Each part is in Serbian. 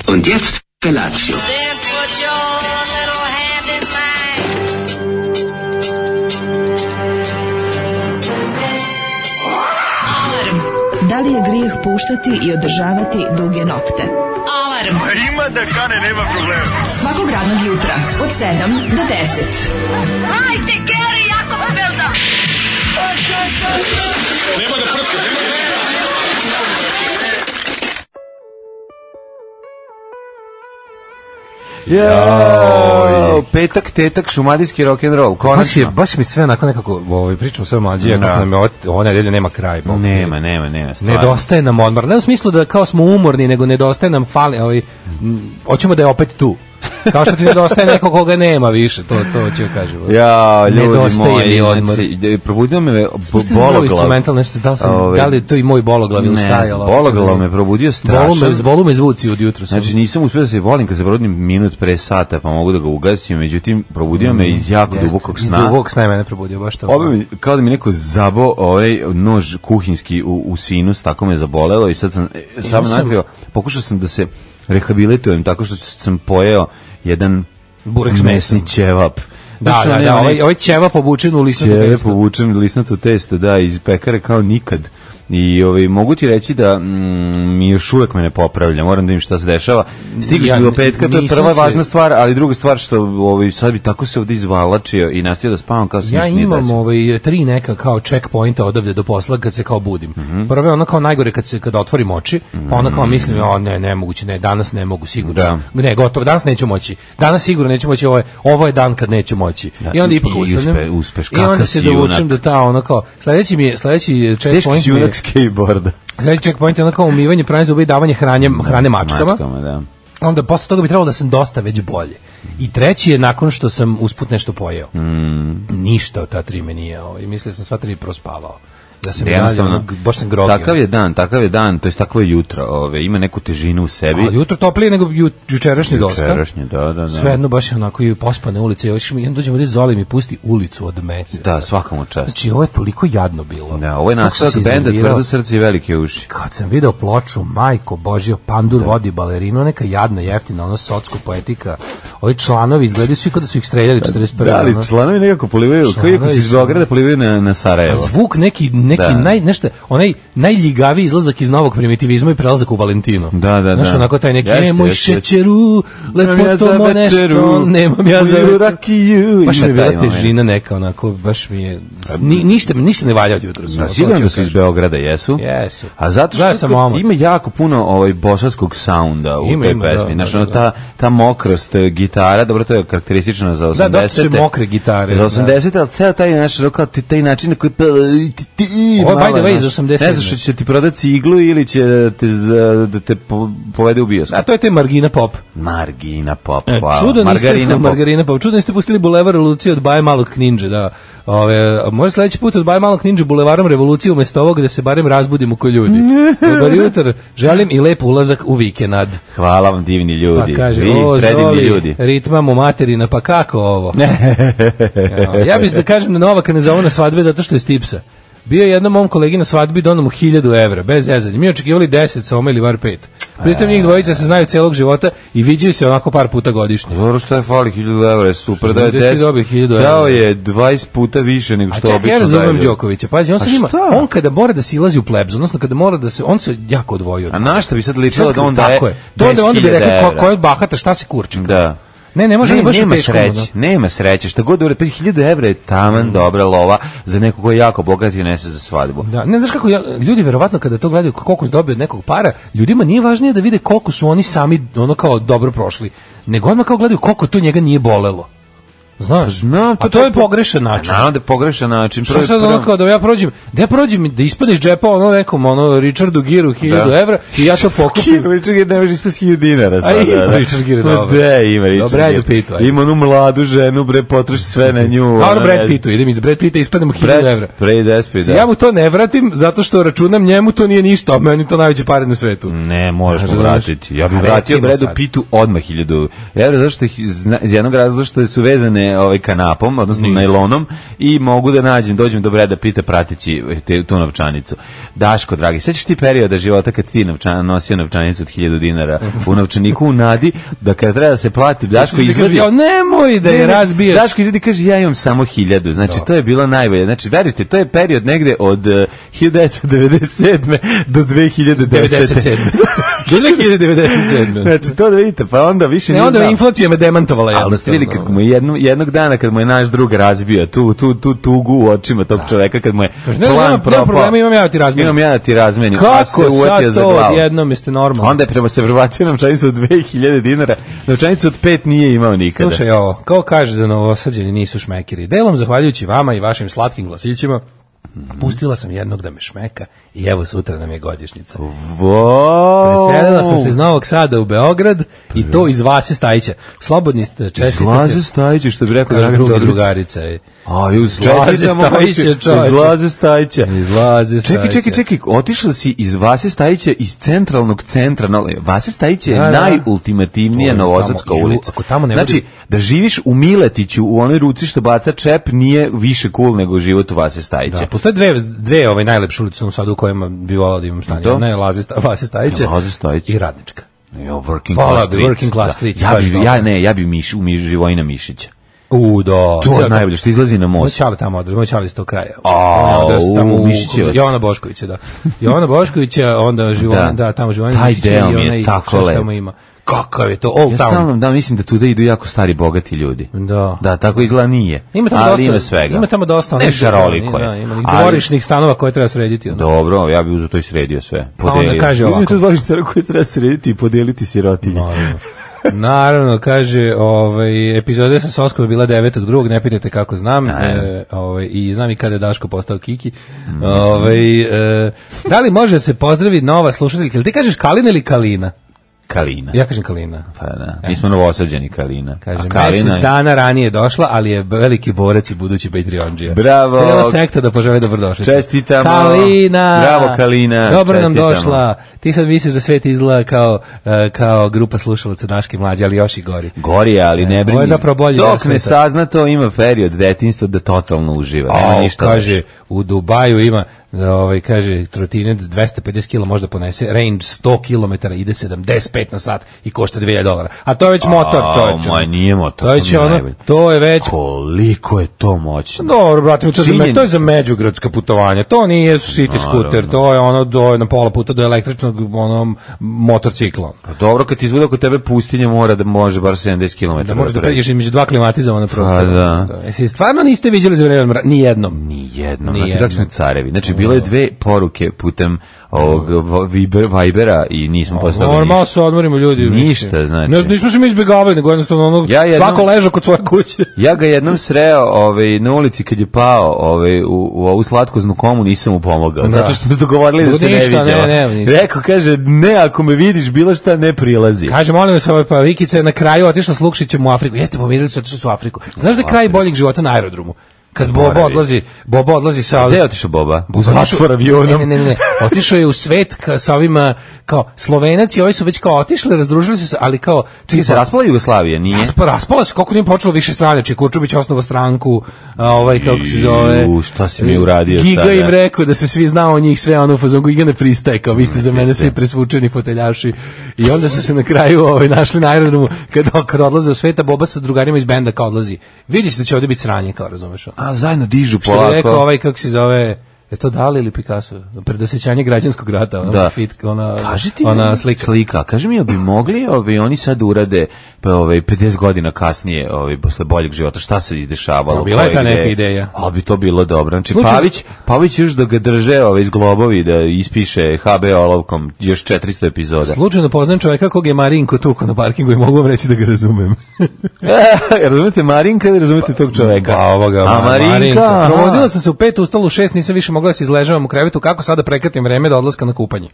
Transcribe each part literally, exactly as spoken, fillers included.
Und jetzt Felatio. Then put your little hand in mine. Alarm. Da li je grijeh puštati i održavati duge nokte? Alarm. A ima da kane, nema problema. Svakog radnog jutra od sedam do deset. Hajde, Geri, jako se velda. Nema da prska, nema da prska. Jo, petak, tetak, šumadijski rock'n'roll, konačno. Baš, baš mi sve onako nekako, ovaj, pričamo sve mlađe, kako nam je ovo, ovo nedelje nema kraj. Bog. Nema, nema, nema, stvarno. Nedostaje nam odmor. Ne u smislu da kao smo umorni, nego nedostaje nam fali, ovaj, m, hoćemo da je opet tu. Kao što ti nedostaje neko koga nema više, to to ću kažem. Ja, ljudi nedostaje moji, mi odmor. znači, probudio me bologlav. bologlav. Nešto, da li, sam, Ove, da li je to i moj bologlav ili šta je? Ne, bologlav me probudio strašno. Bolu me, bolu me zvuci od jutra. Znači nisam uspio da se volim kad se probudim minut pre sata, pa mogu da ga ugasim, međutim probudio me iz jako Jest, dubokog iz sna. Iz dubokog sna je mene probudio, baš to. Ovo mi, kao da mi neko zabo ovaj nož kuhinjski u, u sinus, tako me zabolelo i sad sam e, samo nadvio, pokušao sam da se rehabilitujem tako što sam pojeo jedan burek s mesni mesom. ćevap. Da, da, da, da, ovaj, ovaj ćevap obučen u lisnato testo. Ćevap obučen u lisnato testo, da, iz pekare kao nikad. I ovaj, mogu ti reći da mm, mi još uvek me ne popravlja, moram da im šta se dešava. Stigli smo Ja, do petka, to je prva se... važna stvar, ali druga stvar što ovaj, sad bi tako se ovde izvalačio i nastavio da spavam kao se ja ništa nije imam desilo. ovaj, tri neka kao checkpointa odavde do posla kad se kao budim. Mm-hmm. Prvo je ono kao najgore kad se kad otvorim oči, pa onda kao mislim, o ne, nemoguće, ne, danas ne mogu sigurno. Da. Ne, gotovo, danas neću moći. Danas sigurno neću moći, ovo je, ovo je dan kad neću moći. Da, I onda ipak i ustanem. uspe, uspeš, I onda kakav se si dovučem junak. do ta ono kao, sledeći mi je, sledeći Teški checkpoint si mi je, junak skateboarda. sledeći checkpoint je ono kao umivanje, pranje zuba i davanje hranje, hrane mačkama. Mačkama, da. Onda posle toga bi trebalo da sam dosta već bolje. I treći je nakon što sam usput nešto pojeo. Mm. Ništa od ta tri me nije, ovaj, mislio sam sva tri prospavao. Da sam Jednostavno, dalje, baš sam grogio. Takav je dan, takav je dan, to jest takvo je jutro, ove, ima neku težinu u sebi. A jutro toplije nego ju, jučerašnji dosta. Jučerašnje, da, da, da. Svejedno baš je onako i pospane ulice. I onda dođemo ovdje Zoli mi pusti Ulicu od meseca. Da, svakamo čast. Znači, ovo je toliko jadno bilo. Da, ovo je Kako sam nastavak se benda iznervirao. Tvrdo srce i velike uši. Kad sam video ploču, majko Božjo, Pandur da. Vodi balerinu, neka jadna, jeftina, ono socko poetika. Ovi članovi izgledaju svi kao da su ih streljali četrdeset prve. Da, ali ono. članovi nekako polivaju, koji ako si iz Beograda polivaju na, na Sarajevo. A zvuk neki, neki Da. naj, nešto, onaj najljigaviji izlazak iz novog primitivizma i prelazak u Valentinu. Da, da, Znaš, da. onako taj neki, Jeste, e, moj jeste, jeste. šećeru, lepoto mo nešto, nemam ja za večeru. rakiju. Baš mi je Ima bila taj moment. težina neka, onako, baš mi je, ni, ništa, ništa ne valja od jutra. Da, sigurno da su iz Beograda, jesu? Jesu. A zato Gledao što sam kao- omot. ima jako puno ovaj bosanskog sounda u Ima, toj ima, pesmi. da, Znaš, da, ono, da. ta, ta mokrost e, gitara, dobro, to je karakteristično za osamdesete. Da, dosta su mokre gitare, Za da. osamdesete, ali ceo taj, znaš, ono, kao ti- taj način na koji peva, ti, ti, Ovo je, by malo, the way, iz znaš, osamdeset. Ne znaš što će ti prodati ciglu ili će da te, z- da te po- povede u bioskop. A to je te Margina Pop. Margina Pop, E, hvala. Čudo niste, Margarina Pop. Margarina Pop. Čudo niste pustili Bulevar Revolucije od Baje Malog Ninja, da. Ove, može sledeći put od Baje Malog Ninja Bulevarom Revolucije umesto ovog da se barem razbudimo ko ljudi. Dobar jutro, želim i lep ulazak u vikend. Hvala vam, divni ljudi. Pa kaže, Vi, o, predivni Zoli, ljudi. ritma mu materina, pa kako ovo? Ja, ja bih da kažem da Novaka ne zovu na svadbe zato što je stipsa. Bio je jednom mom kolegi na svadbi, donao mu hiljadu evra, bez zezanja. Mi očekivali deset, sa ome ili var pet. Pritom njih dvojica se znaju celog života i viđaju se onako par puta godišnje. Dobro, što je fali hiljadu evra, je super da je Gde si deset, dobio hiljadu evra? dao je dvadeset puta više nego A što čekaj, obično ja razumem daju. Đokovića. Pazi, on A sad ima, šta? on kada mora da silazi u plebs, odnosno kada mora da se, on se jako odvojio. A na šta bi sad ličilo da on daje Tako je. To onda, onda bi rekao, ko, ko je bahata, šta se kurči? Da. Ne, ne može Ne, da baš nema teško. sreće, nema sreće. Šta god ure, hiljadu evra je taman dobra lova za nekog ko je jako bogat i nese za svadbu. Da, ne znaš kako ja, ljudi verovatno kada to gledaju koliko su dobili od nekog para, ljudima nije važnije da vide koliko su oni sami ono kao dobro prošli, nego odmah kao gledaju koliko to njega nije bolelo. Znaš, Znam, a to je pogrešan način. Naravno da je pogrešan način. Što Prvo- sad ono prvo- kao da ja prođem, da ja prođem, da ispadneš džepa ono nekom, ono, Richardu Giru hiljadu Da. evra i ja to pokupim. Richard Gere ne može ispast hiljadu dinara A sada. ima da. Richard Gere, Ma dobro. de, ima Richard Dobro, ajde Gere. u pitu, ajde. Ima onu mladu ženu, bre, potroši sve na nju. A ono ona Brad ne- Pittu, idem iz Brad Pitta i ispadnem hiljadu evra. Brad, Brad Pitt, da. Ja mu to ne vratim zato što računam njemu to nije ništa, a meni to najveće pare na svetu. Ne, moraš mu Znaš, vratiti. Ja bih a vratio recimo Bradu sad. Pittu odmah hiljadu evra, zašto ih, zna- iz jednog razloga što su vezane me ovaj kanapom, odnosno najlonom i mogu da nađem, dođem do Breda Pitta prateći te, tu novčanicu. Daško, dragi, sećaš ti perioda života kad ti novčan, nosio novčanicu od hiljadu dinara u novčaniku u nadi, da kada treba da se plati, Daško izvadi... Ja, nemoj da je razbiješ. Daško izvadi, kaže, ja imam samo hiljadu. Znači, to je bilo najbolje. Znači, verujte, to je period negde od uh, hiljadu devetsto devedeset sedme do dve hiljade desete. Do dve hiljade devedeset sedme. Znači, to da vidite, pa onda više ne, ne onda znam. Inflacija me demantovala. Ali da ste vidjeli kad mu je jedno, jednog dana kad mu je naš drug razbio tu, tu, tu tugu u očima tog čoveka, kad mu je Kaži, ne, plan nema, propao. Nema problema, imam ja da ti razmenim. Imam ja da ti razmenim. Kako se sad za to glavu. odjednom jeste normalno? Onda je prema se prebacio novčanicu od dve hiljade dinara. Novčanicu od pet nije imao nikada. Slušaj ovo, kao kaže da Novosađeni nisu šmekeri. Delom zahvaljujući vama i vašim slatkim glasićima, pustila sam jednog da me šmeka i evo sutra nam je godišnjica. Wow. Preselila sam se iz Novog Sada u Beograd i to iz Vase Stajića. Slobodni ste, čestitate. Iz Laze Stajića, što bi rekao Dragan druga Todorić. drugarica. A, iz Laze Stajića, čovječe. Iz Laze Stajića. Iz Laze Stajića. Čekaj, čekaj, čekaj, otišla si iz Vase Stajića, iz centralnog centra. No, Vase Stajića je da, da. najultimativnija novosadska tamo, ulica. Ako tamo ne znači, bude... da živiš u Miletiću, u onoj ruci što baca čep, nije više cool nego život u Vase Stajića. Da, postoje dve, dve ove najlepše ulice u Sadu u kojima bi volao da imam stanje. Ona je Laze Vase Stajića i Radnička. Jo, working Hvala, class street. working class street. Ja bi, ja ne, ja bi miš, u miš, Živojina Mišića. U, da. To je najbolje, što izlazi na most. Moj čale tamo odre, moj čale iz tog kraja. A, tamo u Mišićevac. Jovana Boškovića, da. Jovana Boškovića, onda Živojina, da, tamo Živojina Taj Mišića deo i mi je onaj, tako lep. tamo ima. Kakav je to, Old Ja Town. stalno, da, mislim da tuda idu jako stari, bogati ljudi. Da. Da, tako izgleda nije. Ima tamo ali dosta, ima svega. Ima tamo dosta. Ne šaroliko je. Da, ima Ali- dvorišnih stanova koje treba srediti. Onda. Dobro, ja bih uzeo to i sredio sve. Pa onda kaže ovako. Ima to dvorište koje treba srediti i podijeliti sirotinje. Naravno. Naravno, kaže, ovaj, epizoda sa Soskom je bila devetog drugog, ne pitajte kako znam, e, ovaj, i znam i kada je Daško postao Kiki. Mm. Ovaj, e, da li može se pozdraviti nova slušateljka? Ili ti kažeš Kalina ili Kalina? Kalina. Ja kažem Kalina. Pa da, mi smo novosađeni Kalina. Kaže, A Kalina mesec dana ranije došla, ali je veliki borac i budući Patreonđija. Bravo. Cijela sekta da požele dobrodošlicu. Čestitamo. Kalina. Bravo, Kalina. Dobro nam Čestitamo. došla. Ti sad misliš da svet izgleda kao, uh, kao grupa slušalaca Daške mlađe, ali još i gori. Gori, ali ne brini. Ovo je zapravo bolji deo Dok ne sveta. sazna to, ima period detinjstva da totalno uživa. Nema A, ništa. kaže, u Dubaju ima, ovaj, kaže, trotinec dvesta pedeset kilograma može da ponese, range sto kilometara, ide sedamdeset pet na sat i košta dve hiljade dolara. A to je već motor, čovječe. Ma nije motor. To je već mi je ono, najbolje. to je već... Koliko je to moćno. Dobro, brate, mi, to, je za, me- Činjenica. to je za međugradska putovanja. To nije city scooter, to je ono do, na pola puta do električnog ono, motorcikla. Pa dobro, kad ti izvuda kod tebe pustinja mora da može bar sedamdeset kilometara. Da možeš da pređeš između dva klimatizovana prostora. Pa da. Jesi stvarno niste viđali za vreme mra- ni jednom? Ni jedno. Ni Znači, jednom. kako smo carevi. Znači, bilo je dve poruke putem ovog Viber, Vibera i nismo poslali Normalno ništa. se odmorimo ljudi. Ništa, mislim. znači. Ne, nismo se mi izbjegavali, nego jednostavno ono, Ja jednom- svako ležao kod svoje kuće. Ja ga jednom sreo ovaj, na ulici kad je pao ovaj, u, u ovu slatkoznu komu, nisam mu pomogao. Da. Zato što smo se dogovorili da se ne Ništa, viđamo. ne, ne, ništa. Rekao, kaže, ne, ako me vidiš, bilo šta ne prilazi. Kaže, molim vas, ovaj, pa Vikica je na kraju otišla s Lukšićem u Afriku. Jeste, pomirili su, otišli su u Afriku. Znaš da je kraj boljeg života na aerodromu? Kad Bobo Zaboravim. odlazi, Bobo odlazi sa... Gde je otišao Boba? U Otišao- zatvor avionom. Ne, ne, ne, ne. Otišao je u svet ka, sa ovima, kao, Slovenac i ovi su već kao otišli, razdružili su se, ali kao... Čekaj, se raspala Jugoslavija, nije? Raspa, raspala se, koliko nije počelo više strane, či Kurčubić osnovao stranku, a ovaj, kako se zove... Ju, šta si mi uradio Giga sada? im rekao da se svi znao o njih, sve ono, u fazonu, Giga ne pristaje, kao, vi ste za mene svi presvučeni foteljaši. I onda su se na kraju ovaj, našli na aerodromu, kad, kad odlaze u sveta, Boba sa drugarima iz benda kao odlazi. Vidi se da će ovdje biti sranje, kao, razumeš? A, zajedno dižu Što je rekao polako. ovaj, kako se zove, je to Dali ili Picasso? Predosjećanje građanskog rata, ona, Da. fit, ona, Kaži ti ona meni, slika. slika. Kaži mi, jel bi mogli ovi, oni sad urade pa, ovaj, pedeset godina kasnije, ovaj, posle boljeg života, šta se izdešavalo? Pa, bila je koje ta neka ideje? ideja. A bi to bilo dobro. Znači, Slučajno- Pavić, Pavić još da ga drže ovaj, iz globovi, da ispiše ha be olovkom još četiristo epizoda. Slučajno poznajem čovjeka kog je Marinko tuko na parkingu i mogu vam reći da ga razumem. E, razumete Marinka ili razumete tog čoveka? Pa ovoga, A Marinka, Marinka. aha. Provodila sam se u pet, ustala u šest, nisam više mogla da se izležavam u krevetu, kako sada prekratim vreme do odlaska na kupanje.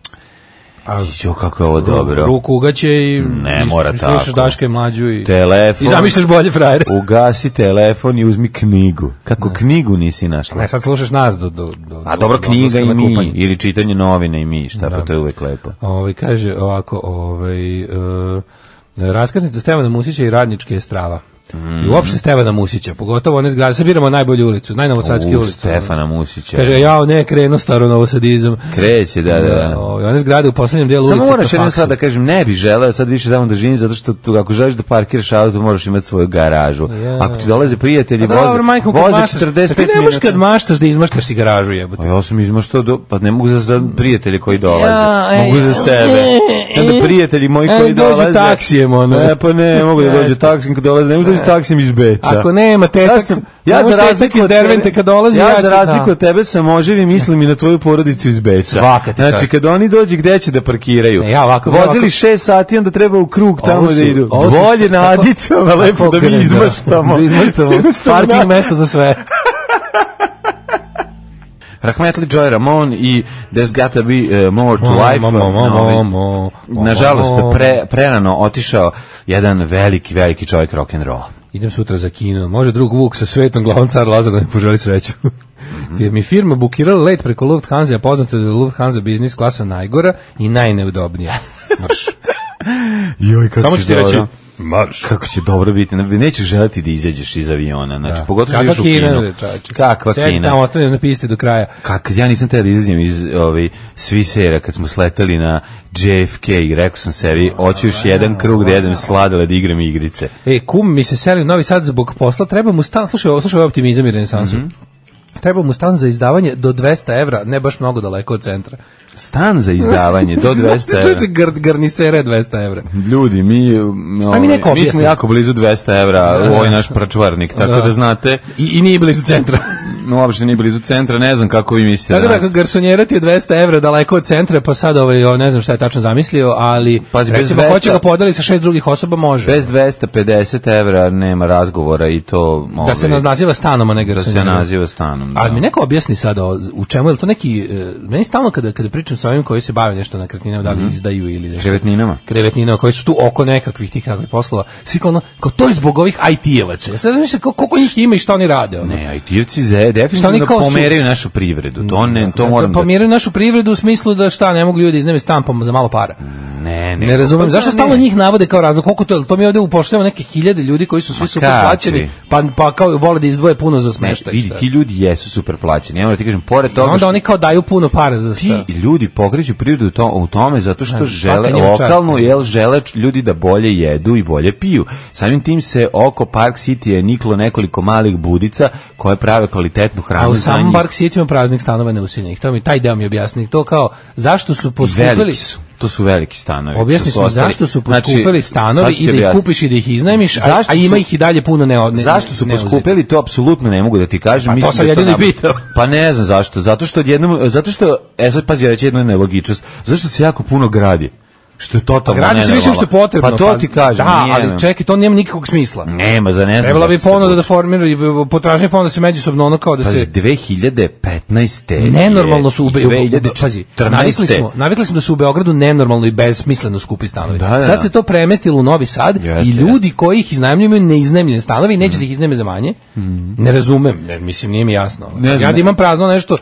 A Jo, kako je ovo dobro. ruku ugaće i Ne i- mora i slušaš tako. Daška i mlađu i, Telefon. i zamišljaš bolje frajere. Ugasi telefon i uzmi knjigu. Kako knjigu nisi našla? Ne, sad slušaš nas do, do, do, A do- dobro, do knjiga odlaska i na mi, kupanje. ili čitanje novine i mi, šta, pa to je uvek lepo. Ovaj kaže ovako, ovaj uh, raskaznica Stevana Musića i Radničke je strava. I uopšte Stefana Musića, pogotovo one zgrade, sad biramo najbolju ulicu, najnovosadski ulicu. Stefana Musića. Kaže, jao, ne, krenu staro novosadizam. Kreće, da, da. da. O, one zgrade u poslednjem delu ulice. Samo moraš jedno sad da kažem, ne bi želeo sad više tamo da živim, zato što tu, ako želiš da parkiraš auto, moraš imati svoju garažu. Ja. Ako ti dolaze prijatelji, pa, voze, dobro, majko, voze četrdeset pet minuta. Ne možeš kad maštaš da izmaštaš si garažu, jebote. Pa ja sam izmaštao, do, pa ne mogu za, za prijatelje koji dolaze. Ja, mogu za sebe. Onda prijatelji moji koji dolaze. Dođu taksijem, ono. Ne, pa ne, mogu da dođu taksijem kad dolaze, ne mogu da dođu taksijem iz Beča. Ako nema tetak, ja, sam, ja za razliku od Dervente kad dolazi, ja, ja za razliku od tebe sam oživi mislim i na tvoju porodicu iz Beča. Svaka ti znači čast. kad oni dođu gde će da parkiraju. Ne, ja ovako, vozili ovako. šest sati onda treba u krug tamo su, da idu. su, Bolje na Adicama lepo da mi izmaštamo. Da izmaštamo. Parking mesto za sve. Rahmetli Joy Ramon i There's Gotta Be uh, More to mo, Life. Mo, mo, mo, mo, nažalost, pre, prerano otišao jedan veliki, veliki čovjek rock'n'roll. Idem sutra za kino. Može drug Vuk sa svetom glavom car Lazar da mi poželi sreću. Mm-hmm. Jer mi firma bukirala let preko Lufthansa, a poznate da je Lufthansa biznis klasa najgora i najneudobnija. Marš. Joj, kako samo ću ti reći, marš. Kako će dobro biti. Nećeš želiti da izađeš iz aviona. Znači, da. Pogotovo Kakva što ideš u kino. Kakva Sedi kina. tamo, ostane na pisti do kraja. Kak, ja nisam teo da izađem iz ovaj, Swissaira kad smo sletali na J F K i rekao sam sebi, hoću još jedan krug da jedem sladole da igram igrice. E, kum mi se seli u Novi Sad zbog posla, treba mu stan, slušaj, slušaj ovaj optimizam i renesansu. Mm -hmm. Treba mu stan za izdavanje do dvesta evra, ne baš mnogo daleko od centra. Stan za izdavanje do dvesta evra. Čuče, gr, garnisere dvesta evra. Ljudi, mi, ovaj, mi, mi smo jako blizu dvesta evra u ovaj naš pračvarnik, tako da, da znate. I, I nije blizu centra. No, uopšte nije blizu centra, ne znam kako vi mislite. Tako da, da garsonjera ti je dvesta evra daleko od centra, pa sad ovaj, ne znam šta je tačno zamislio, ali Pazi, recimo, ko će ga podeli sa šest drugih osoba, može. Bez dvesta pedeset evra nema razgovora i to... Ovaj, da se naziva stanom, a ne garsonjera. Da se naziva stanom, da. Ali mi neko objasni sad o, u čemu, je li to neki... Meni stalno kada, kada pričam sa ovim koji se bave nešto na nekretninama, da li izdaju ili nešto. Krevetninama. Krevetninama, koji su tu oko nekakvih tih nekakvih poslova. Svi kao ono, kao to je zbog ovih I T-evaca. Ja sad mislim koliko njih ima i šta oni rade. Ono. Ne, I T-evci ze, definitivno da pomeraju našu privredu. To, ne, to moram da... Pomeraju našu privredu u smislu da šta, ne mogu ljudi iznajmiti stan pa za malo para. Ne, ne. Ne razumem. Pa, zašto stalno njih navode kao razlog? Koliko to, to mi ovde upošljavamo neke hiljade ljudi koji su svi super plaćeni, pa, pa kao vole da izdvoje puno za smeštaj. Vidi, ti ljudi jesu super plaćeni. Ja moram ti kažem, pored toga... Onda što... oni kao daju puno para za šta. Ti ljudi pokreću privredu to, u tome zato što žele lokalno, jel žele ljudi da bolje jedu i bolje piju. Samim tim se oko Park City je niklo nekoliko malih budica koje prave kvalitetnu hranu. A u samom Park City ima praznih stanova neuseljenih. To mi taj deo mi objasni. To kao zašto su poskupili... To su veliki stanovi. Objasni smo zašto su poskupili znači, stanovi i da ih kupiš i da ih iznajmiš, a, a ima ih i dalje puno ne, ne zašto su poskupili, to apsolutno ne mogu da ti kažem. Pa to sam jedini pitao. Pa ne znam zašto. Zato što odjednom, zato što, e sad pazi, reći jednu nelogičnost, zašto se jako puno gradi? Što je totalno nenormalno. Gradi se više što je potrebno. Pa to ti kažem. Da, nije, ali čekaj, to nema nikakvog smisla. Nema, za ne znam. Trebala bi ponuda da formiraju, potražnje fonda se međusobno ono kao da pazi, se... dve hiljade petnaeste nenormalno su u Beogradu. Pazi, navikli smo, smo, navikli smo da su u Beogradu nenormalno i besmisleno skupi stanovi. Da, da. Sad se to premestilo u Novi Sad jeste, i ljudi jeste. Koji ih iznajmljuju ne iznajmljene stanovi i neće mm. da ih iznajme za manje. Mm. Ne razumem, ne, mislim, nije mi jasno. Ne ja da imam prazno nešto,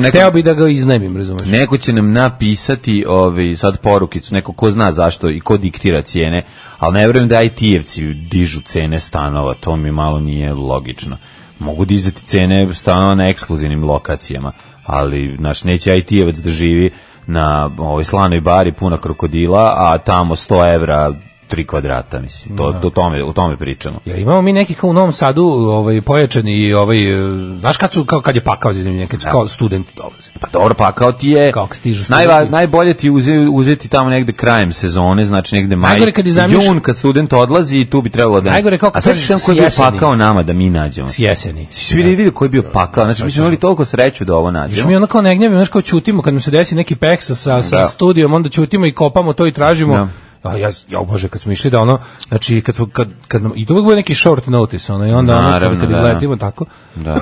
hteo bi da ga iznajmim, razumeš? Neko će nam napisati ovi, sad porukicu, neko ko zna zašto i ko diktira cijene, ali ne vjerujem da I T-evci dižu cene stanova, to mi malo nije logično. Mogu dizati cene stanova na ekskluzivnim lokacijama, ali naš neće I T-evac da živi na ovoj slanoj bari puna krokodila, a tamo sto evra tri kvadrata, mislim. To, to tome, o tome pričamo. Ja, imamo mi neki kao u Novom Sadu ovaj, pojačani, ovaj, znaš kad, su, kao, kad je pakao za iznemljenje, kad su kao studenti dolaze. Pa dobro, pakao ti je, najva, najbolje ti uze, uzeti tamo negde krajem sezone, znači negde maj, kad jun, kad student odlazi i tu bi trebalo da... Najgore kao kad a sad sam koji je bio pakao nama da mi nađemo. S jeseni. Svi da. Vidio koji je bio pakao, znači mi smo imali toliko sreću da ovo nađemo. Još mi ono kao ne gnjavimo, znaš kao čutimo, kad nam se desi neki peksa sa, sa studijom, onda čutimo i kopamo to i tražimo. Da. Ja, ja, ja bože, kad smo išli da ono, znači, kad smo, kad, kad nam, i to uvijek bude neki short notice, ono, i onda naravno, ono, kad, kad izletimo, tako, da.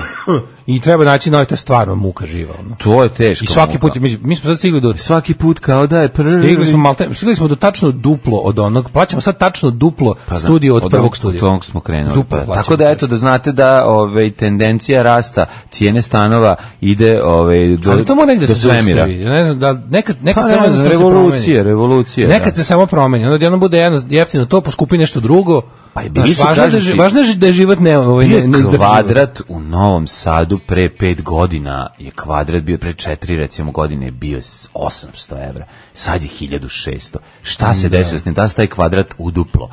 I treba naći, no, to je stvarno muka živa, ono. To je teško. I svaki muka. put, mi, mi smo sad stigli do... Svaki put kao da je prvi... Stigli smo, malte, stigli smo do tačno duplo od onog, plaćamo sad tačno duplo pa studio od, od prvog studija. Od onog smo krenuli. Duplo pa. Tako da, eto, da znate da ove, tendencija rasta cijene stanova ide ove, do, ali to mora negde do se svemira. Ja ne znam, da nekad, nekad pa, samo ne znam, revolucije, revolucije. Nekad da. se samo promeni, onda jedno bude jedno jeftino to, poskupi nešto drugo, Pa i bili Znaš, su, važno, da, kažem je, ti, važno je da je život ne, ovaj, ne, ne izdrživo. kvadrat u Novom Sadu pre pet godina je kvadrat bio, pre četiri recimo godine je bio osamsto evra, sad je hiljadu šesto. Šta se desilo s njim? Da se taj kvadrat uduplo.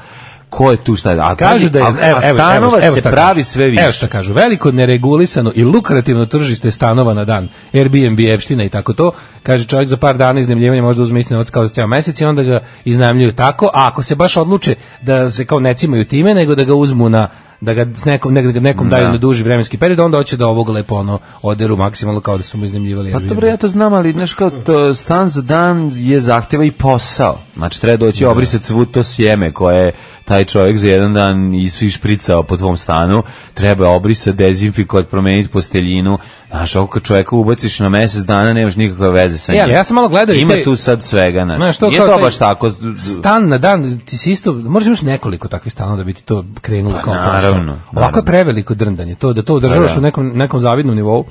Ko je tu šta? A kažu da je, a, evo, a stanova evo, evo se pravi kažu. sve više. Evo šta kažu, veliko neregulisano i lukrativno tržište stanova na dan, Airbnb, Evština i tako to, kaže čovjek za par dana iznajmljivanja možda uzme isti novac kao za ceo mesec i onda ga iznajmljuju tako, a ako se baš odluče da se kao ne cimaju time, nego da ga uzmu na da ga s nekom, nekom, nekom daju Da. na duži vremenski period, onda hoće da ovog lepo ono oderu maksimalno kao da su mu iznajmljivali Pa Airbnb. dobro, ja to znam, ali znaš kao to, stan za dan je zahteva i posao. Znači treba doći obrisati svu to sjeme koje taj čovjek za jedan dan isšpricao po tvom stanu, treba obrisati, dezinfikovati, promeniti posteljinu. Znaš, ako kad čovjeka ubaciš na mesec dana, nemaš nikakve veze sa njim. Ja, ja sam malo gledao i Ima te- tu sad svega, znaš. Znaš, to Nije kao to taj baš tako. Stan na dan, ti si isto, možeš imaš nekoliko takvih stanova da bi ti to krenulo Pa kao naravno, posao. naravno. Ovako je preveliko drndanje, to da to održavaš Pa da. u nekom, nekom zavidnom nivou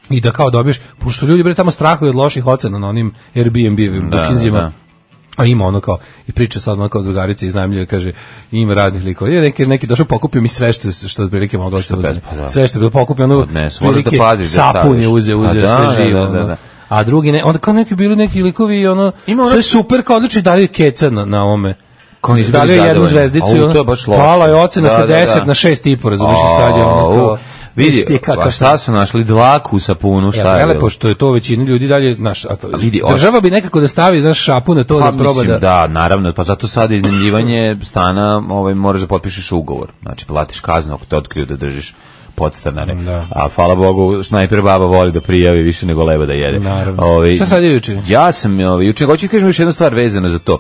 i da kao dobiješ, pošto ljudi bre tamo strahuju od loših ocena na onim Airbnb-evim Da, bookingsima. da. A ima ono kao, i priča sad ono kao drugarica iznajmljuje, kaže, ima raznih likova. I neki, neki došao pokupio mi sve što, što otprilike moglo da se uzme. pa da. Sve što je bilo pokupio, ono, Odnesu, moraš da otprilike paziš da sapun staviš. je uzeo, A uzeo da, sve da, živo. da, da, ono. da. A drugi ne, onda kao neki bili neki likovi, ono, Ima ono- sve super, kao odlično dali keca na, na ome. Kao nisu Dali bili je jednu zadovoljni. zvezdicu i Au, ono, to je baš loše. pala je ocena Da, sa da, da. deset na šest i po, razumiješ i sad je ono Au, kao... vidi, Viš ti kakav a šta su našli dlaku u sapunu, šta Ja, je vele, bilo? pošto je to većina ljudi dalje, znaš, a to, A vidi, država bi nekako da stavi, znaš, šapu na to Pa, da proba mislim, da... da, naravno, pa zato sad iznajmljivanje stana, ovaj, moraš da potpišeš ugovor. Znači, platiš kaznu ako te otkriju da držiš podstanare. Da. A hvala Bogu, snajper baba voli da prijavi više nego leba da jede. Naravno. Ovaj, Šta sad je juče? Ja sam ovaj, juče, hoću ti kažem još jednu stvar vezano za to.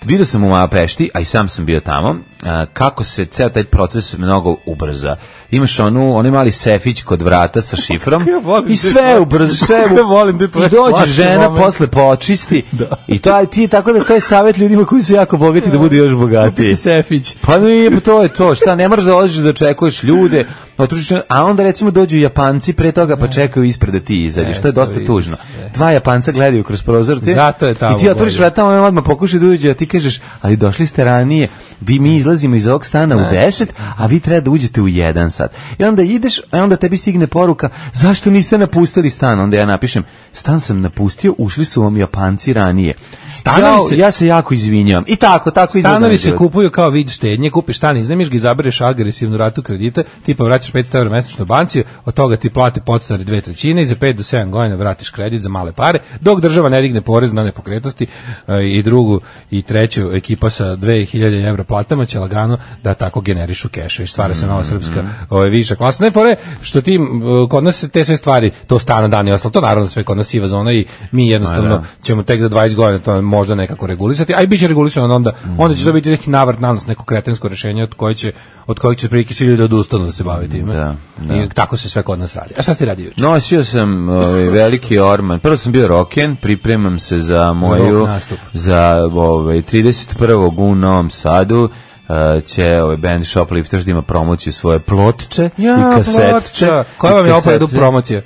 Vidio sam u Majapešti, a i sam sam bio tamo, a, kako se ceo taj proces mnogo ubrza. Imaš onu, onaj mali sefić kod vrata sa šifrom Kako ja volim i te sve tvoje- ubrza, sve kako ja volim te tvoje i dođe slatke žena momente. posle počisti i to aj ti tako da to je savjet ljudima koji su jako bogati da budu još bogatiji. Sefić. Pa nije, pa to je to, šta, ne moraš da odlaziš da očekuješ ljude, otužiš, a onda recimo dođu Japanci pre toga pa čekaju ispred da ti izađeš, to je dosta vidiš, tužno. Dva Japanca gledaju kroz prozor, ti, Zato je tamo i ti otvoriš bolje. vrata, on odmah pokuša da uđe, a ti kažeš, ali došli ste ranije, vi mi izlazimo iz ovog stana u deset, a vi treba da uđete u jedan sat. I onda ideš, a onda tebi stigne poruka, zašto niste napustili stan? Onda ja napišem, stan sam napustio, ušli su vam Japanci ranije. Stanovi ja, se- ja se jako izvinjavam. I tako, tako izgleda Stanovi moj se život. kupuju kao vid štednje, kupiš stan, iznajmiš ga, izabereš agresivnu ratu kredita, tipa vraćaš petsto evra mesečno banci, od toga ti plate podstanari dve trećine i za pet do sedam godina vratiš kredit za male pare, dok država ne digne porez na nepokretnosti e, i drugu i treću ekipa sa dve hiljade evra platama će lagano da tako generišu keš i stvara se nova srpska ovaj, viša klasa. Ne fore što ti m, kod nas se te sve stvari, to stana dan i ostalo, to naravno sve kod nas siva zona i mi jednostavno ćemo tek za dvadeset godina to možda nekako regulisati, a i biće regulisano onda, onda će to biti neki navrat nanos, neko kretensko rešenje od koje će od kojeg će prilike svi ljudi da odustanu da se bave time. Da, da. I tako se sve kod nas radi. A šta ste radi juče? Nosio sam ovaj, veliki orman. Prvo sam bio roken, pripremam se za moju rock nastup. za ovaj trideset prvog u Novom Sadu. Uh, će ovaj band Shoplifters da ima promociju svoje plotče i kasetče. ploča. Koja vam je opet promocija?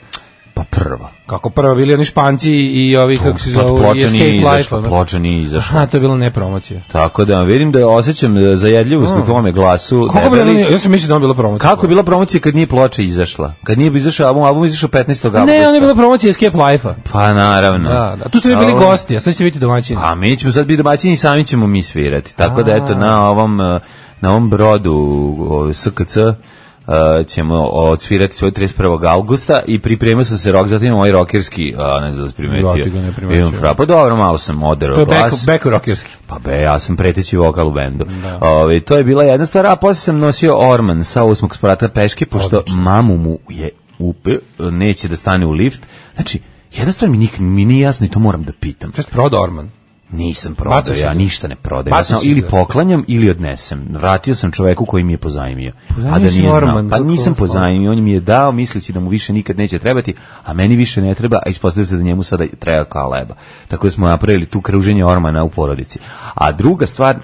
Pa prva. Kako prvo bili oni Španci i ovi kako se Pa zovu i ploča nije Escape Life. izašla, ono. ploča nije izašla. Aha, to je bilo ne promocija. Tako da vidim da osjećam zajedljivost u tvome glasu. Kako bi debeli. ono, ja sam mislio da on bila promocija. Kako je bila promocija kad nije ploča izašla? Kad nije izašao album, album je izašao petnaestog avgusta. Ne, on je bila promocija Escape Life-a. Pa naravno. Da, da. Tu ste vi bili A ovo- gosti, a sad ćete biti domaćini. Pa mi ćemo sad biti domaćini i sami ćemo mi svirati. Tako da eto na ovom eh, na ovom brodu o, S K C eh, ćemo odsvirati svoj trideset prvog avgusta i pripremio sam se rok, zatim imam ovaj rokerski, a ne znam da se primetio. Ja ti ga ne primetio. Imam fra, pa dobro, malo sam oderao To je back, glas. back rockerski. Pa be, ja sam preteći vokal u bendu. Ove, to je bila jedna stvar, a posle sam nosio orman sa osmog sprata peške, pošto mamu mu je upe, neće da stane u lift. Znači, jedna stvar mi, nik, mi nije jasna i to moram da pitam. Šta je prodao Orman? Nisam prodao, Bacio si ja ga? ništa ne prodajem. Ja Bacio sam si ili ga? poklanjam ili odnesem. Vratio sam čoveku koji mi je pozajmio. Pozajmio A da si nije znao. Orman, Pa kako nisam hvala. pozajmio, on mi je dao misleći da mu više nikad neće trebati, a meni više ne treba, a ispostavlja se da njemu sada treba kao leba. Tako da smo napravili tu kruženje Ormana u porodici. A druga stvar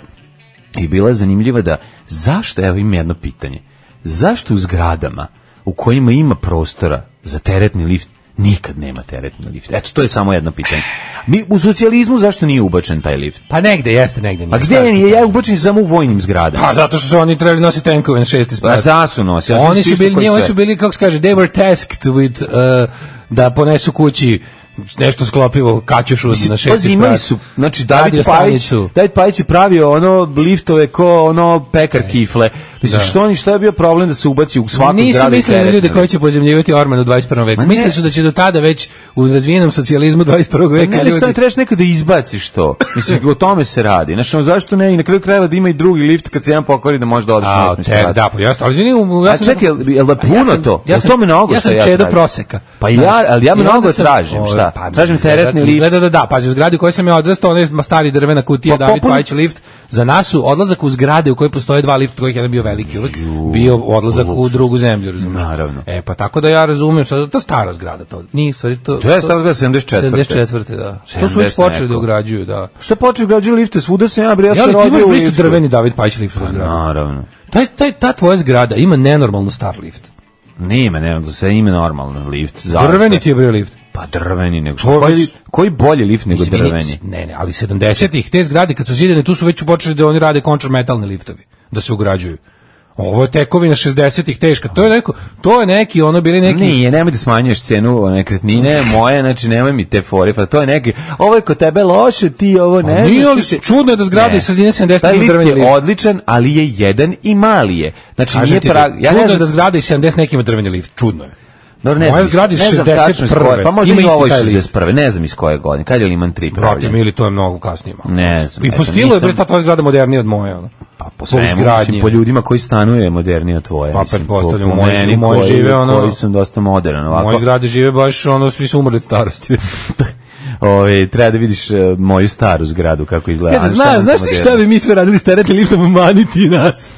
je bila zanimljiva da zašto, evo imam jedno pitanje, zašto u zgradama u kojima ima prostora za teretni lift nikad nema teretni lift. Eto, to je samo jedno pitanje. Mi u socijalizmu zašto nije ubačen taj lift? Pa negde jeste, negde nije. A gde nije? Ja je ubačen samo u vojnim zgradama. Pa zato što su oni trebali nositi tenkove na šesti sprat. Pa da su nosi. Ja oni su bili, nije, oni su bili, kako se kaže, they were tasked with, uh, da ponesu kući nešto sklopivo kaćušu na šesti sprat. Imali su, znači David Pajić, David Pajić je pravio ono liftove ko ono pekar kifle. Mislim, što oni, što je bio problem da se ubaci u svaku zgradu? Nisu mislili na ljude koji će pozemljivati orman u dvadeset prvom veku. Mislili su da će do tada već u razvijenom socijalizmu dvadeset prvog veka ne, ljudi... Ne, ne, trebaš nekada izbaciš to. Mislim, o tome se radi. Znači, zašto ne? I na kraju krajeva da ima i drugi lift kad se jedan pokvari da može da odeš na te, da, pa jasno, ali izvini, ja sam... A čekaj, je li puno to? Ja sam, mnogo ja sam čedo proseka. Pa ja, ali ja mnogo tražim, šta? Tražim teretni lift. Da, da, da, pazi, u zgradi u kojoj sam ja odrastao, onaj stari drvena kutija, David Pajić lift, za nas su odlazak u zgrade u kojoj postoje dva lifta, kojih jedan bio veliki uvek, bio odlazak u drugu zemlju, razumiješ? Naravno. E, pa tako da ja razumijem, sad to stara zgrada, to nije, stvari, to... To je stara zgrada sedamdeset četvrte. sedamdeset četvrte, da. To su već počeli da ugrađuju, da. Šta počeli ugrađuju lifte, svuda sam ja, bre, ja sam rodio u liftu. Ja, ali ti imaš isto drveni David Pajić lift u zgradu. Naravno. Taj, taj, ta tvoja zgrada ima nenormalno star lift. Nema, nema, sve ima normalno lift. Drveni ti je bio lift. Pa drveni nego. Koji, koji bolji lift nego drveni? Ne, ne, ali sedamdesetih te zgrade kad su zidane, tu su već počeli da oni rade kontrametalni liftovi, da se ugrađuju. Ovo je tekovina šezdesetih teška. To je neko, to je neki, ono bili neki. Nije, nemoj da smanjuješ cenu nekretnine moje, znači nemoj mi te fore, pa to je neki. Ovo je kod tebe loše, ti ovo ne. Nije, ali se čudno je da zgrade iz sredine sedamdesetih ima drveni lift. Taj lift je odličan, ali je jedan i mali je. Znači nije prav. Ja ne znam da zgrade iz sedamdeset neki ima drveni lift, čudno je. Dobro, ne znam, zgradi iz šezdeset prve. Pa možda ima ovo iz šezdeset prve, ne znam iz koje godine. Kad je Liman tri pravljen? Brate, ili to je mnogo kasnije. Ne znam. I po stilu je bre ta tvoja zgrada modernija od moje. Ono. Pa po svemu, mislim, po ljudima koji stanuje je modernija od tvoje. Pa pretpostavljam, u mojoj moj žive ono... Koji sam dosta modern. U mojoj zgradi žive baš, ono, svi su umrli od starosti. Ove, treba da vidiš uh, moju staru zgradu kako izgleda. Kaže, zna, znaš ti šta bi mi sve radili s teretnim liftom, maniti nas?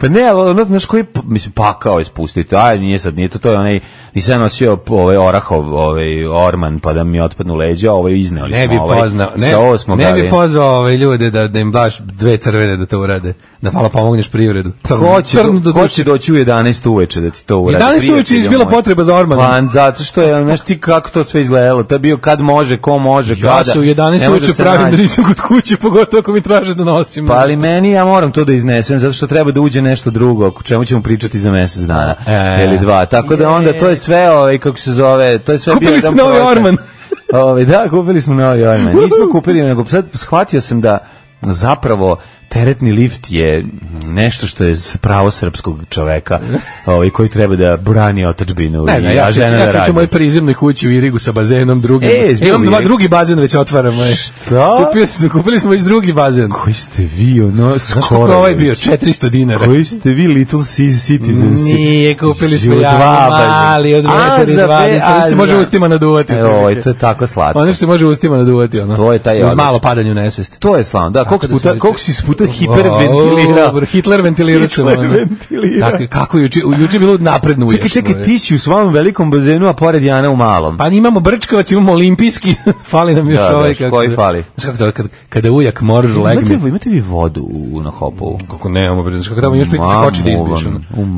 Pa ne, ono, znaš koji, mislim, pakao ispustiti, aj, nije sad, nije to, to je onaj, nisam ja nosio ovaj orahov, ovaj orman, pa da mi otpadnu leđa, ovaj izneli smo, ne bi ovaj, poznao, ne, ovo smo ne gavi. bi pozvao ove ljude da, da im daš dve crvene da to urade, da malo pomogneš privredu. Ko će, do, ko će doći u jedanaest uveče da ti to urade? jedanaest uveče je izbila potreba za ormanom. Pa, zato što je, znaš ti kako to sve izgledalo, to je bio kad može, ko može, kada. Ja se u jedanaest uveče pravim da nisam kod kuće, pogotovo ako mi traže da nosim. Pa ali meni, ja moram to da iznesem, zato što treba da uđe nešto drugo, o čemu ćemo pričati za mjesec dana e, ili dva. Tako da onda to je sve, ovaj, kako se zove, to je sve kupili bio jedan novi orman. Ovaj, da, kupili smo novi orman. Nismo kupili, nego sad shvatio sam da zapravo teretni lift je nešto što je pravo srpskog čoveka, ovaj koji treba da brani otadžbinu. Ne, ne, ja žena ja sam u mojoj prizemnoj kući u Irigu sa bazenom drugim. E, imam dva drugi bazen već otvaramo. Šta? Kupili smo, kupili smo već drugi bazen. Koji ste vi, ono, skoro. Ovaj bio četiristo dinara. Koji ste vi, Little Citizens? Nije, kupili smo ja mali od metar i dvadeset. Ono što se može ustima naduvati. Evo, to je tako slatko. Ono što se može ustima naduvati, ono. To je taj uz malo padanje u nesvest. To je slavno. Da, koliko puta, koliko si puta hiperventilirao. Oh, Hitler ventilirao se. Tako, kako juče, juče bilo napredno uješ. Čekaj, čekaj, ti si u svom velikom bazenu, a pored Jana u malom. Pa imamo Brčkovac, imamo olimpijski, fali nam još da, ovaj. Da, koji fali? Znaš kako to, kada, kada ujak morž legne. Imate, imate vi vodu u, na Hopovu? Kako nemamo, znaš kako tamo još pritisak skoči da izbiš.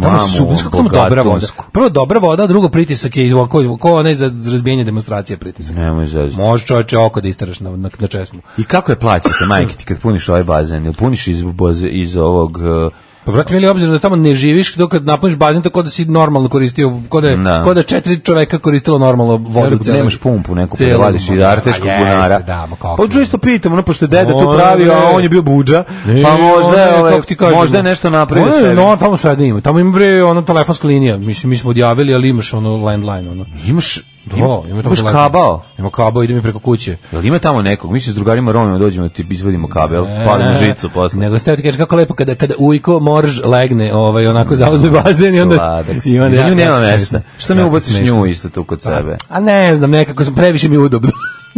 Tamo su, znaš kako tamo dobra voda. Prvo dobra voda, drugo pritisak je izvoj, ko, ko onaj za razbijenje demonstracije pritisak. Nemoj zaziti. Može čoveče oko da istaraš na, na, na česmu. I kako je plaćate, majke ti, kad puniš ovaj bazen? Ili puniš iz, iz ovog... Uh, Pa brate, mi obzirom da tamo ne živiš, dok kad napuniš bazen, tako da si normalno koristio, kod da, da. Kod da četiri čoveka koristilo normalno vodu. Ja, nemaš pumpu neku, pa da vadiš iz arteškog bunara. Da, pa čisto pitam, ono, pošto je deda tu pravio, a on je bio budža, pa možda, ove, možda je nešto napravio sve. No, tamo sve da ima. Tamo ima bre, ono, telefonska linija. Mislim, mi smo odjavili, ali imaš ono landline, ono. Imaš... Da, ima tamo kabao. Ima kabao, ide mi preko kuće. Jel ima tamo nekog? Mi se s drugarima Romima dođemo da ti izvadimo kabel, e, palimo žicu posle. Nego ste ti kažeš kako lepo kada kada ujko morž legne, ovaj onako zauzme bazen i onda Sladak, i onda ja, nema mesta. Što ne ubaciš nju isto tu kod sebe? A ne znam, nekako sam previše mi udobno.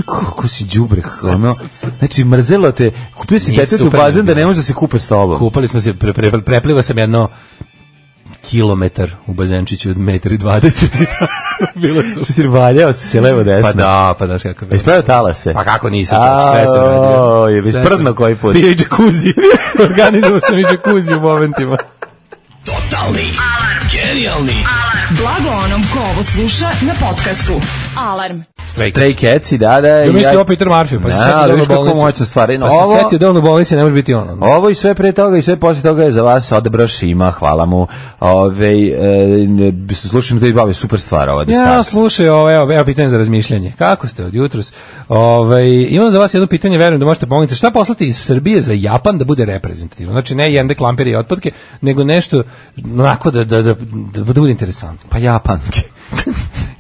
Kako si đubre, ono. Znači mrzelo te. Kupio si detetu bazen da ne može da se kupa s tobom. Kupali smo se, pre, pre, prepliva sam jedno kilometar u bazenčiću od metar i dvadeset. Bilo su. Što si valjao se levo desno. Pa da, pa znaš kako. Ispravio talase. Pa kako nisam, sve sam radio. O, je već prdno koji put. Bio i džakuzi. Organizovao sam i džakuzi u momentima. Totalni alarm. Genijalni. Blago onom ko ovo sluša na podcastu. Alarm. Stray Catsi, da, da. Ja mislim ovo Peter Murphy, pa se setio da ono bolnici. Moćna stvar. Pa se setio da ono bolnici ne može biti ono. Ovo i sve pre toga i sve posle toga je za vas odabrao Šima, hvala mu. Ove, e, slušam da je bavi super stvar ova The Stars. Ja, slušaj, ovo, evo, evo pitanje za razmišljanje. Kako ste od jutros? Ove, imam za vas jedno pitanje, verujem da možete pomoći. Šta poslati iz Srbije za Japan da bude reprezentativno? Znači, ne jende klamperi i otpadke, nego nešto onako da, da, da, da, da bude interesantno. Pa Japanke.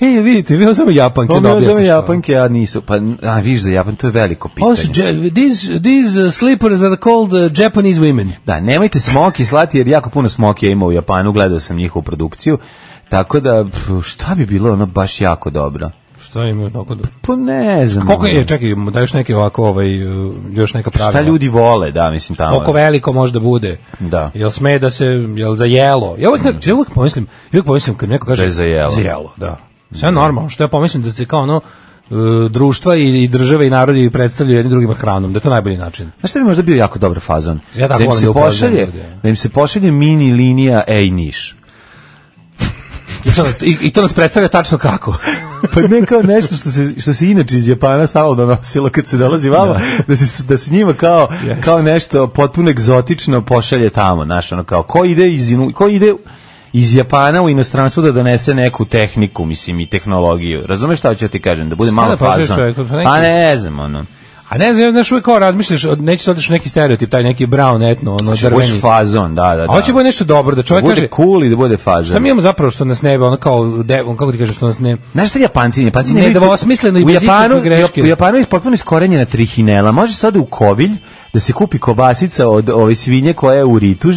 E, vidite, vi samo Japanke. Pa mi samo Japanke, a nisu. Pa, a, viš za Japan, to je veliko pitanje. Also, these, these uh, slippers are called uh, Japanese women. Da, nemojte smoki slati, jer jako puno smokija ima u Japanu, gledao sam njihovu produkciju, tako da, pff, šta bi bilo ono baš jako dobro? Šta ima tako dobro? Pa ne znam. Koliko je, čekaj, da još neke ovako, ovaj, još neka pravila. Šta ljudi vole, da, mislim tamo. Koliko veliko može da bude. Da. Jel sme da se, jel za jelo? Ja uvijek, ja uvijek pomislim, ja uvijek pomislim kad neko kaže da je za jelo. Za jelo, da. Sve normalno, što ja pomislim da se kao ono, društva i, i države i narodi predstavljaju jednim drugima hranom, da je to najbolji način. Znaš šta bi možda bio jako dobar fazon? Ja da, im se da, pošalje, da im se pošalje mini linija Ej Niš. I to, i, I to nas predstavlja tačno kako. Pa ne kao nešto što se, što se inače iz Japana stalno donosilo kad se dolazi vama, da se, da se njima kao, kao nešto potpuno egzotično pošalje tamo, znaš, ono kao, ko ide iz, ko ide iz Japana u inostranstvo da donese neku tehniku, mislim, i tehnologiju. Razumeš šta ću ti kažem? Da bude malo fazon. Pa ne znam, ono. A ne znam, znaš, uvijek kao razmišljaš, neće se odeš neki stereotip, taj neki brown etno, ono drveni. Hoće fazon, da, da, da. A hoće bude nešto dobro, da čovjek da kaže... bude cool i da bude fazon. Šta mi imamo zapravo što nas ne, ono kao, de, on, kako ti kažeš, što nas ne... Znaš šta Japanci, Japanci ne... Nedvosmisleno i bez ikakve greške. U Japanu je potpuno iskorenjena trihinela. Može sad u Kovilj da se kupi kobasica od ove svinje koja je u Ritu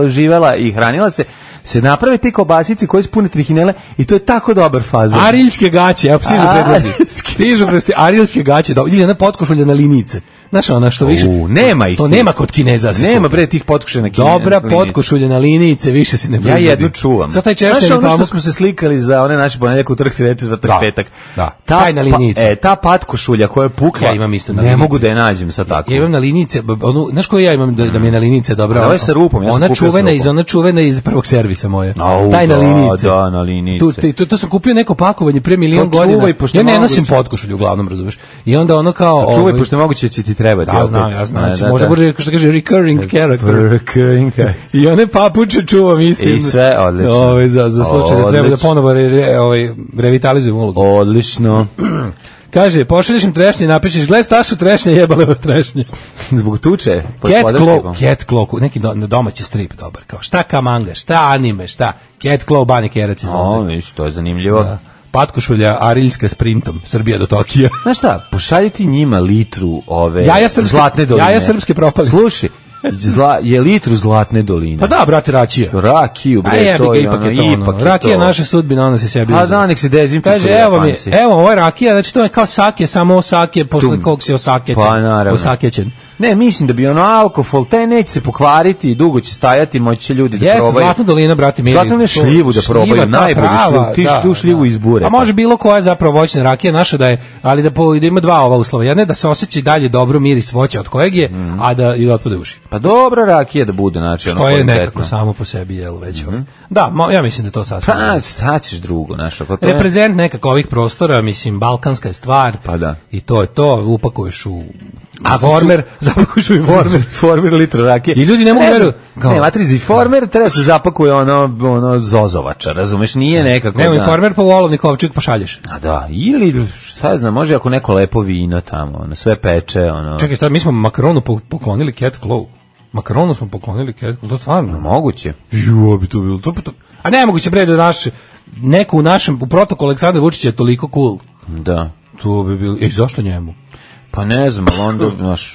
živela i hranila se, se naprave te kobasice koje su pune trihinele i to je tako dobar fazon. Ariljske gaće, evo stižu predlozi. Stižu predlozi, ariljske gaće, ili jedna potkošulja na linice. Znaš, ona što više... U, nema ih. To nema kod Kineza. Nema bre tih potkošulja na Kineza. Dobra potkošulja na linice, više se ne proizvodi. Ja jednu čuvam. Sad taj češtaj znaš, ono što smo se slikali za one naše ponedjeljak, utorak, sreda, četvrtak, petak. Da, ta, taj na linice. Pa, e, ta potkošulja koja je pukla, ja imam isto na ne linice. mogu da je nađem sad tako. Ja imam na linice, onu, znaš koju ja imam da, da mi je na linice dobra? Ovo je sa rupom, ja sam ona čuvena iz, ona čuvena iz prvog servisa moje. Au, taj na da, linice. Da, na linice. Tu, te, to, to sam kupio neko pakovanje pre milion godina. Ja ne nosim potkošulju, uglavnom, razumeš. I onda ono kao... Čuvaj, pošto moguće će ti trebati. Da, znam, ja znam. Znači, možda bude, što kaže, recurring character. Recurring character. I one papuče čuvam istim. I sve, odlično. Ove, za, za slučaj da treba da ponovo re, re, ovaj, revitalizujem ulogu. Odlično. Kaže, pošalješ im trešnje i napišeš, gled Stašu trešnje, jebale vas trešnje. Zbog tuče? Cat Claw, Cat Claw, neki do, domaći strip dobar, kao šta ka manga, šta anime, šta, Cat Claw, Bani Kerac. O, viš, to je zanimljivo. Da. Patkošulja ariljska sprintom, Srbija do Tokija. Znaš šta, pošaljiti njima litru ove jaja srpske, zlatne doline. Jaja srpske propali. Slušaj, Zla, je litru zlatne doline. Pa da, brate, rakija. Rakiju, bre, jebi, to je ipak ono, je to, ono. ipak je rakija to. naša sudbina, ona se sebi. A da, nek se dezinfikuje. Kaže, evo mi, evo, ovo je rakija, znači to je kao sake, samo sake, posle kog se osakećen. Pa naravno. Osakećen. Ne, mislim da bi ono alkohol, taj neće se pokvariti, dugo će stajati, moći će ljudi da Jeste, probaju. Zlatna dolina, brate, mili. Zlatna dolina šljivu da probaju, najbolju šljivu, ti da, tu šljivu da. Izbure. A može bilo koja zapravo voćna rakija naša da je, ali da, po, da ima dva ova uslova. Jedna je da se osjeća dalje dobro miris voća od kojeg je, mm. a da i da otpade uši. Pa dobra rakija da bude, znači ono. Što je nekako samo po sebi, jel, već mm -hmm. Da, mo, ja mislim da to sasvim. Pa, šta ćeš drugo, znaš, ako to je... Reprezent nekako ovih prostora, mislim, balkanska je stvar. Pa da. I to je to, upakuješ u a former, zapakuješ u former, former litru rakije. I ljudi ne mogu veru. Ne, matrizi former treba se zapakuje ono ono zozovača, razumeš, nije nekako. Ne, former pa volovnik ovčik pošalješ. A da, ili šta znam, može ako neko lepo vino tamo, ono sve peče, ono. Čekaj, šta, mi smo Makronu poklonili Cat Claw. Makronu smo poklonili Cat Claw, to stvarno no, moguće. Ju, bi to bilo to, to. A ne moguće bre da naš neko u našem u protokolu Aleksandar Vučić je toliko cool. Da. To bi bilo. Ej, zašto njemu? Pa ne znam, ali onda, znaš,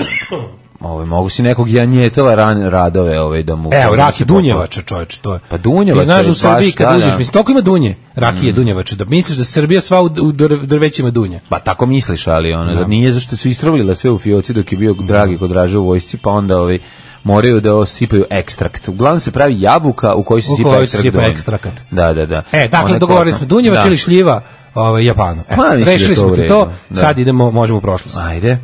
ove, mogu si nekog Janjetova ran, radove ove, da mu... Evo, rakije Dunjevača, čovječe, to je. Pa Dunjevača. Ti znaš u Srbiji kad uđeš, mislim, toliko ima dunje, rakije mm. Dunjevača, da misliš da Srbija sva u, u drvećima dunje. Pa tako misliš, ali ono, da nije zašto su istrovljila sve u fioci dok je bio Dragi kod Draže u vojsci, pa onda ovi moraju da osipaju ekstrakt. Uglavnom se pravi jabuka u kojoj se sipa ekstrakt. sipa ekstrakt. Da, da, da. E, dakle, dogovorili smo Dunjevač ili šljiva ovaj, Japanu. E, pa, rešili smo ti to, da. Sad idemo, možemo u prošlost. Ajde.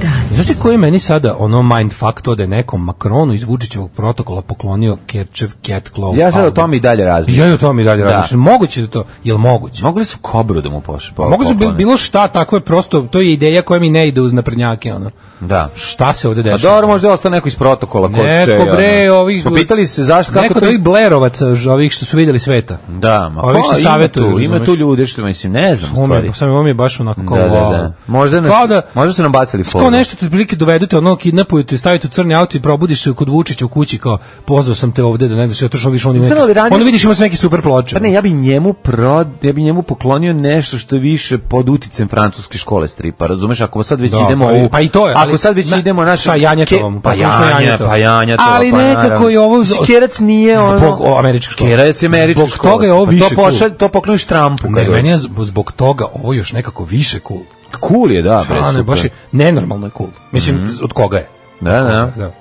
dan. Znaš ti koji je meni sada ono mindfuck to da je nekom Macronu iz Vučićevog protokola poklonio Kerčev Cat Claw? Ja sad o album? tome i dalje razmišljam. Ja i o tome i dalje Da. razmišljam. Moguće da to, jel moguće? Mogli su kobru da mu pošle. Po, Mogu su bil- poklone. bilo šta, tako je prosto, to je ideja koja mi ne ide uz naprednjake, ono. Da. Šta se ovde A dešava? dobro, možda je ostao neko iz protokola. Ko Neko čega, bre, ono. ovih... Smo pitali se zašto, kako Neko to... od ovih Blerovaca, ž- ovih što su vidjeli sveta. Da, ma Ovih što ko, ima savjetuju, tu, ima razumeš? tu ljude što, mislim, ne znam Ovo mi, stvari. sam ovo mi je baš onako kao... Da, da, wow. da. Možda, nas, Kao da- možda su nam bacili Kao foru. nešto te prilike dovedete, ono kidnapuju te, stavite u crni auto i probudiš se kod Vučića u kući kao pozvao sam te ovde da ne znaš, otišao više on ima Znam li neki, ranije- ono vidiš ima sve neki super ploče. Pa ne, ja bi njemu prod, ja bi njemu poklonio nešto što je više pod uticajem francuske škole stripa, razumeš? Ako sad već Da, idemo pa i- u... pa i to je, ali- Ako sad već na- idemo naš sa Janjetovom, pa pa Janja, Janjetova. pa Janjetova, Ali pa nekako naravno. je ovo- Mislim, Kerac nije ono... Zbog o, američke škole. Kerac je američka Zbog škola. toga je ovo Pa više to cool. pošalj, to pokloniš Trumpu. Ne, kad meni je dođe. zb- zbog toga ovo još nekako više cool. Cool je, da, bre, A, ne, super. baš je nenormalno je cool. Mislim, Mhm. od koga je? Da, da. Da.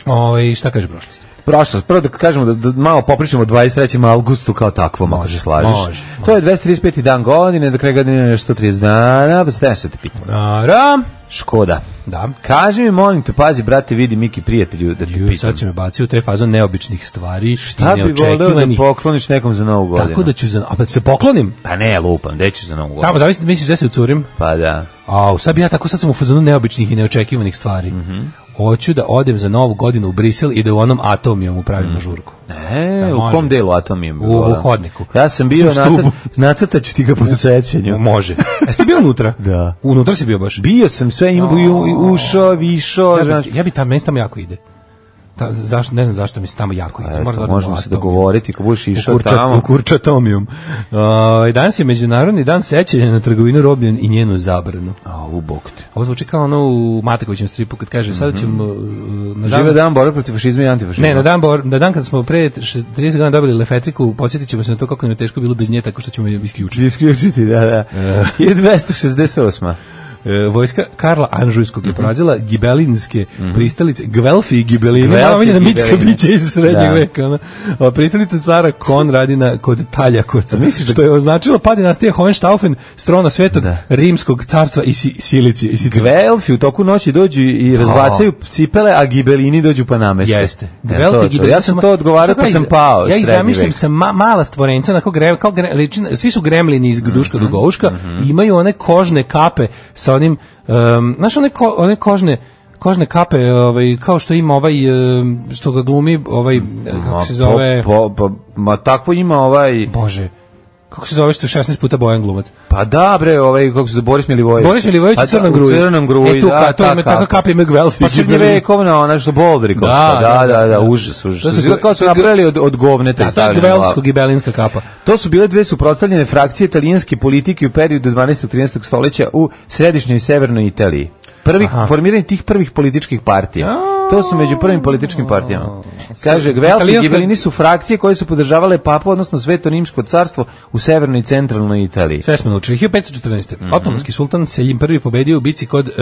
Ovaj šta kaže prošlost? Prošlost, prvo da kažemo da, da malo popričamo o dvadeset trećem avgustu kao takvom, ako se slažeš. može, To je dvesta trideset peti dan godine, do kraja godine je sto trideset dana, pa se nešto te pitam. Ara, Škoda. da. Kaži mi, molim te, pazi, brate, vidi Miki, prijatelju, da te Ju, pitam. sad će me bacio u taj fazon neobičnih stvari, Šta i bi voleo da neočekivanih. pokloniš nekom za novu godinu? Tako da ću za, a pa da se poklonim. Pa ne, lupam, gde ćeš za novu godinu? Tamo zavisi, misliš da se ucurim? Pa da. A, sad bi ja tako sad sam u fazonu neobičnih i neočekivanih stvari. Hoću da odem za novu godinu u Brisel i da u onom Atomijom upravimo žurku. E, Da, u može. kom delu Atomijom? U- u hodniku. Ja sam bio, U stubu. nacrt, nacrtaću ti ga po sećanju. Može. Jeste bio unutra? Da. Unutra si bio baš? Bio sam sve, ima, u- ušao, višao, Ja znaš. bi, ja bi tamo, meni se tamo jako ide. Ta, zašto, ne znam zašto mi se tamo jako ide. Eto, Moram da odem možemo u se Atomiju. dogovoriti, ako budeš išao U kurča- tamo. U kurčatomijum. Uh, danas je Međunarodni dan sećanja na trgovinu robljen i njenu zabranu. A, u bog te. Ovo zvuči kao ono u Matekovićem stripu kad kaže sada ćemo uh, na dan... Žive dan borbe protiv fašizma i antifašizma. Ne, na dan, bor, na dan kad smo pre trideset godina dobili lefetriku, podsjetit ćemo se na to kako nam je teško bilo bez nje, tako što ćemo je isključiti. Isključiti, da, da. hiljadu dvesta šezdeset osma. E, vojska Karla Anžujskog je porazila gibelinske pristalice, Gvelfi i Gibelini, Gvelfi malo na mitska Gibeline. bića iz srednjeg Da. veka. Ono. A pristalica cara Konradina kod Taljakoca, Misliš da- što je označilo pad dinastije Hohenstaufen, strona svetog Da. rimskog carstva i si, Silicije. I Sicilije. Gvelfi u toku noći dođu i razbacaju cipele, a gibelini dođu pa nameste. Jeste. E, Gvelfi to, i to. Gibelini. Ja sam to odgovarao Šta pa iz- sam pao. Ja ih srednji zamišljam vek. sa ma, mala stvorenca, onako gre, kao gre, liči na- svi su gremlini iz Duška do Gouška i imaju one kožne kape sa onim, um, znaš one, ko, one kožne kožne kape, ovaj, kao što ima ovaj, um, što ga glumi, ovaj, kako se zove, Po, po, po, ma takvo ima ovaj... Bože, kako se zove što je šesnaest puta Bojan glumac? Pa da, bre, ovaj, kako se zove, Boris Milivojević. Boris Milivojević Pa u da, Crnom gruji. U Crnom gruji, E, tu, da, ka, to ta ima, kapa. taka kape ima Gvelfi. Pa srednjevekovna, ona što Boldrikovska, da, da, da, užas, užas. To To su- su kao su napravili od, od govneta i Da, ta stavili na glavu. Gvelsko-gibelinska kapa. To su bile dve suprotstavljene frakcije italijanske politike u periodu dvanaestog trinaestog stoljeća u središnjoj i severnoj Italiji. Prvih, Aha. formiranje tih prvih političkih partija. To su među prvim političkim partijama. Kaže, Gvelfi i Italijanska- Gibelini su frakcije koje su podržavale papu, odnosno Sveto rimsko carstvo u severnoj i centralnoj Italiji. Sve smo naučili. hiljadu petsto četrnaeste. Otomanski sultan Selim prvi pobedio u bici kod e,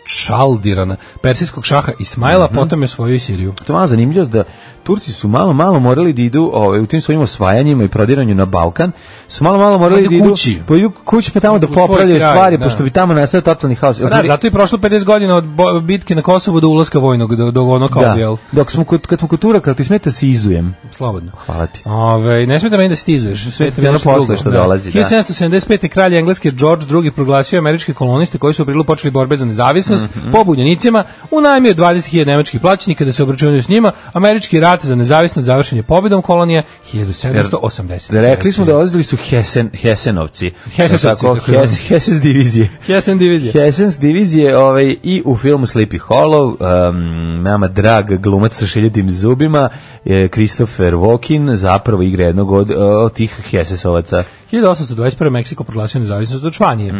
Čaldirana, persijskog šaha Ismaila, potom je osvojio i Siriju. To je malo zanimljivo da Turci su malo malo morali da idu ovaj, u tim svojim osvajanjima i prodiranju na Balkan, su malo malo morali Pa da idu idu kući. pa idu kući pa tamo da U svoj popravljaju kraj, stvari, da. pošto bi tamo nastao totalni haos. Pa da, zato je prošlo pedeset godina od bo- bitke na Kosovu do ulaska vojnog, do, do ono kao, Da. jel? Dok smo kod, kad smo kod Turaka, ti smeta se izujem. Slobodno. Hvala ti. Ove, ne smeta meni da stizuješ. Sve Ti ono posle što dolazi, da. hiljadu sedamsto sedamdeset pete. kralj engleske George drugi proglasio američke koloniste koji su u aprilu počeli borbe za nezavisnost Mhm. po bunjenicima, unajmio dvadeset hiljada nemačkih plaćenika da se obračunaju s njima. Američki rat za nezavisnost završen je pobedom kolonije hiljadu sedamsto osamdeset. Rekli smo da dolazili su Hesen, Hesenovci. Hesesovci, Tako, kako je Hes, Heses divizije. Hessen divizija. Hesens divizije ovaj, i u filmu Sleepy Hollow, um, nama drag glumac sa šiljatim zubima, je Christopher Walken, zapravo igra jednog od, od tih Hesesovaca. hiljadu osamsto dvadeset prve. Meksiko proglasio nezavisnost od Španije.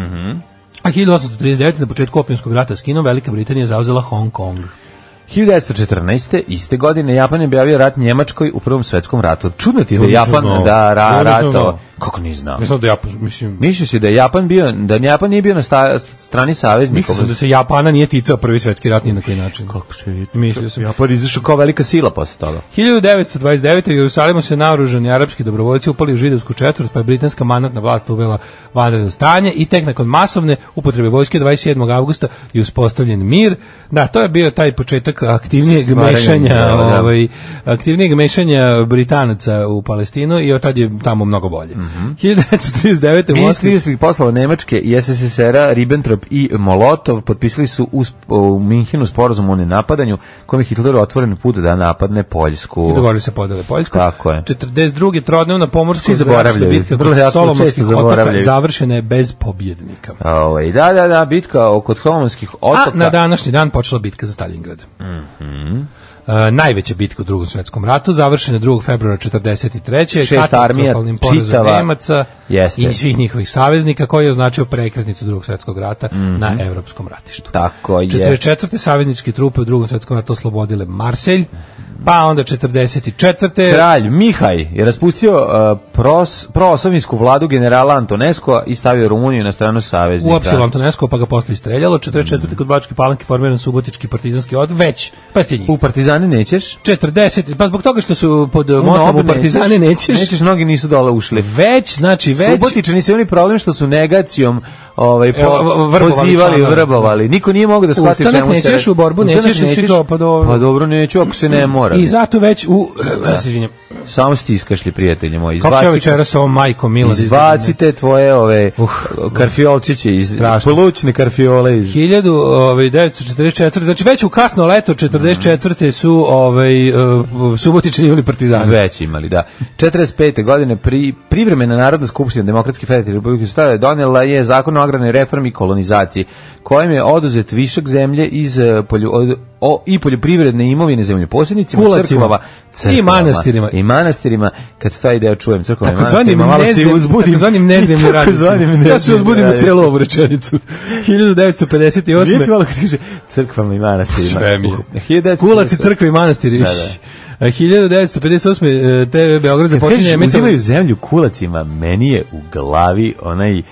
A hiljadu osamsto trideset devete. na početku opijumskog rata s Kinom Velika Britanija zauzela Hong Kong. hiljadu devetsto četrnaeste. iste godine Japan je objavio rat Njemačkoj u Prvom svetskom ratu. Čudno ti je da Ja nisam Japan znao. da ra, Ja nisam ratao. znao. Kako nisi znao? Ne znam da ja, mislim... Misliš si da je Japan bio, da Japan nije bio na sta, strani saveznik. Mislim da se Japana nije ticao prvi svetski rat ni na koji način. Kako se vidi? Mislio sam. Japan izašao kao velika sila posle toga. hiljadu devetsto dvadeset devete. u Jerusalimu se naoružani arapski dobrovoljci upali u židovsku četvrt, pa je britanska mandatna vlast uvela vanredno stanje i tek nakon masovne upotrebe vojske dvadeset sedmog avgusta je uspostavljen mir. Da, to je bio taj početak aktivnijeg Stvaranje, mešanja, da, da. ovaj aktivnijeg mešanja Britanaca u Palestinu i od tad je tamo mnogo bolje. Mm-hmm. hiljadu devetsto trideset devete. u Ministri Moskvi inostranih poslova Nemačke i es es es er-a Ribbentrop i Molotov potpisali su u, u Minhenu sporazum o nenapadanju kojim je Hitler otvoren put da napadne Poljsku. i dogovorili se podele Poljsku. Tako je. četrdeset druge. trodnevna pomorska Svi zaboravljaju. bitka Vrlo kod jako Solomonskih često otoka zaboravljaju. završena je bez pobjednika. Ovaj da, da, da, bitka oko Solomonskih otoka. A na današnji dan počela bitka za Stalingrad. Mhm. Uh, najveća bitka u Drugom svjetskom ratu, završena drugog februara četrdeset treće. Šest armija katastrofalnim porazom čitava. Nemaca Jeste. i svih njihovih saveznika, koji je označio prekretnicu Drugog svjetskog rata Mhm. na evropskom ratištu. Tako je. četrdeset četvrte. savezničke trupe u Drugom svjetskom ratu oslobodile Marselj, pa onda četrdeset četvrte. Kralj Mihaj je raspustio uh, pros, proosovijsku vladu generala Antonesko i stavio Rumuniju na stranu saveznika. Uapsilo Antonesko, pa ga posle istreljalo. četrdeset četvrte. kod Bačke Palanke formiran subotički partizanski od već, pa ste njih. U Partizani nećeš? četrdeset. Pa zbog toga što su pod U motom Nob u Partizani nećeš. Nećeš, mnogi nisu dole ušli. Već, znači već. Subotičani su imali problem što su negacijom ovaj, po, Evo, vrbovali pozivali, članove. vrbovali. Niko nije mogao da shvati Ustanak čemu se... nećeš, u borbu Ustanak nećeš, i svi to, pa dobro. Pa dobro, neću ako se ne mora. I zato već u... Ja se izvinjam. Samo stiskaš li, prijatelji moji. Kako će Izbaci, večera sa ovom majkom Mila? da izbacite tvoje ove Uh, karfiolčiće, iz, strašno. plućne karfiole. Iz... hiljadu devetsto četrdeset četvrte. Znači već u kasno leto četrdeset četvrte su ovaj, uh, Subotičani imali Partizani. Već imali, da. četrdeset pete godine pri, privremena Narodna skupština Demokratske federativne Republike Srbije donela je zakon o agrarnoj reformi i kolonizaciji, kojim je oduzet višak zemlje iz eh, polju, od, o, i poljoprivredne imovine zemljoposjednicima, Kulacima. crkvama, crkvama I manastirima. I manastirima, kad taj deo čujem, crkvama i Takozvanim manastirima, malo se nezem, uzbudim. takozvanim nezemnim Takozvanim radnicima. Ja se nezemnim uzbudim na radnicima. celu ovu rečenicu. hiljadu devetsto pedeset osme. Vidite malo kad kaže crkvama i manastirima. Sve mi je. Uh, hiljadu devetsto Kulac i pedeset osme. crkve i manastiri. Da, da. hiljadu devetsto pedeset osme. te ve Beograd Kad započinje kažeš emitovanje. uzimaju zemlju kulacima, meni je u glavi onaj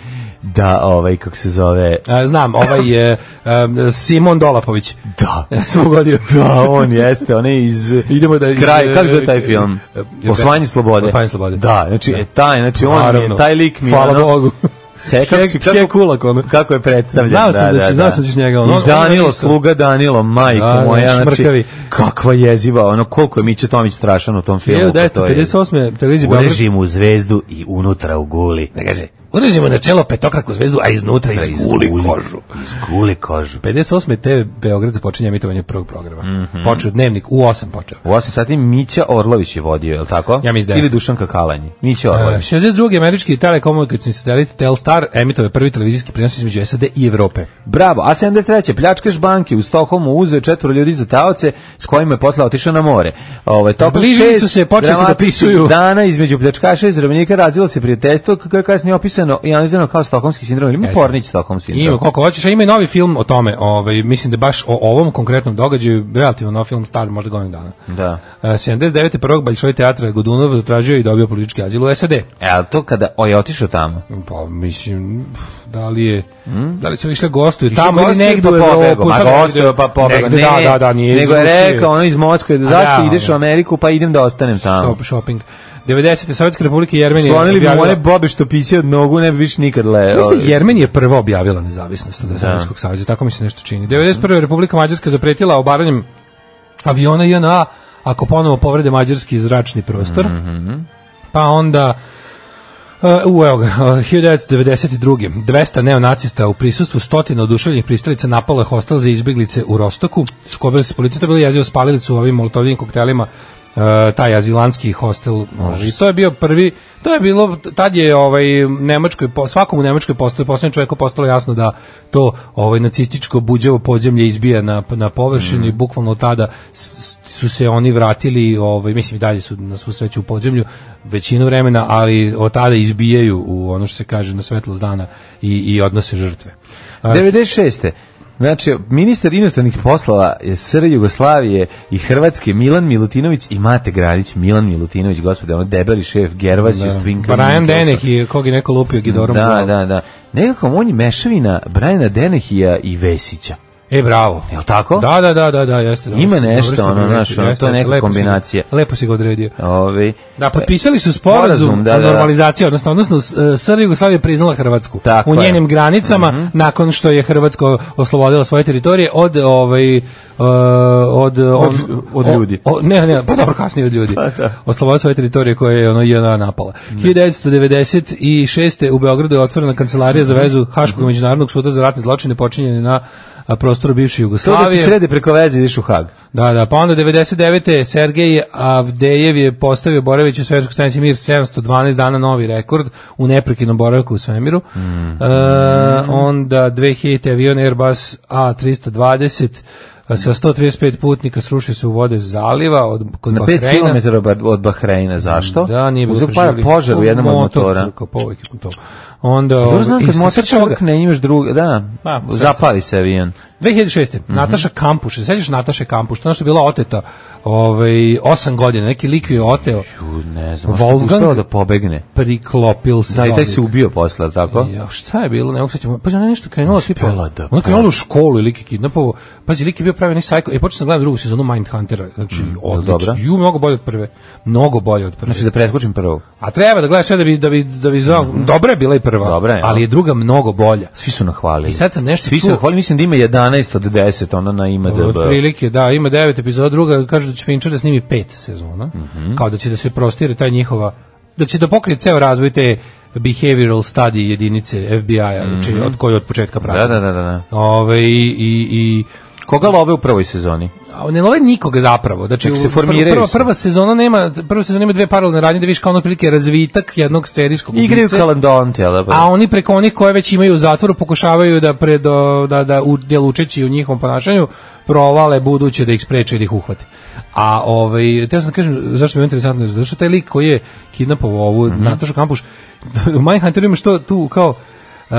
da, ovaj, kako se zove... A, znam, ovaj je um, Simon Dolapović. Da. Ja sam ugodio. Da, on jeste, on je iz... Idemo da... Kraj, kako je taj film? Osvajanje slobode. Osvajanje slobode. Da, znači, Da. e, taj, znači, on Naravno. je, taj lik mi je... Hvala ono- Bogu. Se, kako, si- Hek- Hek Kulak, ono. kako je predstavljen. Znao sam da će- znao sam da ćeš njega, ono- I ono- Danilo, ono isto. sluga Danilo, majko Da, da, moja, znači, šmrkavi. kakva jeziva, ono, koliko je Mića Tomić strašan u tom filmu. hiljadu pa devetsto to je- pedeset osme. televizija Beograd. Urežimo u zvezdu i unutra u guli. Ne kaže, urežimo na čelo petokraku zvezdu, a iznutra izguli kožu. Izguli kožu. pedeset osme. te ve Beograd započinje emitovanje prvog programa. Mhm. Počeo dnevnik u osam počeo. U osam sati Mića Orlović je vodio, je li tako? Ja mislim da Ili jeste. Dušanka Kalanji. Mića Uh, Orlović. šezdeset druge. američki telekomunikacijni satelit Telstar emitove prvi televizijski prenos između es a de i Evrope. Bravo, a sedamdeset treće pljačkaš banke u Stokholmu uzeo četvoro ljudi za taoce s kojima je posle otišao na more. Ovaj tokom Zbližili šest su se, počeli su da dramatičnih pisuju. dana između pljačkaša i zarobljenika razvilo se prijateljstvo kako je kasnije opisano i analizirano kao stokholmski sindrom ili Jeste. Pornić Stokholm sindrom. Ima koliko hoćeš, a ima i novi film o tome. Ovaj mislim da baš o ovom konkretnom događaju, relativno nov film, star možda godinu dana. Da. Uh, sedamdeset devete. prvog Bolšoj teatra Godunov zatražio i dobio politički azil u es a de. E, ali to kada o, je otišao tamo. Pa mislim, da li je, da li su išle gostuju Išao tamo ili gostuje, negdje u pa Evropu? pobegao, ma pa gostuje, pa pobegao. negde, Ne, da, da, da, nije iz nego je Rusije. rekao ono iz Moskve, da A zašto da, ideš u ono. Ameriku, pa idem da ostanem tamo. Shop, shopping. devedesete. Sovjetska republika Jermenija Slonili bi objavila- one bobe što piće od nogu, ne bi više nikad le... Mislim da Jermenija je prva objavila nezavisnost od Sovjetskog saveza, tako mi se nešto čini. devedeset prve. Republika Mađarska zapretila obaranjem aviona je en a ako ponovo povrede mađarski zračni prostor. Pa onda Uh, evo ga, uh, hiljadu devetsto devedeset druge. dvesta neonacista u prisustvu stotina oduševljenih pristalica napalo je hostel za izbeglice u Rostoku. Sukobili se s policijom, to je bilo jezivo, spalili su ovim molotovljivim koktelima uh, taj azilanski hostel. I to je bio prvi, to je bilo, tad je ovaj, Nemačkoj, po, svakom u Nemačkoj postalo, poslednjem čovjeku postalo jasno da to ovaj, nacističko buđavo podzemlje izbija na, na površinu i bukvalno od tada s, su se oni vratili, ovaj, mislim i dalje su na svu sreću u podzemlju većinu vremena, ali od tada izbijaju u ono što se kaže na svetlost dana i, i odnose žrtve. A, devedeset šeste. Znači, ministar inostranih poslova je S R Jugoslavije i Hrvatske Milan Milutinović i Mate Granić. Milan Milutinović, gospode, ono debeli šef, Gervasio, Stvinka. Brian Deneh i kog je neko lupio Gidorom. Da, da, da. nekako on je mešavina Briana Denehija i Vesića. E, bravo. Jel' tako? Da, da, da, da, da, jeste. Ima dobro, nešto, dobro ono, znaš, ono, to je neka lepo kombinacija. Si, lepo si ga odredio. Ove, da, potpisali su sporazum da, o da, normalizaciji, odnosno, odnosno S R Jugoslavija priznala Hrvatsku tako u njenim je. granicama, Mm-hmm. nakon što je Hrvatsko oslobodila svoje teritorije od, ovaj, uh, od, on, od, od ljudi. O, ne, ne, pa dobro, kasnije od ljudi. Pa, da. Oslobodila svoje teritorije koje je ono J N A napala. Mm. hiljadu devetsto devedeset šeste. u Beogradu je otvorena kancelarija za vezu Haškog međunarodnog suda za ratne zločine počinjene na a prostoru bivše Jugoslavije. To da ti srede preko veze ideš u Hag. Da, da, pa onda devedeset devete. Sergej Avdejev je postavio boravić u svemirskoj stanici Mir sedamsto dvanaest dana, novi rekord u neprekidnom boravku u svemiru. Mm. E, onda dve hiljadite. avion Airbus A tristo dvadeset sa sto trideset pet putnika srušio se u vode zaliva od kod na Bahreina. pet kilometara od Bahreina, zašto? Da, nije bilo uzeo par požar u jednom od motora. Onda dobro znam kad motor crkne, imaš druga, da, pa, zapali se avion. dve hiljade šeste. Mm-hmm. Nataša Kampuš, se sećaš Nataše Kampuš, to je što je bila oteta ovaj, osam godina, neki lik je oteo. Ju, ne znam, što je uspeo da pobegne. Priklopil se. Da, i taj se ubio posle, tako? Ja, šta je bilo, ne mogu sećam. Pa ona nešto krenula tipa. Da, ona krenula u školu i lik je kidnapovao. Pazi, lik je bio pravi neki sajko. E, počeo sam gledati drugu sezonu Mindhuntera. Znači, mm, odlično. Ju, mnogo bolje od prve. Mnogo bolje od prve. Znači da preskočim prvu. A treba da gledaš sve da bi da bi da bi zvao. Mm-hmm. Dobra je bila i prva. Dobra je, ali je druga mnogo bolja. Svi su nahvalili. I sad sam nešto Svi su nahvalili, mislim da ima jedanaest od deset, ona na I M D B. Otprilike, da, ima devet epizoda, druga kaže da će Fincher da snimi pet sezona. Mm-hmm. Kao da će da se prostire taj njihova, da će da pokrije ceo razvoj te behavioral study jedinice F B I-a, mm-hmm. znači od koje od početka prati. Da, da, da, da. Ove, i, i, i koga love u prvoj sezoni? A ne love nikoga zapravo. Znači se formiraju prva, prva sezona nema, prva sezona ima dve paralelne radnje da vidiš kao ono prilike razvitak jednog serijskog ubice. Igraju kalandonte, ali a oni preko onih koje već imaju u zatvoru pokušavaju da pred da da udjel učeći u njihovom ponašanju provale buduće da ih spreče da ih uhvate. A ovaj te sam kažem zašto mi je interesantno zato što taj lik koji je kidnapovao ovu mm-hmm. Natašu Kampuš u Mindhunteru ima što tu kao uh,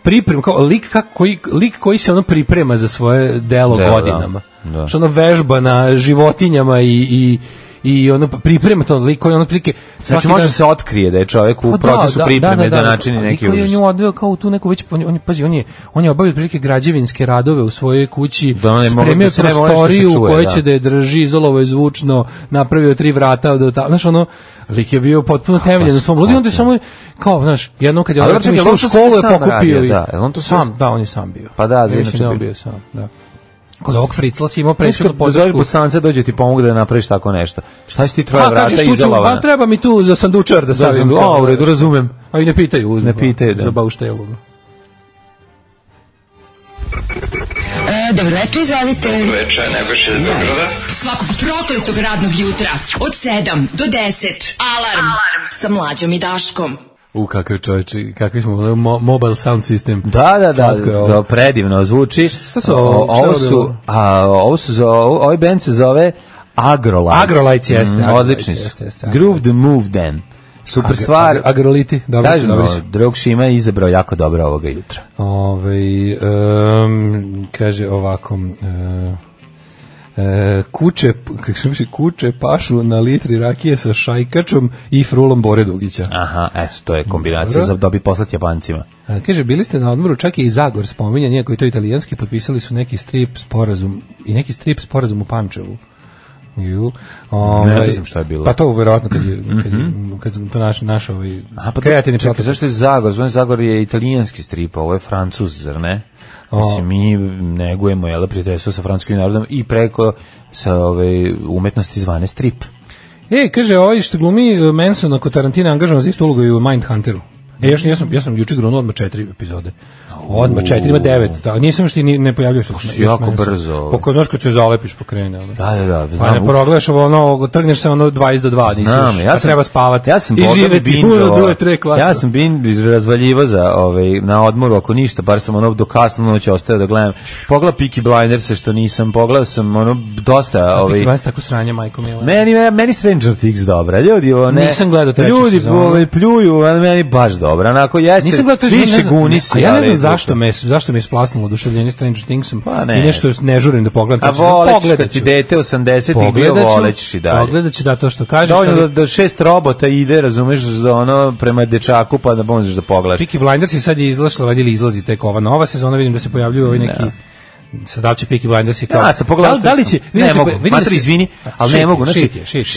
priprem kao lik kako koji lik koji se ono priprema za svoje delo da, godinama. Da, da. Što ono vežba na životinjama i i i ono priprema to lik koji ono prilike znači može dan se otkrije da je čovjek u procesu da, pripreme da, da, da, da načini neki užas. Koji je nju odveo kao tu neku već on, on pazi on je on je obavio prilike građevinske radove u svojoj kući, da spremio da prostoriju u kojoj će da je drži, izolovao je zvučno, napravio tri vrata do tamo, znaš ono lik je bio potpuno temeljen u svom ludi, onda je samo kao, znaš, jednom kad je on išao u školu je pokupio i da, on to sam, da, on je sam bio. Pa da, znači on bio sam, da. Kod ovog Fricla si imao presudnu podršku. Zove Bosance dođe ti pomogu da napraviš tako nešto. Šta si ti troje vrata izolovana? Pa treba mi tu za sandučar da stavim. Da, a, u redu, razumem. A i ne pitaju, uzme. Ne pitaju, da. Za bauštelu. E, dobro večer, izvolite. Dobro večer, Nebojša iz Beograda. Svakog prokletog radnog jutra od sedam do deset. Alarm, Alarm. Sa Mlađom i Daškom. U kakav čovječi, kakvi smo, mo, mobile sound system. Da, da, da, da predivno zvuči. Šta su ovo? Ovo su, a, ovo su, za, ovaj band se zove Agrolites. Agrolites jeste. Mm, odlični su. Groove the Move then. Super Agro, stvar. Ag, agroliti, dobro su, dobro su. Drug Šima je izabrao jako dobro ovoga jutra. Ove, um, kaže ovako... Uh, E, kuće, kako se kuće pašu na litri rakije sa šajkačom i frulom Bore Dugića. Aha, eto, to je kombinacija za dobi poslati Japancima. A, kaže, bili ste na odmoru, čak i Zagor spominjan, iako je to italijanski, potpisali su neki strip sporazum i neki strip sporazum u Pančevu. Ju, ovaj, ne znam šta je bilo. Pa to verovatno kad je, kad, mm-hmm. kad, kad to naš, naš ovaj Aha, pa kreativni čekaj, zašto je Zagor? Zvoni Zagor je italijanski strip, ovo je Francuz, zar ne? Mislim, mi negujemo jel, prijateljstvo sa francuskim narodom i preko sa ove umetnosti zvane strip. E, kaže, ovaj što glumi Manson ako Tarantino angažovan za istu ulogu i u Mindhunteru. E, još ja sam, ja sam juče grunuo odmah četiri epizode. Odmah četiri, ima devet. Da, nisam što ni ne pojavljuje se. Jako brzo. Poko znaš kad se zalepiš pokrene, al. Da, da, da. Pa ne progledaš ono, trgneš se ono dvadeset do dva, nisi. Znam, ja sam, treba spavati. Ja sam i živeti puno tri kvadra. Ja sam bin razvaljivo za ovaj na odmoru ako ništa, bar sam ono do kasno noći ostao da gledam. Pogledao Peaky Blinders što nisam, pogledao sam ono dosta ovaj. Peaky Blinders tako sranje, majko mila. Meni meni Stranger Things dobra. Ljudi, one. Nisam gledao treću sezonu. Ljudi ovaj pljuju, a meni baš dobro. dobra. Onako jeste. Nisam gledao, više guni se. A ja ne znam zašto me zašto me isplasnulo oduševljenje Stranger Thingsom. Pa ne. I nešto ne žurim da pogledam. A voleć kad si dete osamdesetih bio volećeš i dalje. Pogledaću da to što kažeš. Dovoljno da, da šest robota ide, razumeš, za ono prema dečaku pa da možeš da pogledaš. Peaky Blinders je sad je izlašla, vadili izlazi tek ova nova sezona, vidim da se pojavljuju ovi neki sad da li će Peaky Blinders je kao ja, da, da li će ne se mogu, vidim matri, izvini, ali ne mogu, znači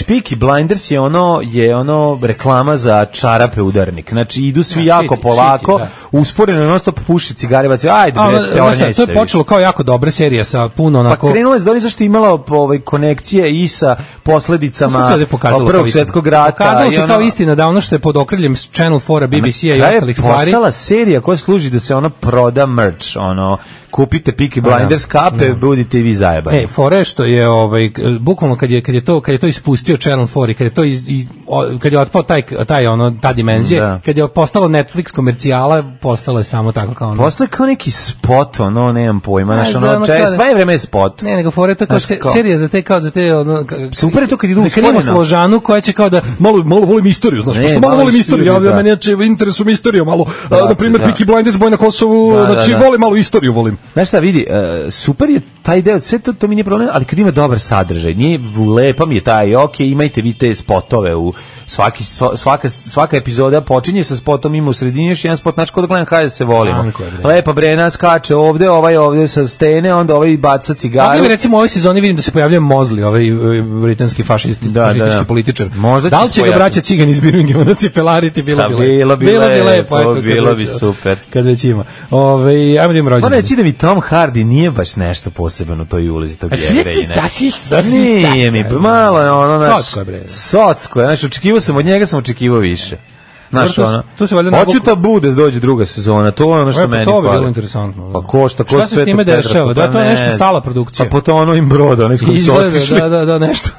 Peaky Blinders je ono je ono reklama za čarape udarnik, znači idu svi ja, jako šiti, polako, šiti, usporeno non stop puši cigare, baci, ajde bre, teornjaj se. To je počelo kao jako dobra serija sa puno onako. Pa krenulo je da zašto imala ovaj konekcije i sa posledicama Prvog svjetskog rata. Pokazalo se kao istina da ono što je pod okriljem Channel four, B B C-a i ostalih stvari. Postala serija koja služi da se ona proda merch, ono kupite Peaky Blinders kape, no. budite i vi zajebani. E, fore što je ovaj bukvalno kad je kad je to kad je to ispustio Channel four i kad je to iz, iz, kad je otpao taj taj ono ta dimenzija, da. Kad je postalo Netflix komercijala, postalo je samo tako kao ono. Postalo je kao neki spot, ono, nemam pojma, znači ono, čaj, sve vreme je spot. Ne, nego fore to kao se, serija za te kao za te ono super je to kad idu u Skrimo Složanu koja će kao da malo malo volim istoriju, znaš, što malo volim istoriju, ja meni je u interesu istorija malo, na primjer Peaky Blinders boj na Kosovu, znači volim malo istoriju, volim. Znaš šta, vidi, uh, super je taj deo, sve to, to mi nije problem, ali kad ima dobar sadržaj, nije lepa mi je taj, ok, imajte vi te spotove u svaki, svaka, svaka epizoda počinje sa spotom, ima u sredini još jedan spot, znači kod da gledam hajde se volimo. Lepa Brena skače ovde, ovaj ovde sa stene, onda ovaj baca cigaru. Pa recimo u ovoj sezoni vidim da se pojavljuje Mosley, ovaj britanski fašisti, da, fašistički da, da. političar. Možda da li će ga braća Cigan iz Birminghama na cipelariti, bilo bi lepo. Bilo bi bilo lepo, bi, lepo, lepo bilo bi super. Kad već ima. Ove, ajmo da im rođendan. Moram reći da mi Tom Hardy nije baš nešto posebno u toj ulozi tog Jevrejine. Nije mi, malo je ono naš... Socko je bre. Socko je, znaš, očekivao sam, od njega sam očekivao više. Znaš, to, ono, to se valjda hoću tabu da dođe druga sezona, to je ono što meni fali. To je bilo interesantno. Pa košta, košta sve to. Šta se s time dešava? Da, to je nešto stala produkcija. Pa po to ono im broda, ono iz kojeg su otišli. Da, da, da, nešto.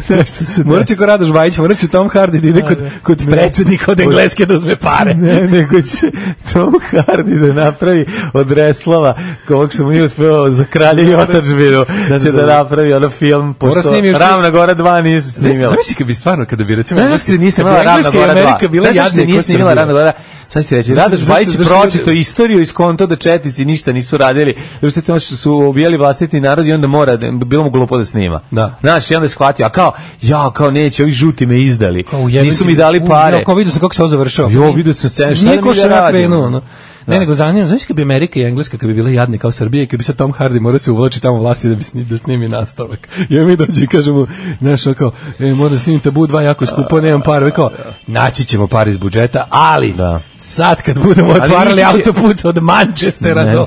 nešto se morat će ko Radoš Bajić, morat će Tom Hardy da ide kod, kod predsjednika od Engleske da uzme pare. Ne, nego će Tom Hardy da napravi od Reslava, kog što mu nije uspeo za Kralje i otadžbinu, će da napravi ono film, pošto Ravna Gora dva nije se snimila. Zamisli kad bi stvarno, kada bi recimo... Znaš se nije snimala Ravna Gora dva. Nije snimala Ravna Gora. Sad ću reći, Radoš Bajić je pročito istoriju iz konto da četnici ništa nisu radili, jer ste što su ubijali vlastiti narod i onda mora, bilo mu glupo da snima. Da. Znaš, i onda je shvatio, a kao, ja, kao neće, ovi žuti me izdali, nisu mi dali pare. Ja, kao vidio sam kako se ovo završao. Jo, vidio sam scene, šta nije ko što ja krenuo, no. Ne, nego zanimljivo, znaš kad bi Amerika i Engleska kad bi bile jadne kao Srbije, kad bi se Tom Hardy morao se uvlači tamo vlasti da bi sni, da snimi nastavak. I mi dođe i kažemo, znaš, kao, e, mora da snimim Tabu dva jako skupo, nemam para, kao, naći ćemo par iz budžeta, ali da. Sad kad budemo otvarali autoput od Manchestera ne. do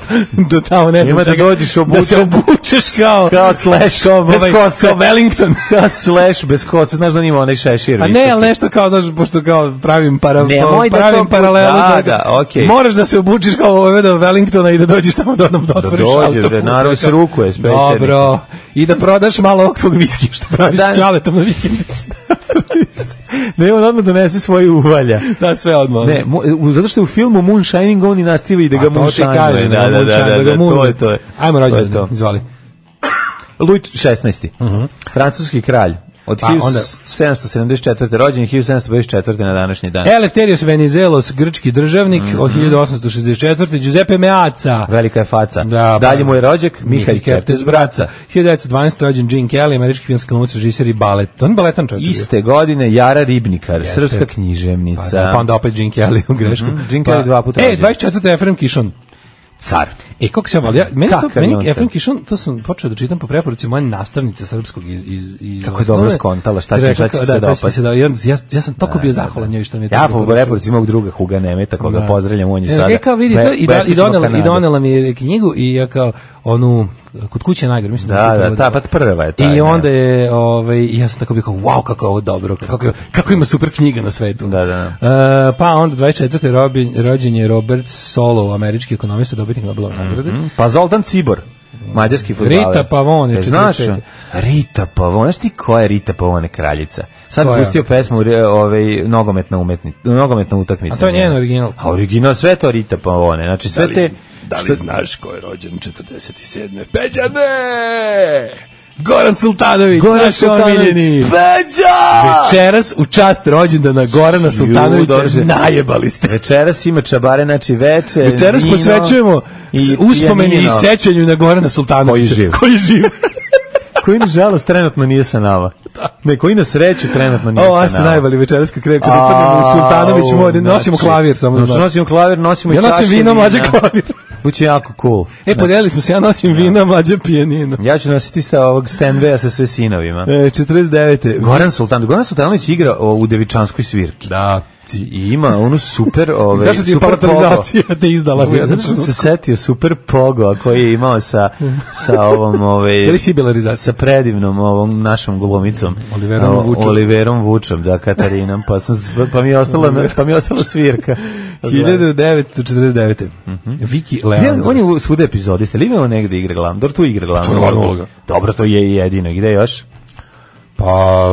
do tamo ne znam čega, da dođeš obučen, da se obučeš kao kao Slash, kao, bez kose, kao Wellington, kao Slash bez kose, znaš da nima onaj šešir. A ne, ali nešto kao, znaš, pošto kao pravim, para, ne, pa, pravim da paralelu, da, da, okay. Moraš da se obučiš kao ovaj do Wellingtona i da dođeš tamo da nam da otvoriš autoput. Da naravno se rukuje s pešernikom. Dobro, i da prodaš malo ovog tvog viskija što praviš s čaletom na vikendici. Ne, on odmah donese svoje uvalja. Da, sve odmah. Ne, mu, zato što je u filmu Moonshining on i nastavi da ga moonshine. Kaže, da, da, da, da, da, to je to. Ajmo rođendan, izvali. Louis šesnaesti. Uh-huh. Francuski kralj. Od pa, sedamsto sedamdeset četvrte rođen, hiljadu sedamsto pedeset četvrte na današnji dan. Eleftherios Venizelos, grčki državnik, mm-hmm. od hiljadu osamsto šezdeset četvrte Giuseppe Meazza. Velika je faca. Da, dalje mu je rođak, Mihalj Kertész braca. hiljadu devetsto dvanaeste rođen Gene Kelly, američki filmski glumac, režiser i balet. On baletan čovjek. Iste godine Jara Ribnikar, Jeste. Srpska književnica. Pa, pa onda opet Gene Kelly u grešku. Mm-hmm. Gene Kelly pa, dva puta e, rođen. dvadeset četvrte Efrem Kišon. Car. E, kako se vali, ja, meni to, meni Efrem Kišon, to sam počeo da čitam po preporuci moje nastavnice srpskog iz, iz, iz kako je dobro skontala, šta će, šta će se dopasti. Da, ja, ja sam toliko bio zahvalan njoj što mi je to. Ja po preporuci mog druga Huga Nemeta, koga da. Pozdravljam, on je sada. Ja kao vidi to i, da, i, donela, i donela mi je knjigu i ja kao onu kod kuće najgore, mislim da. Da, da, ta pa prva je ta. I onda je, ovaj, ja sam tako bio kao, wow, kako je ovo dobro, kako, kako ima super knjiga na svetu. Da, da. Uh, pa onda dvadeset četvrte rođen je Robert Solow, američki ekonomista, dobitnik Nobelove nagrade. Mm-hmm. Pa Zoltan Cibor, mađarski fudbaler. Rita Pavon je znaš, Rita Pavon, znaš ti ko je Rita Pavon, kraljica? Sad ko pustio je? Pesmu ovaj, nogometna, umetnica, nogometna utakmica. A to je njen original. A original sve to Rita Pavone, znači sve da li, te... Da li što... znaš ko je rođen četrdeset sedme Peđane! Goran Sultanović, Goran naš Sultanović. omiljeni. Beđa! Večeras u čast rođendana Gorana Sultanovića, Ju, najebali ste. Večeras ima čabare, znači veče, Večeras vino posvećujemo i s- uspomeni i pijanino. sećanju na Gorana Sultanovića. Koji živ. Koji živ. Koji nažalost trenutno nije sa nama. Ne, koji na sreću trenutno nije O, a sa ste nama. najvali večeras kad krenu, kad upadnemo u Sultanović mode, nosimo znači, klavir samo. znači, da znate. nosimo klavir, nosimo i Ja čaše nosim vino, vina. mlađe klavir. Biće jako cool. E, podelili smo se, ja nosim vino, mlađe pijanino. Ja ću nositi sa ovog Stanwaya sa sve sinovima. E, četrdeset devete. Goran Sultanović, Goran Sultanović igra o, u Devičanskoj svirki. Da. I ima onu super, ovaj, Zašto ti je super palatalizacija te izdala? pogo. Zato što sam se setio super pogo koji je imao sa, sa ovom, ovaj, Zari sibilarizacija. sa predivnom ovom našom glumicom. Oliverom O, Vučom. Oliverom Vučom, da, Katarinom, pa, sam, s- pa, mi je ostala, pa mi je ostala svirka. hiljadu devetsto četrdeset devete. Viki Ja, Leandros. on je u svuda epizodista, ili imao negde igra glavnu? Dobro, tu igra glavnu. To je glavna uloga. Dobro, to je i jedino. Gde još? Pa...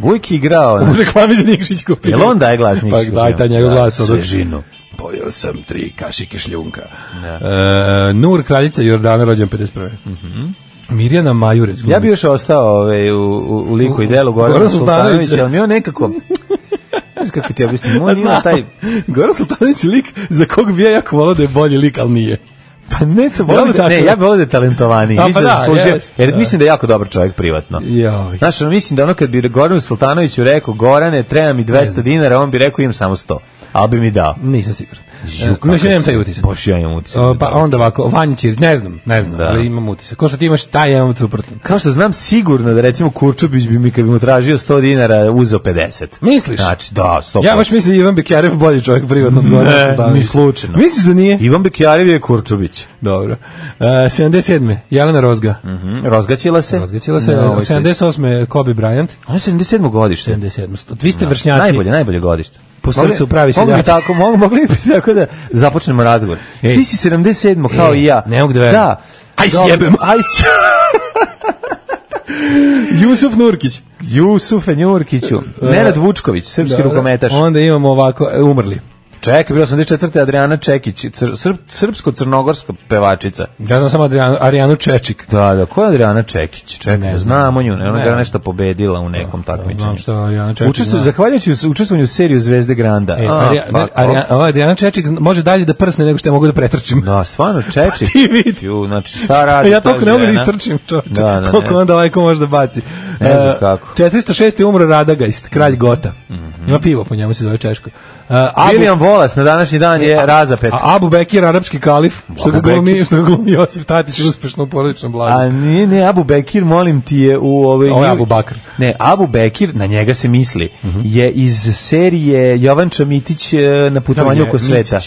Uvijek je igrao. U reklami za Nikšić kupio. Jel on daje glas Nikšić Pa kupio? daj taj njegov Da, glas. sve Od... žinu. Pojeo sam tri kašike šljunka. E, Nur, kraljica Jordana, rođen pedeset prve. Mirjana Majurec. Ja bi još ostao ovaj, u, u, u liku i delu Gorana Goran Sultanovića, Sultanovića. ali mi on nekako... Ne znam kako ti objasnim, on ima taj... Goran Sultanović je lik za kog bi ja jako volao da je bolji lik, ali nije. Pa ne, sam Jel volio da, tako? ne, ja bih volio da je talentovaniji. A, pa Mislim da, da, zaslužio, jest, jer da. mislim da je jako dobar čovjek privatno. Joj. Znaš, ono, mislim da ono kad bi Goranu Sultanoviću rekao, Gorane, treba mi dvesta dinara, on bi rekao, imam samo sto. Ali bi mi dao. Nisam siguran. Žu, E, Znači, nemam taj utisak. Boš, ja imam utisak. O, pa onda ovako, Vanja Ćirić, ne znam, ne znam, Da. ali imam utisak. Ko što ti imaš, taj imam suprotno. Kao što znam sigurno da recimo Kurčubić bi mi kad bi mu tražio sto dinara uzeo pedeset. Misliš? Znači, da, sto Ja baš mislim da je Ivan Bekjarev bolji čovjek privatno od Gorana Ne, Sultanovića. ni slučajno. Misliš da nije? Ivan Bekjarev je Kurčubić. Dobro. E, sedamdeset sedme Jelena Rozga. Mhm. Razgaćila se. Razgaćila se. Na ovoj sedamdeset osme Kobe Bryant. On je sedamdeset sedmo godište. sedamdeset sedme Vi ste vršnjaci. Najbolje, najbolje godište. Po srcu pravi Mogli bi seljaci. tako, mogu, mogli bi tako da započnemo razgovor. Ej. Ti si sedamdeset sedmo kao Ej, i ja. ne mogu da verujem. Da. Aj, Dobro, sjebem. Aj, ć- Jusuf Nurkić. Jusufe Njurkiću. Nenad Vučković, srpski Dobro. rukometaš. Onda imamo ovako, e, umrli. Čekaj, bio osamdeset četvrte Adriana Čekić, cr, srp, srpsko-crnogorska pevačica. Ja znam samo Adrianu, Arijanu Čečik. Da, da, ko je Adriana Čekić? Čekaj, Ne znam. znamo nju, ne, ona Ne. je nešto pobedila u nekom takmičenju. Znam što Arijana Čečik Učestvu, zna. zahvaljujući u- učestvovanju u seriju Zvezde Granda. E, A, Arija, fuck Arija, off. ova Adriana Čečik zna- može dalje da prsne nego što ja mogu da pretrčim. Da, stvarno, Čečik. ti vidi. Ju, znači, šta radi ja ta toliko ne mogu da žena? istrčim, čovječe. Da, da, Koliko ne. on daleko može da baci. Ne znam E, kako. četiristo šest je umro Radagast, kralj Gota. Ima pivo, po njemu se zove Češko. Uh, Abu, William Wallace na današnji dan je razapet. a Abu Bekir, arapski kalif, što ga Abu Bekir. glumi, što ga glumi Josip Tatić uspešno u porodičnom blagu. A nije, ne, Abu Bekir, molim ti je u ovoj... Ovo je Abu Bakr. Ne, Abu Bekir, na njega se misli, je iz serije Jovanča Mitić e, na putovanju oko sveta.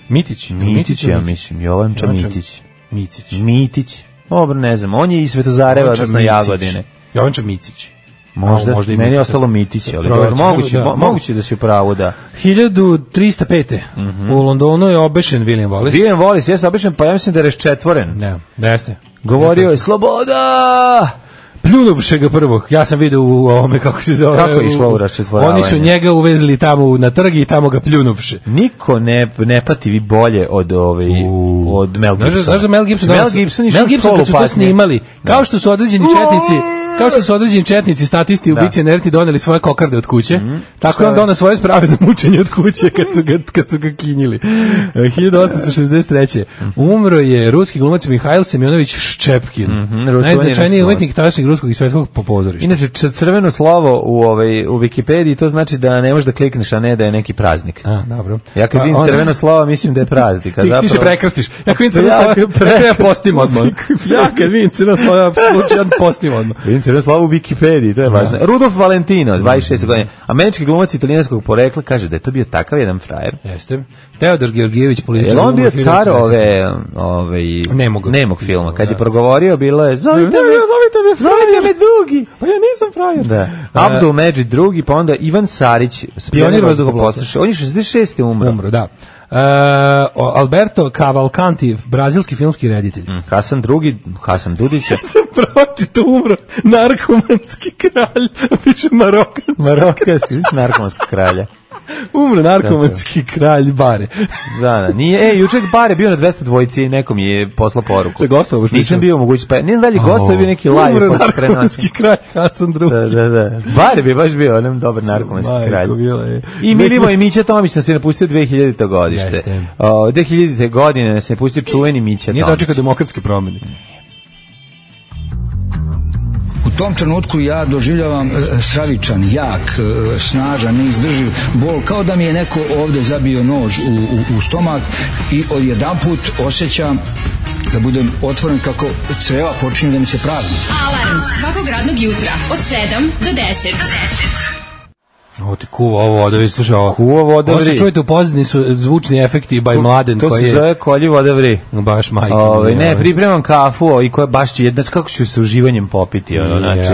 Mitić. Mitić. Mitić, ja mislim, Jovanča Jovanča Mitić. Mitić. Mitić. Dobro, ne znam, on je iz Svetozareva, Jovanča odnosno Micić. Jagodine. Jovanča Micić. Možda, A, možda i meni je Mitić. ostalo Mitić, ali Proverit dobro, ćemo, moguće, da, mo- moguće da si u pravu, da. hiljadu trista pete U Londonu je obešen William Wallace. William Wallace, jeste običan, pa ja mislim da je raščetvoren. Ne, ne jeste. Govorio je, sloboda! Pljunuvše ga prvog. Ja sam vidio u ovome, kako se zove. Kako je u- išlo u raščetvoravanje? Oni su njega uvezli tamo na trg i tamo ga pljunuvše. Niko ne, ne pati vi bolje od, ovaj, od Mel Gibsona. Znaš, znaš da Mel Gibson, Mel danas- Gibson išao Mel u Gibson školu kad su to patnje. snimali, kao što su određeni četnici, kao što su određeni četnici, statisti, Da. ubici, nerti doneli svoje kokarde od kuće, tako Šta je on je? donao svoje sprave za mučenje od kuće kad su ga, kad su ga kinjili. E, hiljadu osamsto šezdeset treće Umro je ruski glumac Mihajl Semjonović Ščepkin, ručuveni najznačajniji ruski umetnik tadašnjeg ruskog i svetskog popozorišta. Inače, č- crveno slovo u, ovaj, u Wikipediji, to znači da ne možeš da klikneš, a ne da je neki praznik. A, dobro. Ja kad Pa vidim onda- crveno slovo, mislim da je praznik. A Ti, ti zapravo- se prekrstiš. Ja kad vidim crveno Ja slovo, kad ja, pre- ja postim odmah. Ja kad vidim crveno slovo, ja slučajno postim odmah. Vidim crveno slovo u Wikipediji, to je važno. Rudolf Valentino, dvadeset šest godine. Američki glumac italijanskog porekla, kaže da je to bio takav jedan frajer. Jeste. Teodor Georgijević, političar. Je li on bio umro car hiljadu ove, ove, Nemog. nemog filma? Kad je Da. progovorio, bilo je, zovite me, Zovite me zovite me Dugi. Pa ja nisam frajer. Da. Abdul Medžid drugi, pa onda Ivan Sarić, Pionir vazduhoplovstva. On je šezdeset šeste umro. Umro, da. E, o- Alberto Cavalcanti, brazilski filmski reditelj. Hasan drugi, Hasan Dudić. Ja sam pročito umro, narkomanski kralj, piše marokanski. Marokanski, narkomanskog kralja. Umro narkomanski kralj Bare. Da, da, nije, e, jučer Bare bio na dvesta dvojici i nekom je poslao poruku. Šta gostao baš Nisam bio mogući, pa ne znam da li gostao je bio neki live. Umro narkomanski kralj Hasan drugi. Da, da, da. Bare bi baš bio onem dobar narkomanski kralj. I Milivoj Mića Tomić nas je napustio dve hiljadite godište. O, dve hiljadite godine nas je napustio čuveni Mića Tomić. Nije dočekao demokratske promjene. U tom trenutku ja doživljavam e, stravičan, jak, e, snažan, neizdrživ bol, kao da mi je neko ovde zabio nož u, u, u stomak i odjedanput osjećam da budem otvoren kako creva počinju da mi se prazni. Alarm svakog radnog jutra od sedam do deset. Ovo ti kuva ovo voda, slušaj ovo. Kuva voda vri. Ovo se čujete u pozadini su zvučni efekti by Mladen. To koji se je... zove kolji voda vri. Baš majke. Ove, ne, pripremam kafu i koja baš će jedna, kako ću se uživanjem popiti. Ono, znači,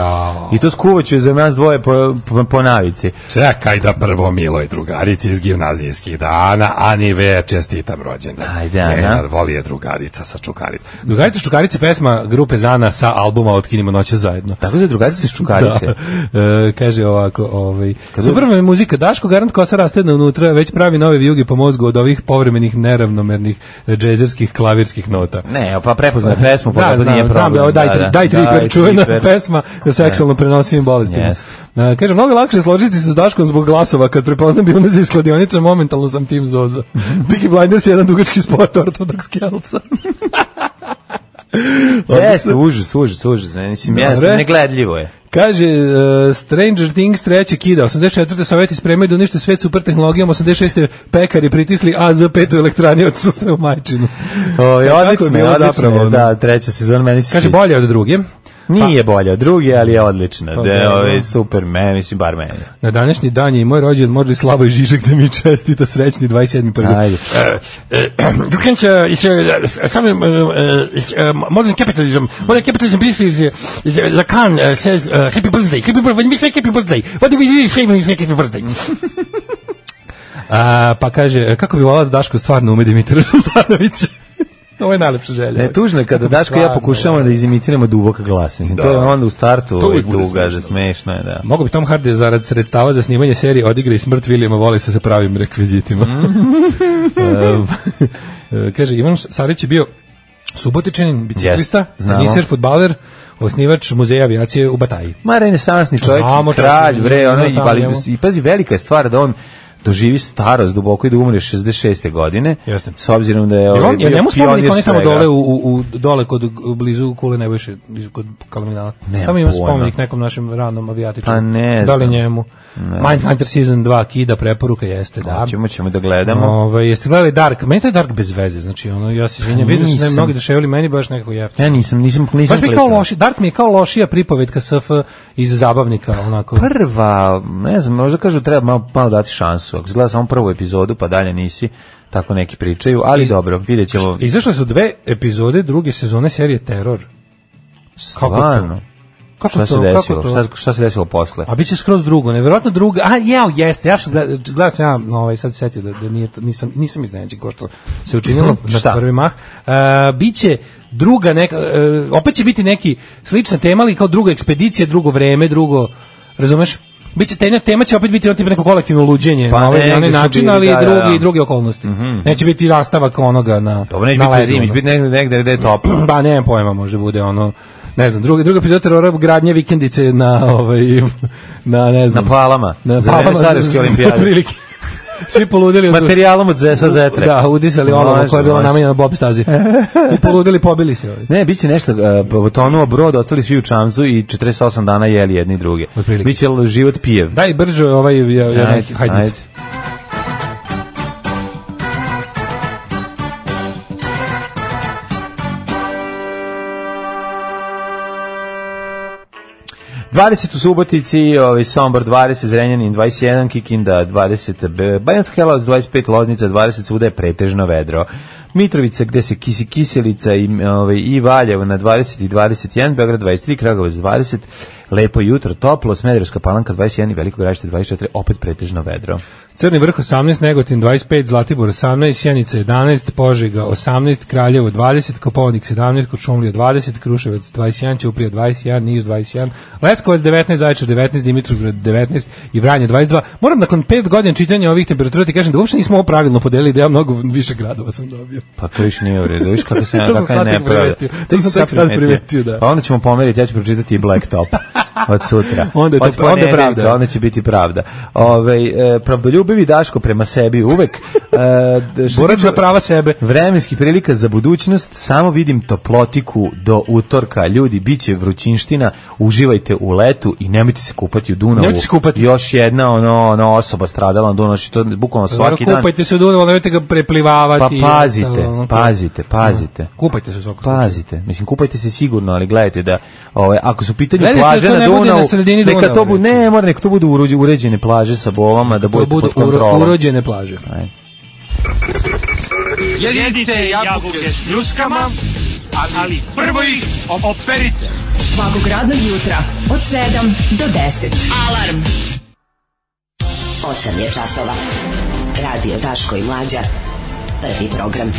I to skuvaću za nas dvoje po, po, po navici. Čekaj da prvo miloj drugarici iz gimnazijskih dana, Ani ve čestitam rođendan. Ajde, Ana. Voli je drugarica sa Čukarice. Drugarica sa Čukarice pesma grupe Zana sa albuma Otkinimo noće zajedno. Tako se drugarica sa Čukarice. Da. E, kaže ovako, ovaj... Super mi je muzika, Daško garant kosa rastedna unutra, već pravi nove vijuge po mozgu od ovih povremenih neravnomernih džezerskih klavirskih nota. Ne, pa prepoznaj pesmu, pa da, to znam, nije problem. Znam, daj, da, da, daj tri daj, čuvena triper. pesma o seksualno prenosivim bolestima. Yes. Uh, kaže, mnogo lakše složiti se s Daškom zbog glasova, kad prepoznam bio iz skladionica, momentalno sam tim Zoza. Peaky Blinders je jedan dugački spot ortodoks kelca. Jeste, užas, užas, užas. Mislim, jeste, negledljivo je. Kaže, uh, Stranger Things treće kida, osamdeset četvrte Sovjeti spremaju da unište svet super tehnologijom, osamdeset šeste pekari pritisli A Z pet u elektrani, otišli se u majčinu. O, je odlično, je odlično, da, treća sezona meni se kaže, bolje od druge. Nije pa, bolja od druge, ali je odlična. Pa, da, ove, super, me, mislim, bar meni. Na današnji dan je i moj rođen, možda i Slavoj Žižek da mi čestita srećni dvadeset sedmi prvi Ajde. You can uh, some uh, modern capitalism, modern capitalism is Lacan says uh, happy birthday, happy birthday, when we say happy birthday, what do we really say when we say happy birthday? A, pa kaže, kako bi volao da Daško stvarno ume Dimitra Žutanovića? Ovo je najlepša želja. Ne, tužno je kada Daško i ja pokušavamo da izimitiramo dubok glas. Mislim, da. To je onda u startu uvijek tuga, da smešno je, da. Mogu bi Tom Hardy zarad sredstava za snimanje serije odigra i smrt Williama Wallace sa pravim rekvizitima. um, kaže, Ivan Sarić je bio subotičanin, biciklista, yes, teniser, fudbaler, osnivač muzeja avijacije u Bataji. Ma renesansni čovjek, Znamo, kralj, bre, ono, i, ali, i pazi, velika je stvar da on doživi starost duboko i da umre šezdeset šeste godine. Jeste. S obzirom da je ovaj on, bio njemu spomenik on je tamo dole u, u dole kod blizu Kule Nebojše, kod Kalemegdana. Tamo ima spomenik nekom našem ranom avijatiču. Pa ne. Da li njemu? Mindhunter season dva kida preporuka jeste, da. Ćemo ćemo da gledamo. Ovaj jeste gledali Dark? Meni je Dark bez veze, znači ono ja se izvinjavam, vidim da su mnogi deševali, meni baš nekako jeftino. Ja nisam nisam nisam. Baš mi kao loši, Dark mi je kao lošija pripovetka S F iz zabavnika onako. Prva, ne znam, možda kažu treba malo, malo dati šansu. Ako gledao samo prvu epizodu, pa dalje nisi, tako neki pričaju, ali I, dobro, videćemo. Izašle su dve epizode druge sezone serije Teror. Stvarno. Kako šta to? se desilo? Kako to? Šta, šta se desilo posle? A biće skroz drugo, nevjerojatno drugo. A jeo, jeste. Ja sam gledao, gledao sam ja, ovaj sad se setio da, da nije to, nisam nisam iznenađen ko što se učinilo na prvi mah. Uh, biće druga neka uh, opet će biti neki slična tema, ali kao druga ekspedicija, drugo vreme, drugo, razumeš? Biće tema, tema će opet biti on tipa neko kolektivno luđenje pa na ovaj ne, način, ali i drugi da. i drugi okolnosti. Mm -hmm. Neće biti nastavak onoga na Dobro, neće biti zimi, će biti negde, negde gde je toplo. Ba, nemam pojma, može bude ono ne znam, druga druga epizoda Terora, gradnje vikendice na ovaj na ne znam na Palama, na za Palama Sarajevske olimpijade. Svi poludeli od materijalom od Zesa Zetre. Da, udisali ono koje je bilo namenjeno Bob stazi. I poludeli, pobili se. Ovaj. Ne, biće nešto uh, potonuo brod, ostali svi u čamcu i četrdeset osam dana jeli jedni drugi. Biće život pijev. Daj brže ovaj ja, ja, ajde, hajde. Ajde. dvadeset u Subotici, ovaj Sombor dvadeset, Zrenjanin dvadeset jedan, Kikinda dvadeset, Banjska Karlovac dvadeset pet, Loznica dvadeset, svuda je pretežno vedro. Mitrovica gde se kisi kiselica i ovaj i Valjevo na dvadeset i dvadeset jedan, Beograd dvadeset tri, Kragujevac dvadeset, lepo jutro, toplo, Smederevska Palanka dvadeset jedan i Veliko Gradište dvadeset četiri, opet pretežno vedro. Crni vrh osamnaest, Negotin dvadeset pet, Zlatibor osamnaest, Sjenica jedanaest, Požega osamnaest, Kraljevo dvadeset, Kopaonik sedamnaest, Kočumlija dvadeset, Kruševac dvadeset jedan, Ćuprija dvadeset jedan, Niš dvadeset jedan, Leskovac devetnaest, Zaječar devetnaest, Dimitrovgrad devetnaest i Vranje dvadeset dva. Moram nakon pet godina čitanja ovih temperatura ti kažem da uopšte nismo ovo pravilno podelili, da ja mnogo više gradova sam dobio. Pa to više nije u redu, viš kako se To sam kakva je sad tek nepravda. primetio. To sam tek sad primetio, da. Pa onda ćemo pomeriti, ja ću pročitati i Blacktop od sutra. Onda je to- Od onda je ponedeljka, pravda. Onda će biti pravda. Ove, e, pravdoljubivi Daško prema sebi uvek. E, što Borac tiče za prava sebe. Vremenskih prilika za budućnost, samo vidim toplotiku do utorka. Ljudi, biće vrućinština, uživajte u letu i nemojte se kupati u Dunavu. Nemojte se kupati. Još jedna ono, ono osoba stradala na Dunavu, što je bukvalno svaki dan. Kupajte se u Dunavu, nemojte ga Pa preplivavati. pazite, Ono, pazite, pazite. Kupajte se u svakom slučaju. Pazite, mislim kupajte se sigurno, ali gledajte da ovaj ako su u pitanju Gledajte plaže da to na ne bude Dunavu, na sredini neka Dunava, to bude, recimo. ne, mora neka to budu urođe- uređene plaže sa bolama, da To bude budu pod kontrolom. uro- urođene plaže. Ajde. Jedite jabuke s ljuskama, ali prvo ih operite. Svakog radnog jutra od sedam do deset. Alarm. osam je časova. Radio Daško i Mlađa. Prvi program.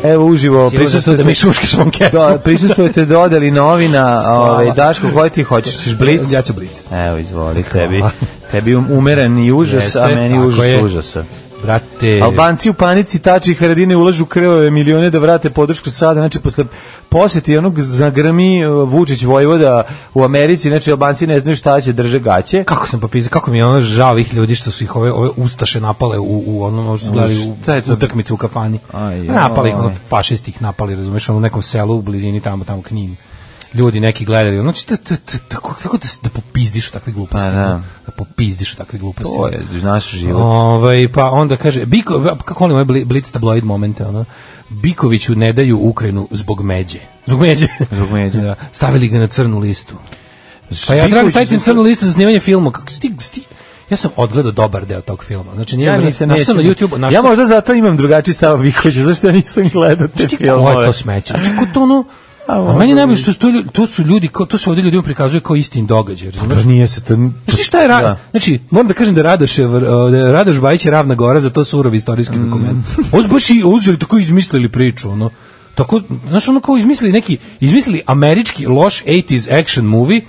Evo uživo Si uzastao da mi šuškaš ovom kesu. Da, prisustvujete dodeli novina, ovaj Daško, koji ti hoćeš, ćeš blic? Ja ću blic. Evo, izvoli, tebi. Tebi umeren i užas, Jeste, a meni tako užas je. užasa. Brate. Albanci u panici, Tači i Haradine ulažu krvave milione da vrate podršku sada, znači posle posjeti onog zagrmi uh, Vučić Vojvoda u Americi, znači Albanci ne znaju šta će, drže gaće. Kako sam popizao, kako mi je ono žao ovih ljudi što su ih ove, ove ustaše napale u, u onom, što su gledali Šta je to? u utakmicu u kafani. Aj, joj. Napali ih, ono, fašisti ih napali, razumeš, ono u nekom selu u blizini tamo, tamo Knin. Ljudi neki gledali, ono, znači, t- t- t- tako tako da, s- da popizdiš u takve gluposti. Pa da. ono, da popizdiš u takve gluposti. To je naš život. Ovaj, pa onda kaže, Biko, kako volim ovaj bli- blic tabloid momente, ono, Bikoviću ne daju Ukrajinu zbog međe. Zbog međe. Zbog međe. Da, stavili ga na crnu listu. Pa ja trebam staviti na crnu listu za snimanje filma. Kako sti, sti, ja sam odgledao dobar deo tog filma. Znači, nije Ja možda- nisam našao sam na neću- YouTube. našao Ja sam- možda zato imam drugačiji stav Vikovića, zašto ja nisam gledao te Znaš ti ko je filmove. to smeće? Znači, ko to ono... A meni je najbolje što su to, ljudi- to su ljudi, kao- to se ovdje ljudima prikazuje kao istin događaj, razumeš? Pa nije se to... Znaš ti šta je ra... Da. Znači, moram da kažem da Radoš, je, da je Radoš Bajić je Ravna Gora, za to surovi istorijski Mm. dokument. Ovo su baš i uzeli, tako izmislili priču, ono. Tako, znaš, ono kao izmislili neki, izmislili američki loš osamdeset action movie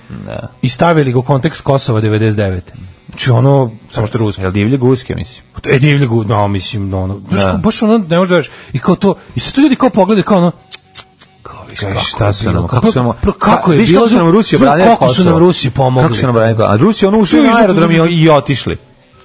i stavili ga u kontekst Kosova devedeset devete. Znači, ono, samo što je ruski. Jel divlje guske, mislim? E, divlje gu, no, mislim, no, ono, znaš, Da. kao, baš ono, ne možeš da veriš. I kao to, i sad to ljudi kao pogledaju, kao ono, kao, viš, Kaj, kako šta je su bilo, nam, kako su nam, kako, kako je viš bilo, kako su nam Rusi obranili kako su Kosovo? nam Rusi pomogli. Kako su nam obranili Kosovo? A Rusi ono ušli To je na zato- aerodrom i, i otišli.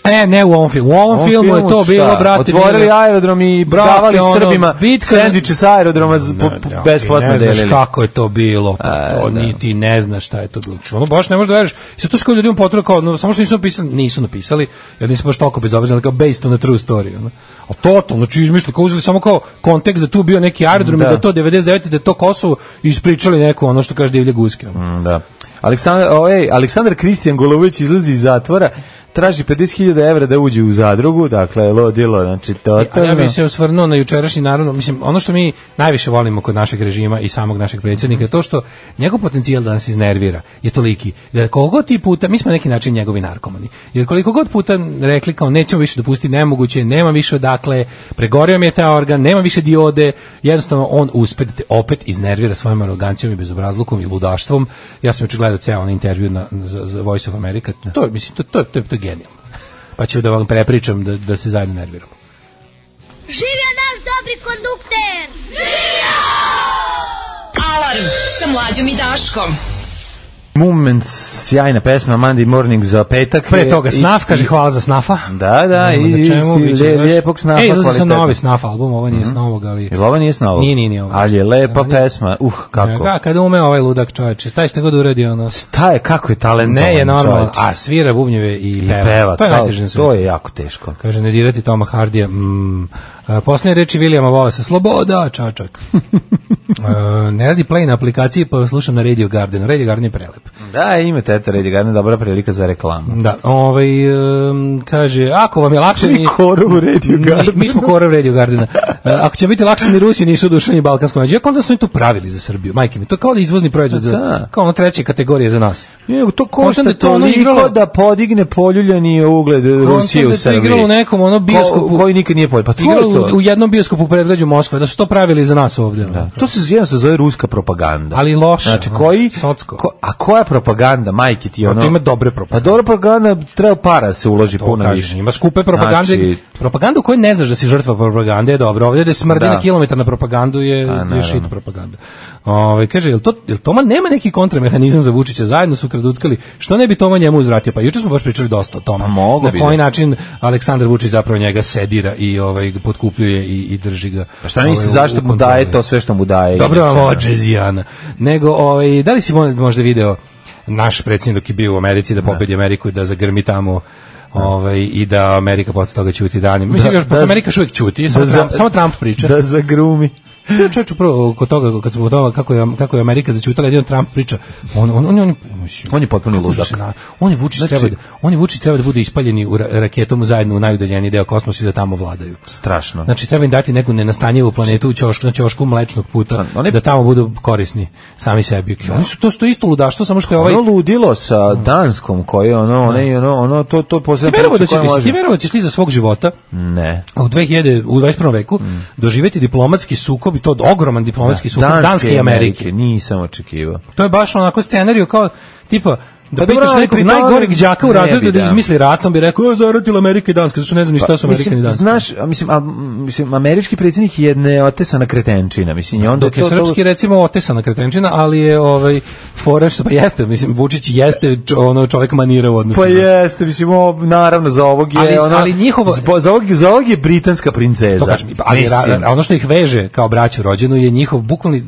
E, ne u ovom filmu. U ovom, ovom filmu je filmu to šta? bilo, brate. Otvorili bilo- aerodrom i Brate, davali ono, Srbima bitka- sendviče sa aerodroma z- po- Ne, po- ne, besplatno ne znaš delili. kako je to bilo, pa A, to da. ni ti ne znaš šta je to bilo. Ono baš ne možeš da veriš. I sad to skoro ljudima potrebno kao, no, samo što nisu napisali, nisu napisali, jer nisu baš toliko bezobrazni, ali kao based on a true story. Ono. A totalno, znači izmislili, kao uzeli samo kao kontekst da tu bio neki aerodrom Da. i da to devedeset devete da je to Kosovo i ispričali neko ono što kaže divlje guske. Ono. Mm, da. Aleksandar, o, ej, Aleksandar Kristijan Golović izlazi iz zatvora, traži pedeset hiljada evra da uđe u zadrugu, dakle, lodilo, znači, A totalno. ja bih se osvrnuo na jučerašnji, naravno, mislim, ono što mi najviše volimo kod našeg režima i samog našeg predsjednika je to što njegov potencijal da nas iznervira je toliki, da koliko god ti puta, mi smo na neki način njegovi narkomani, jer koliko god puta rekli kao nećemo više dopustiti nemoguće, nema više odakle, pregorio mi je taj organ, nema više diode, jednostavno on uspe da te opet iznervira svojom arogancijom i bezobrazlukom i ludaštvom. Ja sam juče gledao ceo onaj intervju na, za, za Voice of America, to je, mislim, to, to, to, to je genijalno. Pa ću da vam prepričam da, da se zajedno nerviramo. Živio naš dobri kondukter! Alarm sa Mlađom i Daškom. Moment, sjajna pesma Monday Morning za petak. Pre toga I- Snaf, kaže i- hvala za Snafa. Da, da, Nema i, na i, čemu, i biće lje- baš- lijepog Snafa. E, izlazi sa kvalitetnog. novi Snaf album, ovo nije s novog, ali... Jel ovo nije s novog? Nije, nije, nije ovo. Ali je lepa Ali- pesma, uh, kako. Ka, kada ume ovaj ludak čovječe, taj šta god uradi, ono... Šta je, kako je talentovan Ne je normalno, čovječ. a svira bubnjeve i I peva. peva, to je kao- najteže na to svijetu. je jako teško. Kaže, ne dirati Toma Hardija, mm, Uh, posljednje reči Vilijama Wallace, sloboda, čačak. uh, ne radi play na aplikaciji, pa slušam na Radio Garden. Radio Garden je prelep. Da, imate, eto, Radio Garden, dobra prilika za reklamu. Da, ovaj, um, kaže, ako vam je lakše... Mi korov u Radio Garden. Mi, mi smo korov Radio Gardena. Uh, ako će biti lakše, ni Rusi nisu dušani ni balkanskom među. Jako onda su oni to pravili za Srbiju, majke mi. To je kao da izvozni proizvod, za, kao ono treće kategorije za nas. Je, to košta toliko igralo, da podigne poljuljani ugled Rusije u Srbiji. Igralo u nekom ono bioskopu. Ko, koji nikad nije poljuljani. Pa to igralo to. U, u jednom bioskopu u predgrađu Moskve, da su to pravili za nas ovdje. Da. To se jedan se zove ruska propaganda. Ali loša. Znači, koji, ko, a koja propaganda, majke ti ono? To ima dobre propagande. Pa dobra propaganda, treba para se uloži puno kažem, više. Ima skupe propagande. Znači, propaganda u kojoj ne znaš da si žrtva propagande je dobro. Ovdje da smrdi da. na kilometar na propagandu je, je shit propaganda. Ove, kaže, jel, to, jel Toma nema neki kontramehanizam za Vučića, zajedno su kraduckali, što ne bi Toma njemu uzvratio? Pa juče smo baš pričali dosta o Toma. Na koji da. način Aleksandar Vučić zapravo njega sedira i ovaj, potkupljuje i, i drži ga. Pa šta niste, ovaj, zašto mu daje to sve što mu daje? Dobro vam ova džezijana. Nego, ovaj, da li si možda video naš predsjednik dok je bio u Americi da pobedi Ameriku i da zagrmi tamo ovaj, i da Amerika posle toga ćuti danima. Mislim, još posle Amerika još uvijek ćuti, samo, Trump, samo Trump priča. Da zagrumi. Čovječ, upravo kod toga, kad smo kod toga kako je, kako je Amerika začutala, jedan Trump priča, on, on, on, on, on je potpuno ludak. On je Vučić znači, treba, on je Vučić treba da bude ispaljeni u raketom zajedno u najudaljeniji deo kosmosa i da tamo vladaju. Strašno. Znači treba im dati neku nenastanjivu planetu u ćošku, na ćošku mlečnog puta, je, da tamo budu korisni sami sebi. Oni su to, to isto ludaštvo, samo što je ovaj... Ono ludilo sa Danskom, koje ono, ono, ono, ono to, to posebno... Ti verovaćeš ti za svog života ne. u dve hiljade u dvadeset prvom veku mm. doživjeti diplomatski sukob i to ogroman diplomatski da, sukob Danske, Danske i Amerike. Amerike. Nisam očekivao. To je baš onako scenariju kao tipa da pa pitaš nekog najgoreg đaka u razredu da izmisli rat, on bi rekao, zaratila Amerika i Danska, zašto ne znam ni šta su Amerika i Danska. Znaš, mislim, a, mislim, američki predsjednik je neotesana kretenčina, mislim, i onda dok je to, srpski, to... recimo, otesana kretenčina, ali je, ovaj, foraš, pa jeste, mislim, Vučić jeste ono čovjek manira u odnosu. Pa jeste, mislim, o, naravno, za ovog je, ali, ono, ali njihovo... za, ovog, za ovog je britanska princeza. To kažem, ali ra, ono što ih veže kao braću rođenu je njihov bukvalni...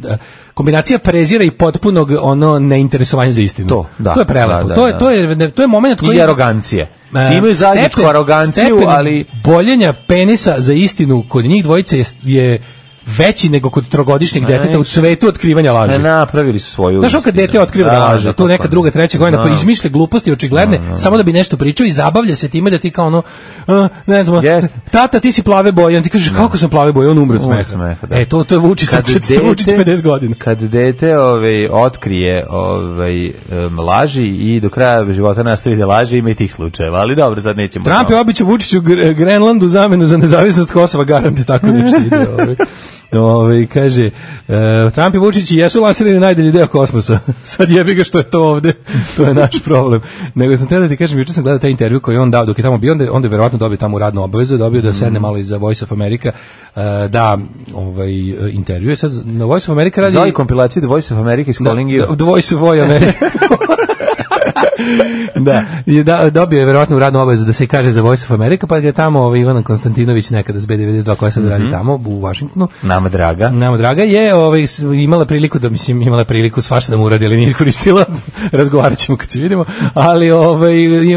kombinacija prezira i potpunog ono neinteresovanja za istinu. To, da, to je prelepo. Da, to je da. to je to je momenat koji i arogancije. Uh, imaju zajedničku aroganciju, ali boljenja penisa za istinu kod njih dvojice je, je veći nego kod trogodišnjeg deteta u svetu otkrivanja laži. Ne, napravili su svoju. Znaš, kad dete otkriva da, da laže, tu neka druga, treća godina, pa izmišlja gluposti očigledne, no, no, no. samo da bi nešto pričao i zabavlja se time da ti kao ono, uh, ne znam, yes. tata, ti si plave boje, on ti kažeš, kako sam plave boje, on umre od smeha. E, to, to je Vučić, Vučić pedeset godina. Kad dete ovaj, otkrije ovaj, um, laži i do kraja života nastavi da laže, ima i tih slučajeva, ali dobro, sad nećemo. Trump je običao Vučiću Grenlandu zamenu za nezavisnost Kosova, garante, tako nešto ide. Ovaj. Ove, kaže, uh, Trump i Vučić jesu lansirani na najdalji deo kosmosa. Sad jebi ga što je to ovde, to je naš problem. Nego sam te da ti kažem, juče sam gledao taj intervju koji on dao dok je tamo bio, onda, onda je verovatno dobio tamo radnu obavezu, dobio da sedne malo iza Voice of America, uh, da ovaj, intervju. Sad na Voice of America radi... Zove kompilaciju The Voice of America is calling you. The Voice of America. da, je da, dobio je verovatno radnu obavezu da se kaže za Voice of America, pa je tamo ovaj Ivan Konstantinović nekada s B devedeset dva koja sad mm-hmm. radi tamo u Vašingtonu. Nama draga. Nama draga je ovaj, imala priliku da, mislim, imala priliku svašta da mu uradi, ali nije koristila. Razgovarat ćemo kad se vidimo. Ali ovaj,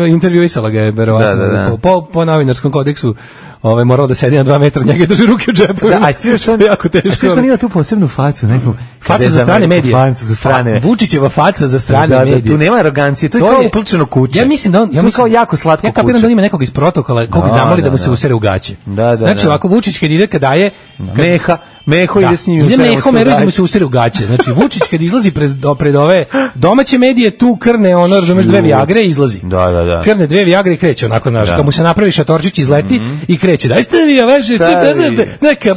intervjuisala ga je verovatno da, da, da. Po, po novinarskom kodeksu. Ovaj morao da sedi na dva metra, njega drži ruke u džepu. Da, a sve što jako teško. A sve što ima tu posebnu facu, neku facu za strane medije. Facu za strane. Vučićeva faca za strane da, medije. Da, tu nema arogancije, to je to kao uplčeno kuće. Ja mislim da on, ja to mislim kao jako slatko kuće. Ja kapiram da ima nekog iz protokola kog zamoli da, da mu se usere u gaće. Da, da. Znači ovako Vučić kad ide kad daje Meha, Meho ide s njim. Ide Meho, Meho mu se usere u gaće. Znači Vučić kad izlazi pred pred ove domaće medije tu krne ono, razumeš, dve Viagre i izlazi. Da, da, da. Krne dve Viagre i kreće onako, znaš, kad mu se napravi šatorčić izleti i kreće. Daj ste vi veže se neka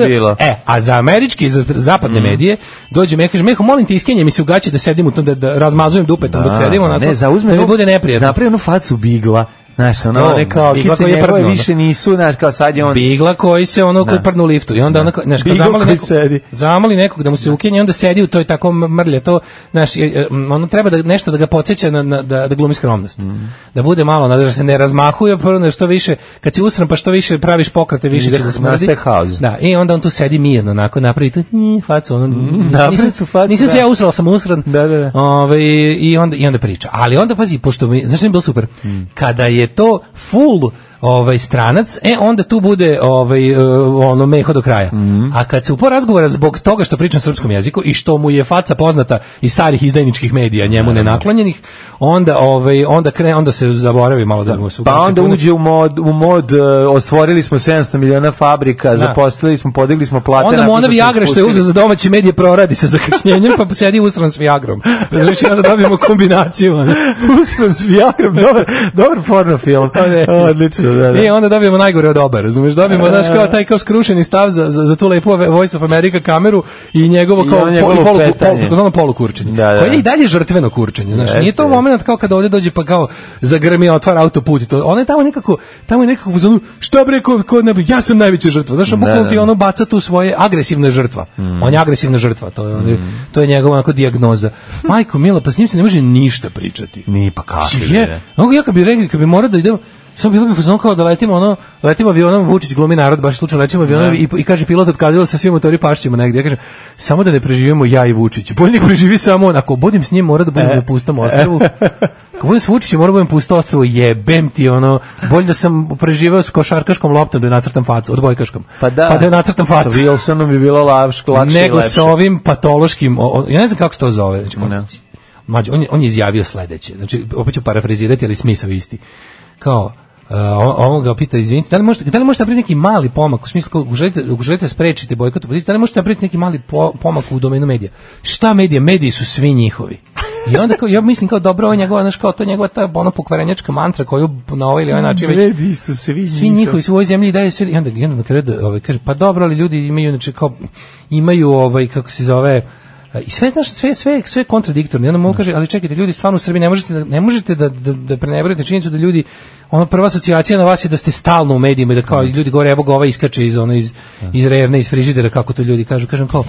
bilo. E, a za američki, za zapadne mm. medije dođe me kaže, Meho, molim te iskenje mi se u gaće da sedim u tom, da, da razmazujem dupetom da, dok sedimo, onako, ne, zauzme, da mi bude neprijatno. Napravi onu facu bigla. Znaš, ono, no, kao, kice njegove više nisu, znaš, kao sad je on... Bigla koji se, ono, koji prnu u liftu. I onda, onako, znaš, kao zamoli nekog, zamoli nekog da mu se ukenje, onda sedi u toj tako mrlje, to, znaš, ono, treba da nešto da ga podsjeća na, na, da, da glumi skromnost. Mm. Da bude malo, da se ne razmahuje, prvo, što više, kad si usran, pa što više praviš pokrate, više će da smrdi. Da, i onda on tu sedi mirno, onako, napravi tu, njih, facu, ono, mm, nisam, facu, nisam se ja usrao, sam usran. Da, da, da. Ove, i, onda, I onda priča. Ali onda, pazi, pošto mi, znaš, je bilo super, mm. kada je to full ovaj stranac, e onda tu bude ovaj ono meho do kraja. Mm. A kad se upo razgovara zbog toga što priča na srpskom jeziku i što mu je faca poznata iz starih izdajničkih medija, njemu nenaklonjenih, onda ovaj onda krene, onda se zaboravi malo da mu se pa onda puno. Uđe u mod u mod uh, ostvorili smo sedamsto miliona fabrika, da. Zaposlili smo, podigli smo plate. Onda mu ona Viagra što je uzeo za domaće medije proradi se zakašnjenjem, pa sedi usran s Viagrom. Znači onda dobijemo kombinaciju. Usran s Viagrom, dobar, dobar porno film. Odlično, da, da. I onda dobijemo najgore od oba, razumeš? Dobijemo, znaš, kao taj kao skrušeni stav za, za, za tu lepu Voice of America kameru i njegovo kao polu, polu, polu, polu, polu kurčenje. Da, da. Koje je i dalje žrtveno kurčenje, znaš. Nije to moment kao kada ovdje dođe pa kao zagrmi, otvara autoput i to. Ona je tamo nekako, tamo je nekako u zonu, šta bre, ko, ko, ne, ja sam najveća žrtva. Znaš, bukvalno ti ono baca tu svoje agresivna žrtva. Mm. On je agresivna žrtva, to je, mm. to je njegova onako dijagnoza. Majko mila, pa s njim se ne može ništa pričati. Ni pa kako je. Ja kad bi rekli, kad bi morao da idemo, samo bilo bi fazon kao da letimo ono, letimo avionom, Vučić glumi narod, baš slučajno letimo avionom i, i kaže pilot otkazilo sa svim motori pašćima negdje. Ja kažem, samo da ne preživimo ja i Vučić. Bolje nek preživi samo on, ako budem s njim mora da budem e. na pustom ostrvu. Ako budem s Vučićem mora da budem pusto ostrvu, jebem ti ono, bolje da sam preživeo s košarkaškom loptom da je nacrtam facu, odbojkaškom. Pa da, pa da je nacrtam facu. Sa Wilsonom bi bilo lakše, lakše nego sa ovim patološkim, o, o, ja ne znam kako se to zove. Znači, on, mađu, on, on je izjavio sledeće, znači opet ću parafrazirati, ali smisao isti. Kao, Uh, on ga pita, izvinite, da li možete, da li možete napraviti neki mali pomak, u smislu, ako želite, ako želite sprečiti bojkot opozicije, da li možete napraviti neki mali po, pomak u domenu medija? Šta medije? Mediji su svi njihovi. I onda kao, ja mislim kao dobro, ovo je njegova, znaš, kao to je njegova ta ono pokvarenjačka mantra koju na ovaj ili ovaj način već... Mediji su svi, svi njihovi, su u ovoj zemlji daje sve, i onda, i onda na kraju da, ovaj, kaže, pa dobro, ali ljudi imaju, znači, kao, imaju, ovaj, kako se zove, i sve znaš, sve sve sve kontradiktorno. Onda mu kaže, ali čekajte, ljudi stvarno u Srbiji ne možete da ne možete da da, da preneverujete činjenicu da ljudi, ona prva asocijacija na vas je da ste stalno u medijima i da kao ljudi govore evo ga ovaj iskače iz ono iz iz rerne, iz frižidera, kako to ljudi kažu. Kažem kao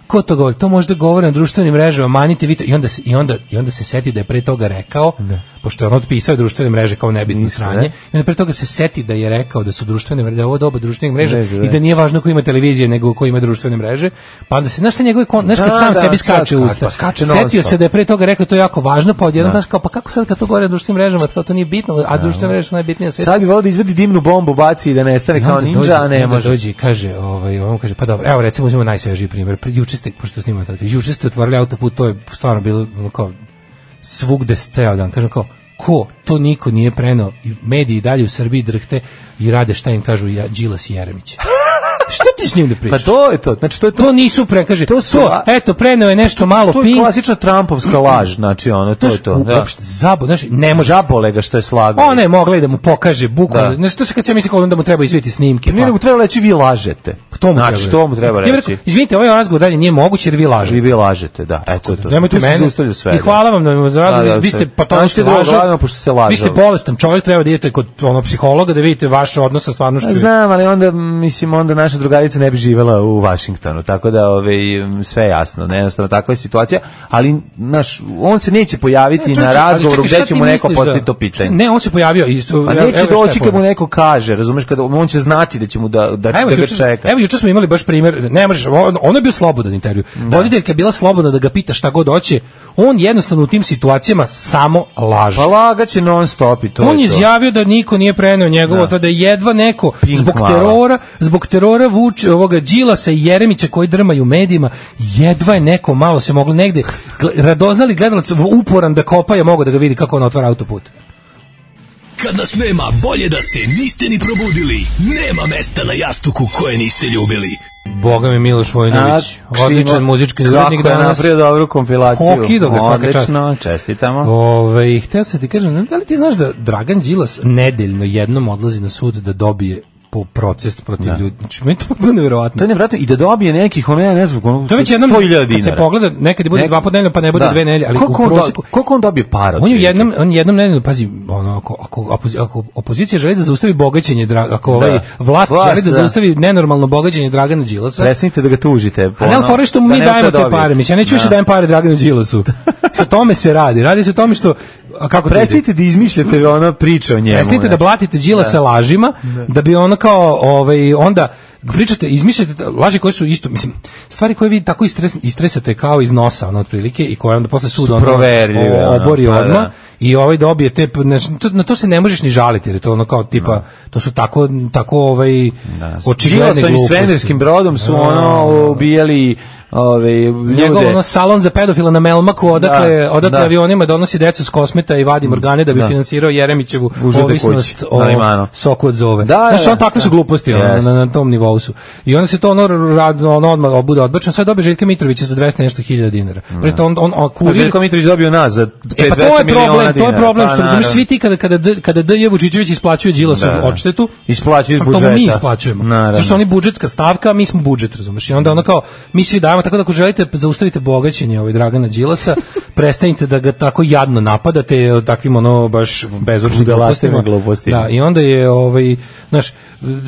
ko to govori? To možda govore na društvenim mrežama, manite vi to. I onda se, i onda i onda se seti da je pre toga rekao, ne. Pošto je on otpisao društvene mreže kao nebitno sranje, i onda pre toga se seti da je rekao da su društvene mreže, da je ovo doba društvenih mreža Mreže, i da nije važno ko ima televizije nego ko ima društvene mreže. Pa onda se, znaš šta njegove, znaš kad da, sam da, sebi skače u usta. Pa setio se da je pre toga rekao to je jako važno, pa odjednom znaš kao pa kako sad kad to govore na društvenim mrežama, kao to nije bitno, a društvene mreže su najbitnije na svijetu. Sad bi volio da izvadi dimnu bombu, baci i da nestane kao ninja, a ne može. Dođi, kaže, ovaj, on kaže, pa dobro, evo recimo uzmemo najsvežiji primjer. Juče ste, pošto snimamo tako, juče ste otvorili autoput, to je stvarno bilo kao svugde steo dan, kažem kao ko, to niko nije preneo i mediji dalje u Srbiji drhte i rade šta im kažu ja, Đilas i Jeremić. Šta ti s njim da pričaš? Pa to je to, znači to je to. To nisu pre, kaže, to, su, to eto, preneo je nešto malo Pink. To je klasična Trumpovska laž, znači ono, to je to. Da. Zabo, znači, ne može. Zabole ga što je slagao. Ona je mogla i da mu pokaže bukvalno. Znači, to se kad se misli kao da mu treba izviti snimke. Pa. Ne, nego treba reći vi lažete. To mu znači, treba. To mu treba reći. Rekao, izvinite, ovaj razgovor dalje nije moguće jer vi lažete. Vi, vi lažete, da. Eto to. Nemojte mene. I hvala vam na razgovoru. Vi ste patološki lažete. Vi ste bolestan čovjek, treba da idete kod onog psihologa da vidite vaš odnos sa stvarnošću. Znam, ali onda mislim onda naša drugarica ne bi živela u Vašingtonu, tako da ove, sve jasno, jednostavno takva je situacija, ali naš, on se neće pojaviti ne, čovječ, na razgovoru gdje će mu neko postaviti to pitanje. Ne, on se pojavio isto. Pa neće evo, doći kad mu neko kaže, razumeš, kada on će znati da će mu da, da, evo, da ga juče, čeka. Evo, juče smo imali baš primjer, ne možeš, on, on je bio slobodan intervju. Voditeljka je bila slobodna da ga pita šta god hoće, on jednostavno u tim situacijama samo laže. Pa lagaće non stop i to. On je izjavio da niko nije preneo njegovo, da. da je jedva neko Pink zbog mala. terora, zbog terora vuče ovoga Đilasa i Jeremića koji drmaju medijima, jedva je neko malo se moglo negde radoznali gledalac uporan da kopa je mogo da ga vidi kako on otvara autoput. Kad nas nema, bolje da se niste ni probudili. Nema mesta na jastuku koje niste ljubili. Boga mi Miloš Vojnović, odličan muzički urednik danas. Kako je napravio dobru kompilaciju. Okido ga svaka čast. Odlično, čestitamo. Ove, htio sam ti kažem, da li ti znaš da Dragan Đilas nedeljno jednom odlazi na sud da dobije po proces protiv da. ljudi. Znači, meni to je nevjerovatno. To je nevjerovatno i da dobije nekih, ono ja ne znam, ono, to je već jednom, sto hiljada dinara. Kad se pogleda, nekad bude Nek... dva ponedeljno, pa ne bude da. dve nedelje, ali koliko u prosjeku... On, koliko on dobije para? On je jednom, on jednom nedeljno, pazi, ono, ako, ako, ako opozicija želi da zaustavi bogaćenje, ako ovaj da. vlast, vlast želi da, da zaustavi nenormalno bogaćenje Dragana Đilasa... Prestanite da ga tužite. A ne, ali fore što mu mi dajemo te pare. Mislim, ja neću više dajem pare Draganu Đilasu. Sa tome se radi. Radi se o tome što... A kako prestanite da izmišljate ona priča o njemu. Prestanite da blatite Đilasa lažima, da bi ono kao ovaj onda pričate, izmišljate laži koje su isto, mislim, stvari koje vi tako istres, istresate kao iz nosa, ono otprilike, i koje onda posle suda ono obori odmah. i ovaj dobije te, to, na to se ne možeš ni žaliti, jer je to ono kao tipa, no. to su tako, tako ovaj, da. očigledne gluposti. S svemirskim brodom su ono ubijali ove ljude. Njegov ono salon za pedofila na Melmaku, odakle, da, odakle da. avionima donosi decu s kosmeta i vadi organe da bi da. finansirao Jeremićevu ovisnost o soku od zove. Da, znaš, on takve su gluposti yes. ono, na, na tom nivou su. I onda se to ono, rad, ono odmah bude odbačeno. Sad dobije Željka Mitrovića za dvesta nešto hiljada dinara. Preto on, on, on kurir... Željko Mitrović dobio nas za e, pa dvesta miliona dinara. To je problem, što razumiješ, svi ti kada, kada, kada D J Vučićević isplaćuje Đilasu da. odštetu, isplaćuju iz budžeta. To mi isplaćujemo. Zašto oni budžetska stavka, mi smo budžet, razumiješ. I onda ono kao, mi svi dajemo, tako da ako želite zaustavite bogaćenje ovaj Dragana Đilasa, prestanite da ga tako jadno napadate takvim ono baš bezočnim glupostima. Da, i onda je ovaj znaš,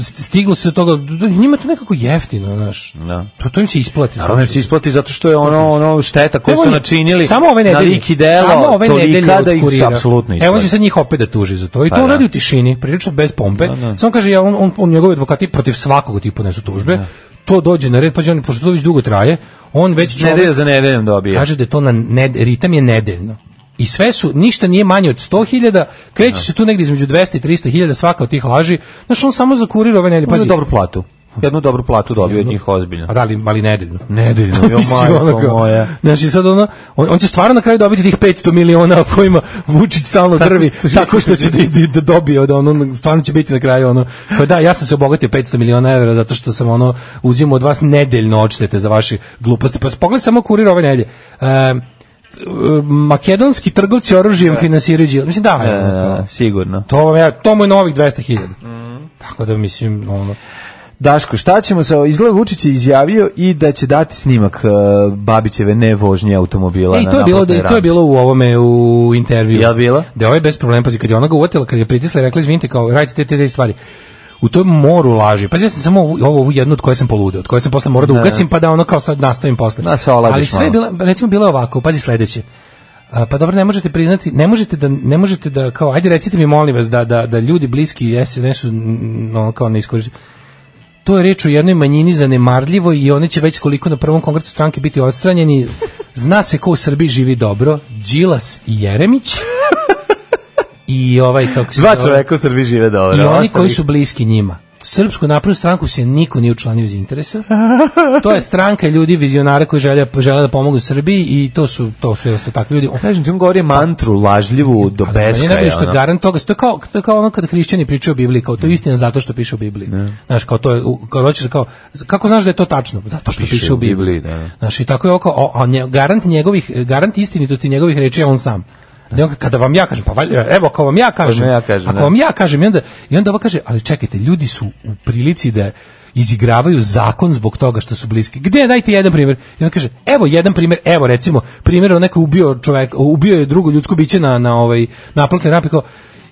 stiglo se do toga, njima to nekako jeftino, znaš. Da. To to im se isplati. Naravno se isplati zato što je ono ono šteta koju su načinili. Samo ove nedelje, na lik i delo, samo ove nedelje da ih se apsolutno isplati. Evo on će sad njih opet da tuži za to. I to pa, on radi u tišini, prilično bez pompe. Da, da. Samo kaže ja on on, on njegovi advokati protiv svakog tipa podnesu tužbe. Da. To dođe na red, pa on pošto to već dugo traje. On već čovjek, nedelja za nedeljom dobije. Kaže da je to na ned, ritam je nedeljno. I sve su, ništa nije manje od sto hiljada, kreće no. se tu negdje između dvesta i trista hiljada svaka od tih laži. Znaš, on samo zakurira ove nedelje. Pazi, dobru platu. Jednu dobru platu dobio od njih ozbiljno. A da li, ali nedeljno? Nedeljno, jo majko moja. Znači sad ono, on, on će stvarno na kraju dobiti tih petsto miliona o kojima Vučić stalno drvi, tako što će da, da dobije od ono, stvarno će biti na kraju ono, pa da, ja sam se obogatio petsto miliona evra zato što sam ono, uzimao od vas nedeljno odštete za vaše gluposti. Pa pogledaj samo kurir ove nedelje. Um, makedonski trgovci oružjem finansiraju Đila. Mislim da, e, ono, sigurno. To ja to mu je novih dvesta hiljada. Mm. Tako da mislim ono Daško, šta ćemo sa izgled Vučić je izjavio i da će dati snimak uh, Babićeve nevožnje automobila. Ej, na to je bilo da, to je bilo u ovome u intervju. Jel bilo? Da je ovaj bez problema, pazi, kad je ona ga uvatila, kad je pritisla i rekla izvinite, kao radite te te, te stvari. U tom moru laži. Pa ja sam samo ovu, ovu jednu od koje sam poludeo, od koje sam posle morao da ugasim, pa da ono kao sad nastavim posle. Da se oladiš. Ali sve je bilo, recimo bilo ovako, pazi sledeće. A, pa dobro, ne možete priznati, ne možete da ne možete da kao ajde recite mi molim vas da da da ljudi bliski S N S-u no kao ne iskoristi. To je reč o jednoj manjini zanemarljivoj i oni će već koliko na prvom kongresu stranke biti odstranjeni. Zna se ko u Srbiji živi dobro, Đilas i Jeremić. I ovaj kako se dva čoveka u Srbiji žive dobro. I oni ostali koji su bliski njima. Srpsku naprednu stranku se niko nije učlanio iz interesa. To je stranka ljudi vizionara koji žele žele da pomognu Srbiji i to su to su jednostavno takvi ljudi. Kažem ti on govori mantru lažljivu do beskraja. Ne, što je garant toga, to kao to kao ono kada hrišćani pričaju o Bibliji, kao to je istina zato što piše u Bibliji. Ne. Znaš, kao to je kao hoćeš kao kako znaš da je to tačno? Zato što piše, piše u Bibliji. Bibliji da. Znaš, i tako je oko a nje, garant njegovih garant istinitosti njegovih reči je on sam. Kada vam ja kažem, pa valjda, evo kao vam ja kažem, ja kažem ako vam ja kažem, i onda, i onda ova kaže, ali čekajte, ljudi su u prilici da izigravaju zakon zbog toga što su bliski. Gde, dajte jedan primjer? I onda kaže, evo jedan primjer, evo recimo, primjer on neko ubio čovjek, ubio je drugo ljudsko biće na, na ovaj, naplatnoj rampi, kao,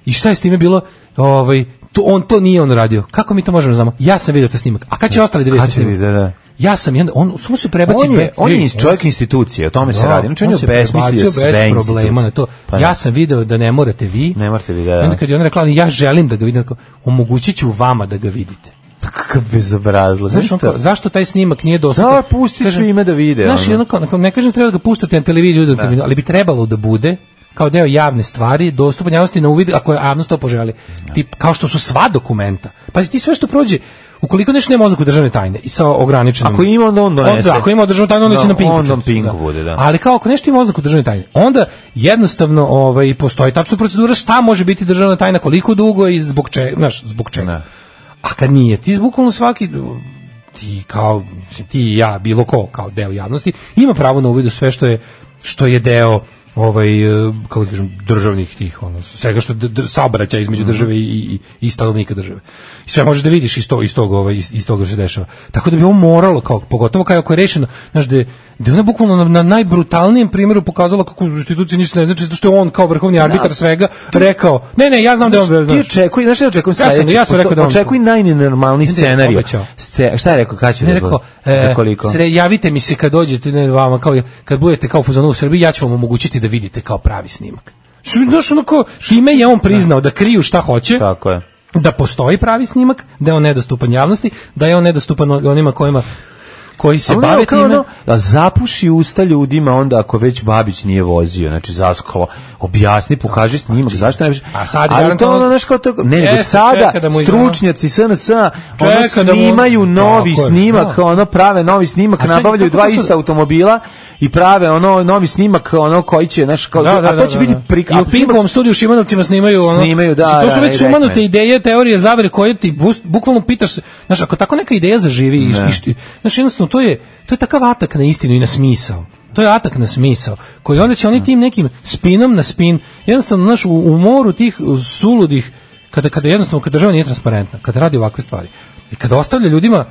i šta je s time bilo, ovaj, to, on to nije on radio. Kako mi to možemo znamo? Ja sam vidio taj snimak. A kad će ostali da vidjeti snimak? Da, da. Ja sam jedan, on samo se prebaci on je, on je iz čovjek institucije, o tome da, se radi. Znači on, on je besmislio sve bez problema na to. Pa ja sam video da ne morate vi. Ne morate vi, da. da. Onda kad je on rekla, ja želim da ga vidim, omogućiću vama da ga vidite. Kakav bezobrazluk. Zašto, zašto taj snimak nije dostupan? Da, pusti svima da vide. Znaš, ono, ne kažem treba da ga puštate na televiziju, da. ali bi trebalo da bude kao deo javne stvari, dostupan javnosti na uvid ako je javnost to poželi. Ja. Tip, kao što su sva dokumenta. Pazi, ti sve što prođe, ukoliko nešto nema oznaku državne tajne i sa ograničenim. Ako ima onda on donese. Onda, ako ima državnu tajnu, onda no, će na pinku. Onda on pinku da. bude, da. Ali kao ako nešto ima oznaku državne tajne, onda jednostavno ovaj postoji tačna procedura šta može biti državna tajna, koliko dugo i zbog čega, znaš, zbog čega. Ne. A kad nije, ti bukvalno svaki ti kao ti i ja, bilo ko kao deo javnosti ima pravo na uvid u sve što je što je deo ovaj kako da kažem državnih tih ono svega što saobraćaj između države i i, i stanovnika države. I sve možeš da vidiš iz tog iz tog ovaj iz toga što se dešava. Tako da bi on moralo kao pogotovo kao ako je rešeno, znaš da da ona bukvalno na, na najbrutalnijem primjeru pokazala kako institucija ništa ne znači zato što je on kao vrhovni arbitar svega rekao ne ne ja znam da on ti očekuj znaš šta očekujem sledeće ja sam rekao da očekuj najnenormalniji scenarijo šta je rekao kad će ne rekao za koliko sre javite mi se kad dođete ne vama kao kad budete kao u fazonu u Srbiji ja ću vam omogućiti da vidite kao pravi snimak. Znaš, onako, time je on priznao da kriju šta hoće, tako je. Da postoji pravi snimak, da je on nedostupan javnosti, da je on nedostupan onima kojima koji se ali bave kao time. Ono, da zapuši usta ljudima onda ako već Babić nije vozio, znači zaskalo, objasni, pokaži snimak, zašto ne... A sad ali to ono, znaš kao to, ne, nego sada stručnjaci S N S ono snimaju novi snimak, ono prave novi snimak, nabavljaju dva ista automobila i prave ono novi snimak, ono koji će, znaš, kao, da, da, a to će da, biti da. prik... I u Pinkovom studiju u Šimanovcima snimaju ono, snimaju, da, znači, to su da, već sumanute ideje, teorije zavere koje ti bukvalno pitaš, znaš, ako tako neka ideja zaživi i što, znaš, jednostavno to je, to je takav atak na istinu i na smisao. To je atak na smisao, koji onda će oni tim nekim spinom na spin, jednostavno, znaš, u, u moru tih suludih, kada, kada jednostavno, kada država nije transparentna, kada radi ovakve stvari, i kada ostavlja ljudima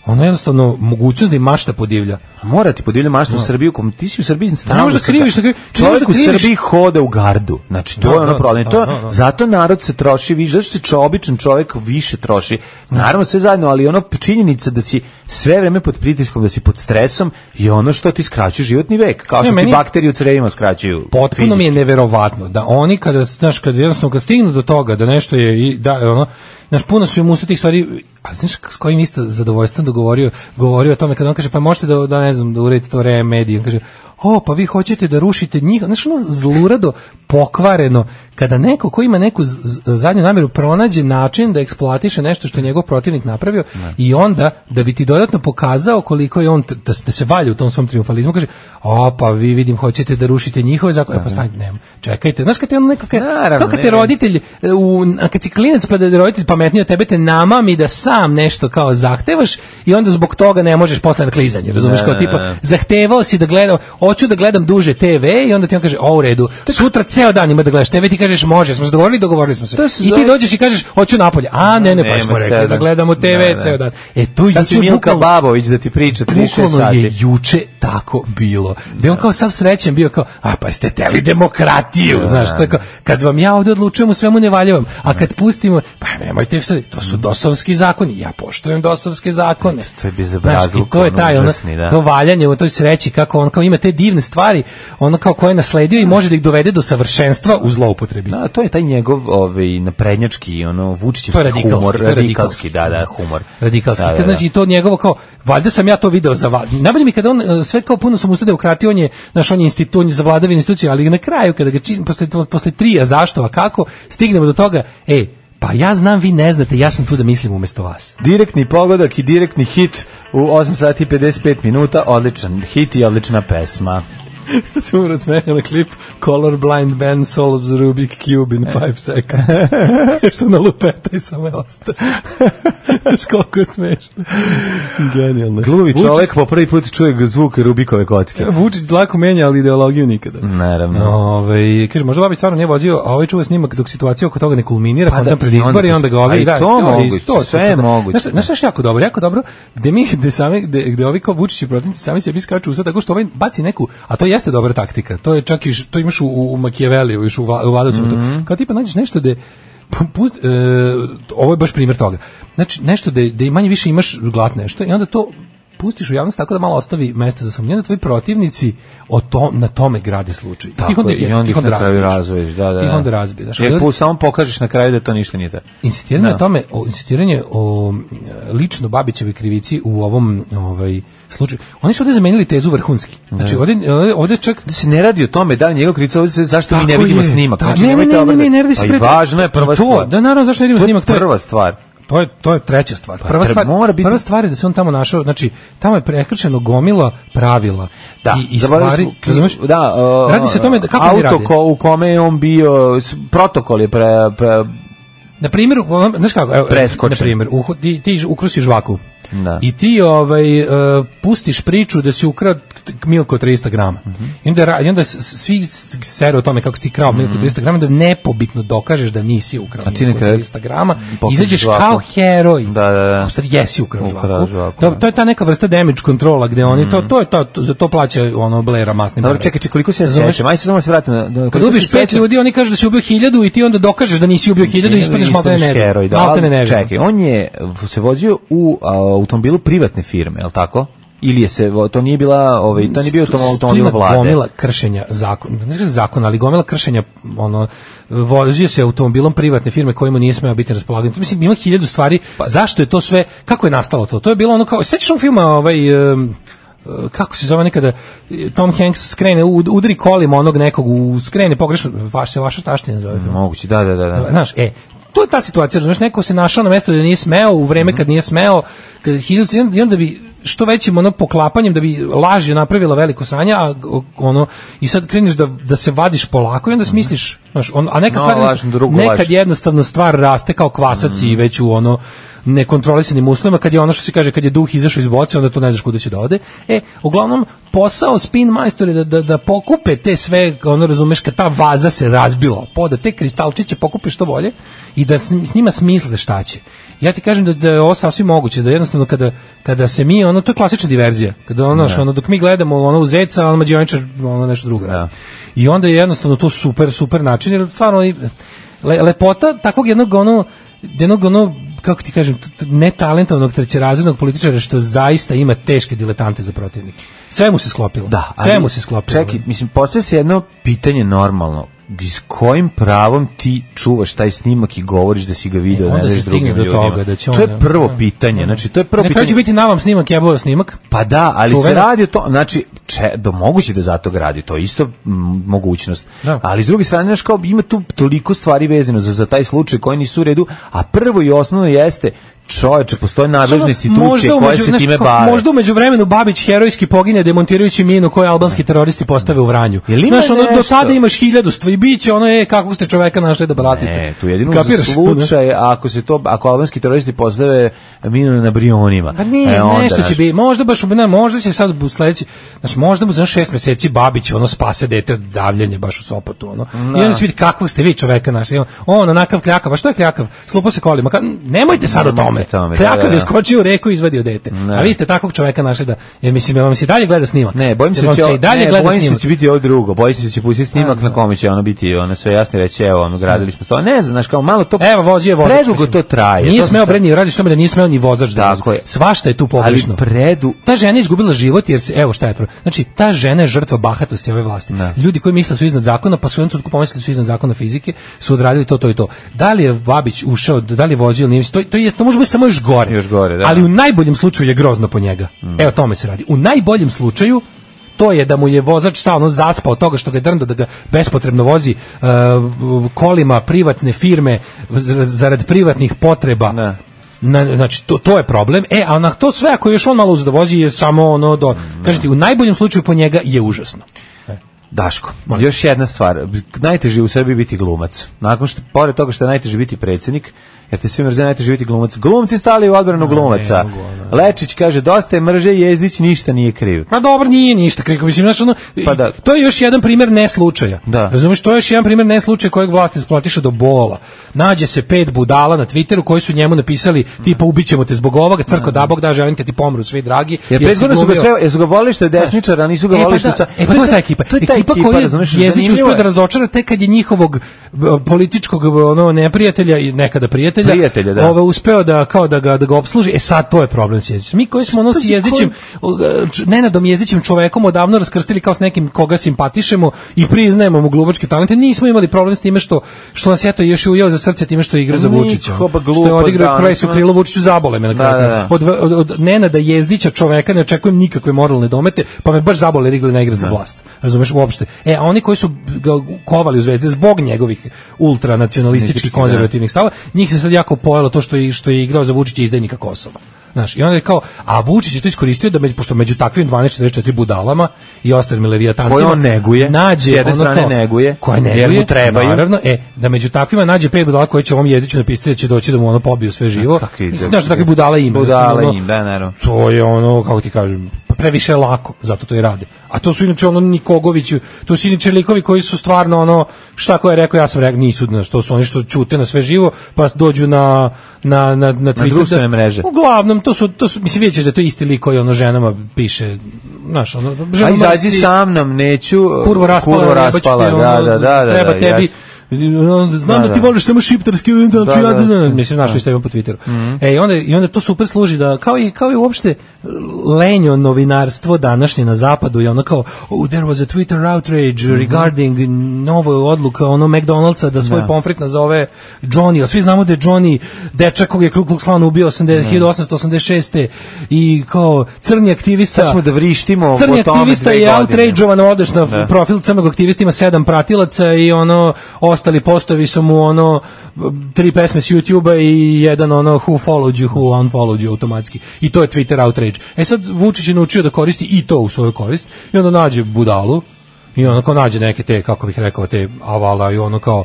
ono jednostavno mogućnost da im mašta podivlja. Mora ti podivlja mašta u Srbiju, kom ti si u Srbiji stalno. Ne možeš da kriviš, da kriviš. Čovjek u Srbiji hoda u gardu. Znači to je ono problem. To zato narod se troši više, zato se čo običan čovjek više troši. Naravno sve zajedno, ali ono činjenica da si sve vreme pod pritiskom, da si pod stresom je ono što ti skraćuje životni vek, kao što ti bakterije u crevima skraćuju. Potpuno mi je neverovatno da oni kada znaš kad jednostavno kad stignu do toga da nešto je i da ono znaš, puno su im usta tih stvari, ali znaš s kojim isto zadovoljstvom da govorio, govorio o tome, kada on kaže, pa možete da, da ne znam, da uredite to Re Mediju, on kaže, o, pa vi hoćete da rušite njih, znaš, ono zlurado, pokvareno, kada neko ko ima neku zadnju namjeru pronađe način da eksploatiše nešto što je njegov protivnik napravio ne. I onda, da bi ti dodatno pokazao koliko je on, da, da se valja u tom svom triumfalizmu, kaže, o, pa vi vidim, hoćete da rušite njihove zakone, pa stanite, nema, čekajte, znaš, kad te ono nekako, kao kad te roditelj, u, kad si klinac, pa da je roditelj pametniji od tebe, te namami da sam nešto kao zahtevaš i onda zbog toga ne možeš posle na klizanje, razumiješ, kao tipa, zahtevao si da gledam, hoću da gledam duže te ve i onda ti on kaže, o, u redu, sutra ceo dan ima da gledaš te ve, ti kažeš, može, smo se dogovorili, dogovorili smo se. I ti dođeš i kažeš, hoću napolje. A, ne, ne, pa smo rekli da gledamo te ve ceo dan. E, tu juče Milka Babović da ti priča trideset šest sati. Je juče tako bilo. Da on kao sav srećen bio kao, a pa jeste teli demokratiju, znaš, tako, kad vam ja ovdje odlučujem u svemu ne valjavam, a kad pustimo, pa nemojte sve, to su dosovski zakoni, ja poštujem dosovske zakone. To je bezobrazluk, to je taj, ono, to valjanje u toj sreći, kako on kao ima te divne stvari, ono kao koje je nasledio i može da ih dovede do savršenstva u zloupotrebi. Da, to je taj njegov ovaj naprednjački, ono Vučićevski humor, radikalski, da, da, humor. Radikalski. Da, da, da. Znači to njegovo kao, valjda sam ja to video za vas. Najbolje mi kada on sve kao puno sam ustao demokratije, on je naš on je institut za vladavinu institucije, ali na kraju kada ga čini posle posle trija zašto, a kako, stignemo do toga, ej, pa ja znam, vi ne znate, ja sam tu da mislim umjesto vas. Direktni pogodak i direktni hit u osam sati i pedeset pet minuta, odličan hit i odlična pesma. Sam urad smeha na klip Colorblind band solves Rubik Cube in five seconds. Što na lupeta i samo je osta. Znaš koliko je smešno. Genijalno. Gluvi čovjek po prvi put čuje zvuk Rubikove kocke. Vučić lako menja, ali ideologiju nikada. Naravno. Ove, kaže, možda Babić stvarno nije vozio, a ovaj čuva snimak dok situacija oko toga ne kulminira, pa onda pred izbori i onda ga ovi... A i to moguće, sve je moguće. Znaš što je jako dobro, jako dobro, gde mi, gde sami, gde ovi kao Vučić i protivnici sami sebi skaču usta, tako što ovaj baci neku, a to jeste dobra taktika. To je čak i to imaš u, u Machiavelliju, još u, u Vladovcu. Mm-hmm. Kao tipa nađeš nešto da pust, e, ovo je baš primjer toga. Znači nešto da da manje više imaš glat nešto i onda to pustiš u javnost tako da malo ostavi mesta za sumnju, da tvoji protivnici o to, na tome grade slučaj. Tako, i onda, i onda ih na kraju razvoješ. Da, da, I onda razbiješ. Jer pu, samo pokažeš na kraju da to ništa nije tako. Insistiranje o tome, o, insistiranje o lično Babićeve krivici u ovom ovaj, slučaju. Oni su ovdje zamenili tezu vrhunski. Znači, ovdje, ovdje čak... Da se ne radi o tome, da li njegov krivica, ovdje se zašto tako mi ne vidimo je. snimak. Da, znači, ne, ne, ne, ne, ne, ne radi se pre... Pa i važno je prva to, stvar. Da, naravno, zašto ne vidimo snimak? To je prva stvar. To je to je treća stvar. Prva stvar, mora biti... prva stvar je da se on tamo našao, znači tamo je prekršeno gomila pravila da, i, i stvari, razumeš? Da, uh, radi se o tome da kako auto oni rade. Ko, u kome je on bio, protokol je pre, pre na primjer, znaš kako, evo, na primjer, u, ti, ti ukrusiš žvaku. Da. I ti ovaj uh, pustiš priču da si ukrao milku od trista grama. Mm-hmm. I onda, i onda svi sere o tome kako si ti krao milku od trista grama, da nepobitno dokažeš da nisi ukrao milku od trista grama. Izađeš kao heroj. Da, da, da. A sad jesi ukrao žvaku. žvaku to, to je ta neka vrsta damage kontrola gde oni, mm. to, to je to, to, za to plaća ono Blaira masnim. Dobro, čekaj, čekaj, koliko se ja sećam. Ajde se samo se vratimo. Da, kad ubiš pet ljudi, oni kažu da si ubio hiljadu i ti onda dokažeš da nisi ubio hiljadu i ispadneš maltene nevin. Čekaj, on je se vozio u automobilu privatne firme, je li tako? Ili je se, to nije bila, ovaj, to nije bio automobil vlade. Tu ima gomila kršenja zakona, ne znam zakona, ali gomila kršenja, ono, vozio se automobilom privatne firme kojima nije smeo biti raspolagan. Mislim, ima hiljadu stvari, pa, zašto je to sve, kako je nastalo to? To je bilo ono kao, sećaš onog filma, ovaj, um, kako se zove nekada, Tom Hanks skrene, udari kolima onog nekog, u, skrene pogrešno, vaš se vaša taština zove. Moguće, da, da, da. da. Znaš, e, to je ta situacija, znaš, neko se našao na mesto da nije smeo, u vreme kad nije smeo, kad hiljadu, i onda bi što većim ono poklapanjem da bi laž je napravila veliko sranje, a ono i sad kreneš da da se vadiš polako i onda smisliš, znaš, on, a neka no, stvar laž, nekad laž. jednostavno stvar raste kao kvasac mm. i već u ono nekontrolisanim uslovima, kad je ono što se kaže kad je duh izašao iz boce, onda to ne znaš kuda će da ode. E, uglavnom posao spin majstori da, da, da pokupe te sve, ono razumeš, kad ta vaza se razbila, poda te kristalčiće pokupe što bolje i da s, s njima smisle šta će. Ja ti kažem da, da je ovo sasvim moguće, da jednostavno kada, kada se mi, ono, to je klasična diverzija, kada ono, ono dok mi gledamo ono u zeca, ono mađioničar, ono nešto drugo radi. I onda je jednostavno to super, super način, jer stvarno le, lepota takvog jednog, ono, jednog, ono, kako ti kažem, netalentovanog trećerazrednog političara što zaista ima teške diletante za protivnike. Sve mu se sklopilo. Da, sve mu se sklopilo. Čekaj, mislim, postoji se jedno pitanje normalno. S kojim pravom ti čuvaš taj snimak i govoriš da si ga video, e, ne znaš drugim do ljudima? Toga, da će to on, je prvo pitanje. Znači, to je prvo ne pitanje. Neće biti na vam snimak, jebova snimak. Pa da, ali Čuveno. Se radi o to, znači, če, do, moguće da zato ga radi, to je isto m, mogućnost. Da. Ali s druge strane, znaš, kao, ima tu toliko stvari vezano za, za taj slučaj koji nisu u redu, a prvo i osnovno jeste čoveče, postoje nadležne institucije koje se time nešto, bave. Možda umeđu vremenu Babić herojski pogine demontirajući minu koju albanski teroristi postave u Vranju. Znaš, ono, do tada imaš hiljadu stvari, bit će ono je kako ste čoveka našli da bratite. Ne, tu jedino kapiraš slučaj, ako se to, ako albanski teroristi postave minu na Brionima. Pa nije, e, onda, nešto će biti, možda baš, ne, možda će sad u sledeći, znači možda mu za šest meseci Babić ono spase dete od davljenja baš u Sopotu, ono. No. I onda će vidjeti kakvog ste vi čoveka našli. On onakav kljakav, a što je kljakav? Slupo se kolima. Ka, nemojte sad o tome. Kljakav je skočio u reku i izvadio dete. Ne. A vi ste takvog čoveka našli da, ja mislim, ja vam se dalje gleda snimak. Ne, bojim se, će, i dalje ne, gleda bojim se da će biti ovo drugo. Bojim se da će pustiti snimak na kome će ono biti, ono sve jasno reći, evo, ono, gradili smo to. Ne znam, znaš, kao malo to, evo, vozi je vozač. Predugo to traje. Nije to smeo Bredni, radi što me da nije smeo ni vozač da vozi. Svašta je tu pogrešno. Ali predu... Ta žena je izgubila život jer se, evo šta je to. Znači, ta žena je žrtva bahatosti ove vlasti. Ne. Ljudi koji misle su iznad zakona, pa su jednom trenutku pomislili su iznad zakona fizike, su odradili to, to i to. Da li je Babić ušao, da li je vozio, nije, to, to, je, to može biti samo još gore. Još gore, da. Ali u najboljem slučaju je grozno po njega. Mm. Evo tome se radi. U najboljem slučaju to je da mu je vozač stalno zaspao od toga što ga je drndo da ga bespotrebno vozi uh, kolima privatne firme zarad privatnih potreba. Ne. Na, znači to, to je problem. E, a na to sve ako još on malo uzda vozi je samo ono do, mm. kažete, u najboljem slučaju po njega je užasno. E. Daško, Molim. Još jedna stvar. Najteže u sebi biti glumac. Nakon što, pored toga što je najteže biti predsjednik, jer te svi mrze, najteže biti glumac. Glumci stali u odbranu glumaca. Lečić kaže, dosta je mrže, Jezdić ništa nije kriv. Pa dobro, nije ništa kriv. Mislim, znači, ono, pa da. To je još jedan primjer neslučaja. Da. Razumiješ, to je još jedan primjer neslučaja kojeg vlast eksploatiše do bola. Nađe se pet budala na Twitteru koji su njemu napisali, tipa, ubićemo te zbog ovoga, crko da Bog da, želim te ti pomru svi dragi. Jer prethodno su ga sve, jesu ga volili što je desničar, a nisu ga volili što sa... E, pa to je ta ekipa. To je ta ekipa koja Jezdić uspio da razočara tek kad je njihovog političkog ono, neprijatelja i nekada prijatelja, prijatelja da. Ove, uspeo da, kao da ga, da ga opsluži. E sad, to je problem s Jezdićem. Mi koji smo ono s Jezdićem, Nenadom Jezdićem čovekom odavno raskrstili kao s nekim koga simpatišemo i priznajemo mu glubačke talente, nismo imali problem s time što, što nas je to još ujeo za srce time što igra za Vučića. Što je odigrao kraj su krilo Vučiću, zabole me na kraju. Da, da, da. Od, od, od Nenada Jezdića čoveka ne očekujem nikakve moralne domete, pa me baš zabole rigli na igra za vlast. Razumeš uopšte. E, a oni koji su ga kovali u Zvezde zbog njegovih ultranacionalističkih konzervativnih stava, njih se sad jako pojelo to što je, što je igrao za Vučića izdajnika Kosova. Znaš, i onda je kao, a Vučić je to iskoristio da među, pošto među takvim dvanaest četrdeset četiri budalama i ostalim levijatancima koje on neguje, nađe, s jedne strane kao, neguje, koje neguje, jer mu trebaju. Naravno, e, da među takvima nađe pet budala koje će ovom Jezdiću napisati da će doći da mu ono pobiju sve živo. Znaš, takvi budala ima. Budala im, da, naravno. To je ono, kako ti kažem, previše lako, zato to i rade. A to su inače ono Nikogović, to su inače likovi koji su stvarno ono, šta ko je rekao, ja sam rekao, nisu, znaš, to su oni što ćute na sve živo, pa dođu na na na na društvene mreže. Uglavnom to su to su mislim vidite da to isti lik koji ono ženama piše, znaš, ono ženama. A izađi sa mnom, neću kurvo raspala, kurvo raspala, da, da, da, da, treba da, tebi jas. znam da, da ti voliš samo šiptarski, da, da, ja, da, da, mislim, našli što imam po Twitteru. Mm-hmm. E, i onda, i onda to super služi da, kao i, kao i uopšte lenjo novinarstvo današnje na zapadu je ono kao, oh, there was a Twitter outrage mm-hmm. regarding novo odluka ono McDonald'sa da svoj pomfrit nazove Johnny, a svi znamo da je Johnny dečak kog je Ku Klux Klan ubio hiljadu osamsto osamdeset šeste i kao crni aktivista. Sad ćemo da vrištimo crni o tome aktivista je outrageovan, odeš na da. profil crnog aktivista, ima sedam pratilaca i ono, ostali postovi su mu ono, tri pesme s YouTube-a i jedan ono, who followed you, who unfollowed you automatski. I to je Twitter outrage. E sad Vučić je naučio da koristi i to u svoju korist i onda nađe budalu i ono kao nađe neke te, kako bih rekao, te avala i ono kao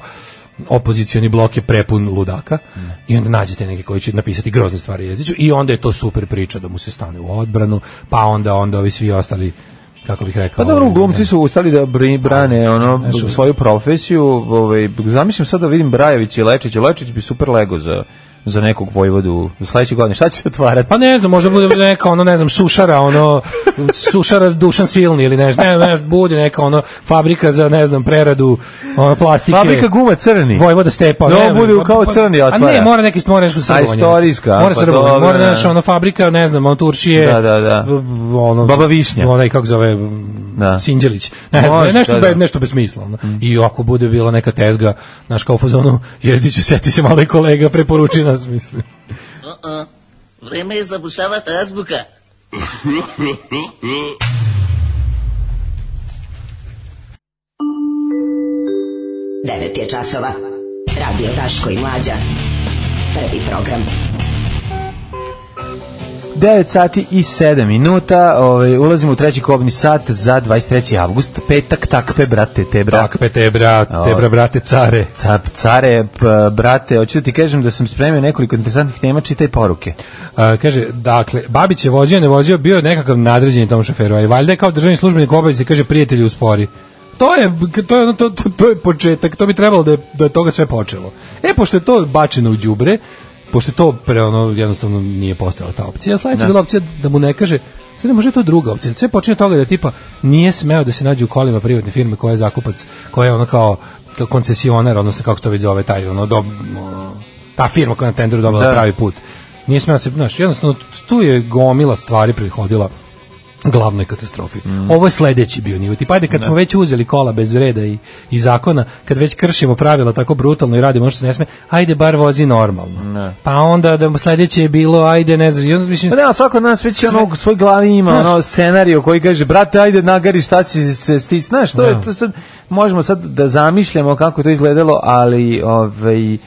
opozicioni blok je prepun ludaka mm. i onda nađete neke koji će napisati grozne stvari jeziću i onda je to super priča da mu se stane u odbranu, pa onda onda ovi svi ostali, kako bih rekao. Pa dobro, glumci su ustali da brane ono nešto, svoju profesiju, ovaj zamišljam sad da vidim Brajević i Lečić, Lečić bi super lego za za nekog vojvodu za sledeće godine. Šta će se otvarati? Pa ne znam, možda bude neka ono, ne znam, sušara, ono sušara Dušan Silni ili nešto, ne, ne, bude neka ono fabrika za, ne znam, preradu ono plastike. Fabrika guma crni. Vojvoda Stepa. No, ne, bude kao crni otvara. A ne, mora neki mora nešto srbovanje. A istorijska. Mora srbovanje, mora nešto ono fabrika, ne znam, ono Turšije. Da, da, da. Ono, Baba Višnja. Onaj kako zove da. Sinđelić. Ne znam, Može, nešto, da, da. Be, nešto bez smisla. Ono. Mm. I ako bude bila neka tezga, naš kao fazonu, jezdiću, seti se malo i kolega, preporuči nas, mislim. Uh-uh. Vreme je zabušavati azbuka. Devet je časova. Radio Daško i Mlađa. Prvi program. devet sati i sedam minuta, ovaj, ulazimo u treći kobni sat za dvadeset treći avgust, petak, takpe, brate, te, bra. Takpe, te, bra, te, bra, brate, care. Cap, care, p, brate, hoću da ti kažem da sam spremio nekoliko interesantnih tema, čitaj poruke. A, kaže, dakle, Babić je vozio, ne vozio, bio nekakav nadređeni tom šoferu, a i valjda je kao državni službenik obavezi, kaže, prijatelji uspori. To je, to je, to, to, to je početak, to bi trebalo da je, da je toga sve počelo. E, pošto je to bačeno u đubre, pošto to pre ono jednostavno nije postojala ta opcija. Sledeća bila opcija da mu ne kaže, sad ne može to druga opcija. Sve počinje toga da tipa nije smeo da se nađe u kolima privatne firme koja je zakupac, koja je ono kao, kao koncesionar, odnosno kako se to već zove taj ono, do, ono ta firma koja na tenderu dobila da. pravi put. Nije smeo se, znaš, jednostavno tu je gomila stvari prethodila glavnoj katastrofi. Mm. Ovo je sledeći bio nivo. Tipa, ajde, kad ne. smo već uzeli kola bez reda i, i zakona, kad već kršimo pravila tako brutalno i radimo što se ne sme, ajde bar vozi normalno. Ne. Pa onda da sledeće je bilo, ajde, ne znam, onda mislim... Pa ne, svako od nas već sve... ono, u svoj glavi ima ono scenariju koji kaže, brate, ajde nagari, šta si se stis, znaš, to je to sad, možemo sad da zamišljamo kako to izgledalo, ali ovaj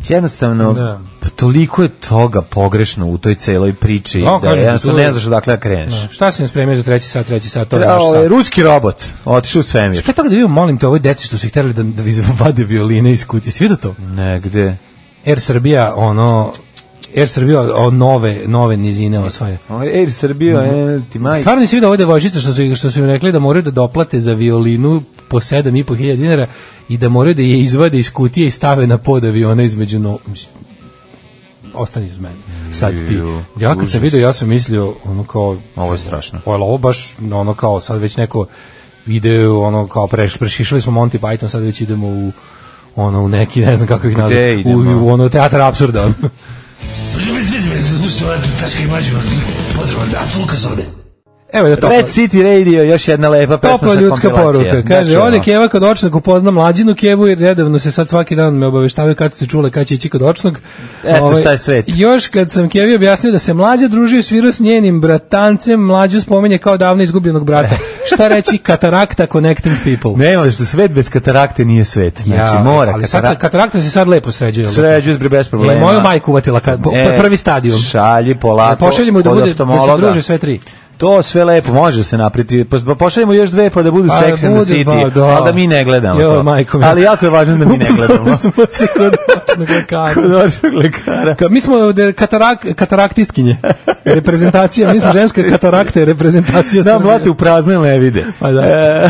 jednostavno da. toliko je toga pogrešno u toj celoj priči no, da jednostavno ne znaš odakle da kreneš. No. Šta si nam spremio za treći sat, treći sat? To je naš sat. Ruski robot, otišao u svemir. Šta je toga da vidim, molim te, ovoj deci što su ih terali da, da vade violine iz kutije. Svi da to? Ne, gde? Air Srbija, ono... Air Srbija o nove nove nizine osvaja. Air Srbija, mm-hmm. ti maj. Stvarno nisi vidio ove devojčice što su što su im rekli da moraju da doplate za violinu po sedam i po hiljada dinara i da moraju da je izvade iz kutije i stave na pod aviona između no ostani iz mene. Sad ti. Ja kad sam vidio, ja sam mislio ono kao ovo je strašno. Ovo baš ono kao sad već neko ide ono kao preš, prešišali smo Monty Python, sad već idemo u ono u neki ne znam kako ih nazvati u, u ono teatar apsurda. Evo je to. Red City Radio, još jedna lepa pesma sa kompilacije. Ljudska poruka. Kaže, ode Keva kod očnog upozna mlađinu Kevu i redovno se sad svaki dan me obaveštavaju kad se čule kad će ići kod očnog. Eto Ove, šta je svet. Još kad sam Kevi objasnio da se mlađa družio svirao s njenim bratancem, mlađu spominje kao davno izgubljenog brata. Šta reći katarakta connecting people? Nema, što svet bez katarakte nije svet. Znači, ja, mora. Ali sad, katarakta se sad lepo sređuje. Sređuje se bez problema. E, moju majku uvatila kad, e, prvi stadijum. Šalji polako. Pošaljimo da bude, da se druže sve tri. To sve lepo, može se napriti. Pošaljemo još dve pa da budu pa, Sex and the City, da. ali da mi ne gledamo jo, majko, ali jako je važno da mi ne gledamo. smo se kod očnog lekara. Kod očnog lekara. Ka, mi smo katarak, kataraktistkinje. Reprezentacija, mi smo ženska katarakta, reprezentacija. Da, mlate u prazne levide. Pa da.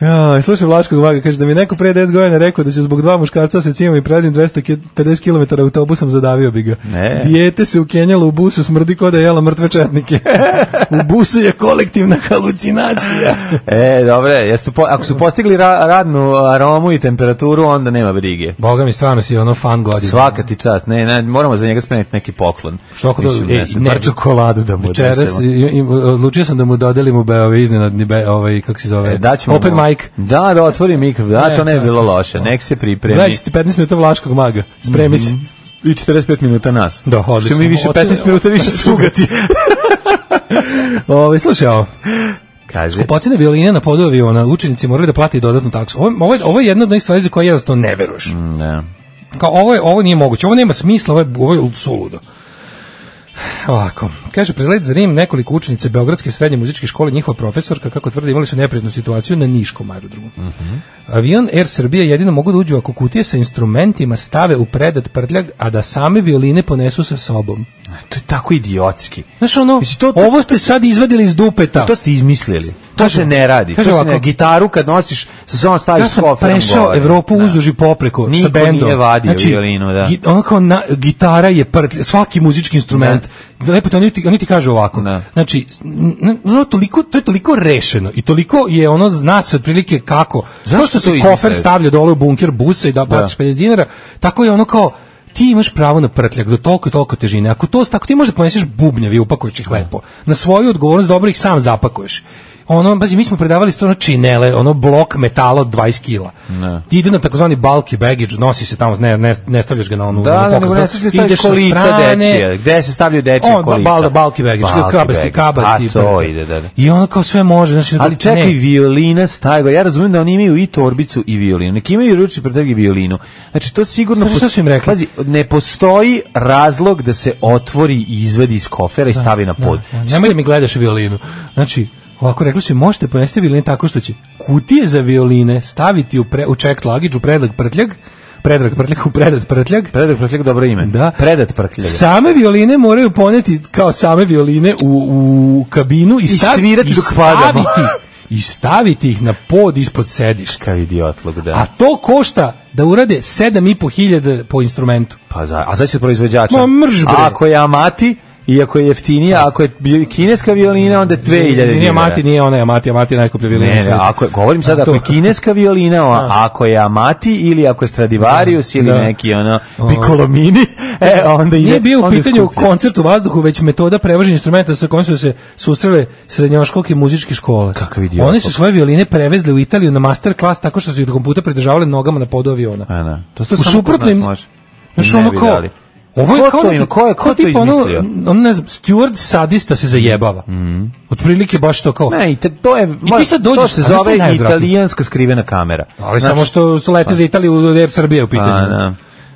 Ja, slušaj Vlaškog Vaga, kaže da mi neko pre deset godina rekao da će zbog dva muškarca se cimom i prelazim dvesta pedeset kilometara autobusom, zadavio bi ga. Ne. Dijete se ukenjalo u busu, smrdi ko da je jela mrtve četnike. U busu je kolektivna halucinacija. E, dobre, jeste po, ako su postigli ra, radnu aromu i temperaturu, onda nema brige. Boga mi stvarno si ono fan godina. Svaka ti čast. Ne, ne, moramo za njega spremiti neki poklon. Što ako Mislim, do, ne, e, sam, ne, par čokoladu da mu večeras odnesemo. odlučio sam da mu dodelim u be, ove iznenadni be, ovaj kako se zove. E, daćemo Open mu, mic. Da, da otvori mikrofon. Da, to ne bi bilo loše. Nek se pripremi. Gledajte petnaest minuta Vlaškog Maga. Spremi se. Mm -hmm. I četrdeset pet minuta nas. Da, odlično. Što mi više petnaest minuta više cugati. Ove, slušaj, ovo. Kaže. Skupocene violine na podu aviona, učenici moraju da plate dodatnu taksu. Ovo, ovo, je, ovo je jedna od onih stvari za koje jednostavno ne veruješ. Mm, ne. Kao, ovo, je, ovo nije moguće, ovo nema smisla, ovo je, ovo je suludo. Ovako, kaže, prelet za Rim, nekoliko učenice Beogradske srednje muzičke škole, njihova profesorka, kako tvrde, imali su neprijatnu situaciju na Niškom aerodromu. Uh -huh. Avion Air Srbija jedino mogu da uđu ako kutije sa instrumentima stave u predat prtljag, a da same violine ponesu sa sobom. To je tako idiotski. Znaš ono, Mislim, to, to, ovo ste sad izvadili iz dupeta. To ste izmislili. To kaže, se ne radi. Kaže to se ovako, ne, gitaru kad nosiš sa sobom staviš s koferom. Ja sam prešao Evropu da. uzduž i popreko Niko sa bendom. Niko nije vadio znači, violinu, da. Gi, ono kao na, gitara je prtlj, svaki muzički instrument. Da. Lepo, oni ti, oni ti kaže ovako. Da. Znači, no, toliko, to je toliko rešeno i toliko je ono, zna se otprilike kako. Zašto što se kofer stavlja dole u bunker busa i da platiš pedeset dinara, tako je ono kao ti imaš pravo na prtljak do toliko i toliko težine. Ako to tako ti možeš da poneseš bubnjevi, upakuješ ih lepo. Na svoju odgovornost dobro ih sam zapakuješ. Ono, bazi, mi smo predavali stvarno činele, ono blok metala od dvadeset kila. Ne. Ide na takozvani bulky baggage, nosi se tamo, ne, ne, ne stavljaš ga na onu... Da, da, nego ne stavljaš da staviš kolica dečije. Gde se stavljaju dečije on, kolica? On, bulky baggage, kabasti, kabasti. A to ide, da, da. I ono kao sve može. Znači, ali čekaj, ne. Violina stajgo. Ja razumijem da oni imaju i torbicu i violinu. Neki imaju ručni prtljag i violinu. Znači, to sigurno... Što su im rekli? Pazi, ne postoji razlog da se otvori i izvedi iz kofera i stavi na pod. Nemoj da mi gledaš violinu. Znači, ovako rekli su, možete ponesti violine tako što će kutije za violine staviti u, pre, u checked luggage, u predrag prtljag, predrag prtljag, u predat prtljag. Predrag prtljag, dobro ime. Da. Predat prtljag. Same violine moraju poneti kao same violine u, u kabinu i, stav, I svirati i dok padamo. I staviti ih na pod ispod sedišta. Kao idiotlog, da. A to košta da urade sedam i po hiljada po instrumentu. Pa za, a znači proizvođača? Ma mrž bre. Ako je Amati, iako je jeftinija, ako je kineska violina, onda je dve hiljade dinara. Nije Amati, nije ona, Amati, Amati je najskuplja violina. Ne, ne, ako je, govorim sad, ako je kineska violina, a, ako je Amati ili ako je Stradivarius ili da. neki ono Piccolomini, e, onda ide. Nije bio u pitanju koncert u vazduhu, već metoda prevoženja instrumenta sa kojim su se susrele srednjoškolske muzičke škole. Kakav idiot. Oni su svoje violine prevezli u Italiju na master klas tako što su ih do kompjuta pridržavali nogama na podu aviona. A, da. To, to u suprotnim, može. Znaš, ono kao, ovo je kao neki, ko je, ko to izmislio? Ono, on ne znam, steward sadista se zajebava. Mm. Otprilike baš to kao. Ne, to je, I ti sad dođeš, to se zove italijanska skrivena kamera. Ali znači, samo što su lete pa. za Italiju u Air Srbije u pitanju. A, da.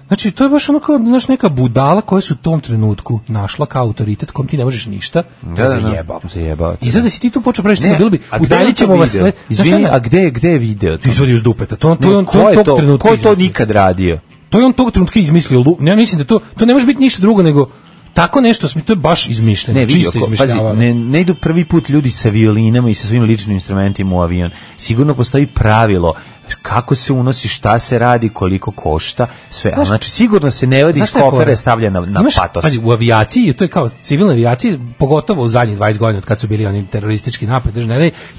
Znači, to je baš ono kao, znaš, neka budala koja se u tom trenutku našla kao autoritet kom ti ne možeš ništa, da, da zajebava. Zajebava. I sad da si ti tu počeo praviš, ne, bilo bi, udaljit ćemo vas sled. Izvini, a gde, gde je video? Ti izvodi uz dupeta. To, to, ne, to, to, tog trenutka ko je to nikad radio? To je on tog trenutka izmislio. Ja mislim da to, to ne može biti ništa drugo nego tako nešto, to je baš izmišljeno, ne, čisto izmišljavano. Ne, ne idu prvi put ljudi sa violinama i sa svim ličnim instrumentima u avion. Sigurno postoji pravilo kako se unosi, šta se radi, koliko košta, sve. Znaš, znači sigurno se ne vadi iz kofere, stavlja na, na imaš, patos. Pazi, u avijaciji, to je kao civilna avijaciji, pogotovo u zadnjih dvadeset godina od kad su bili oni teroristički napad,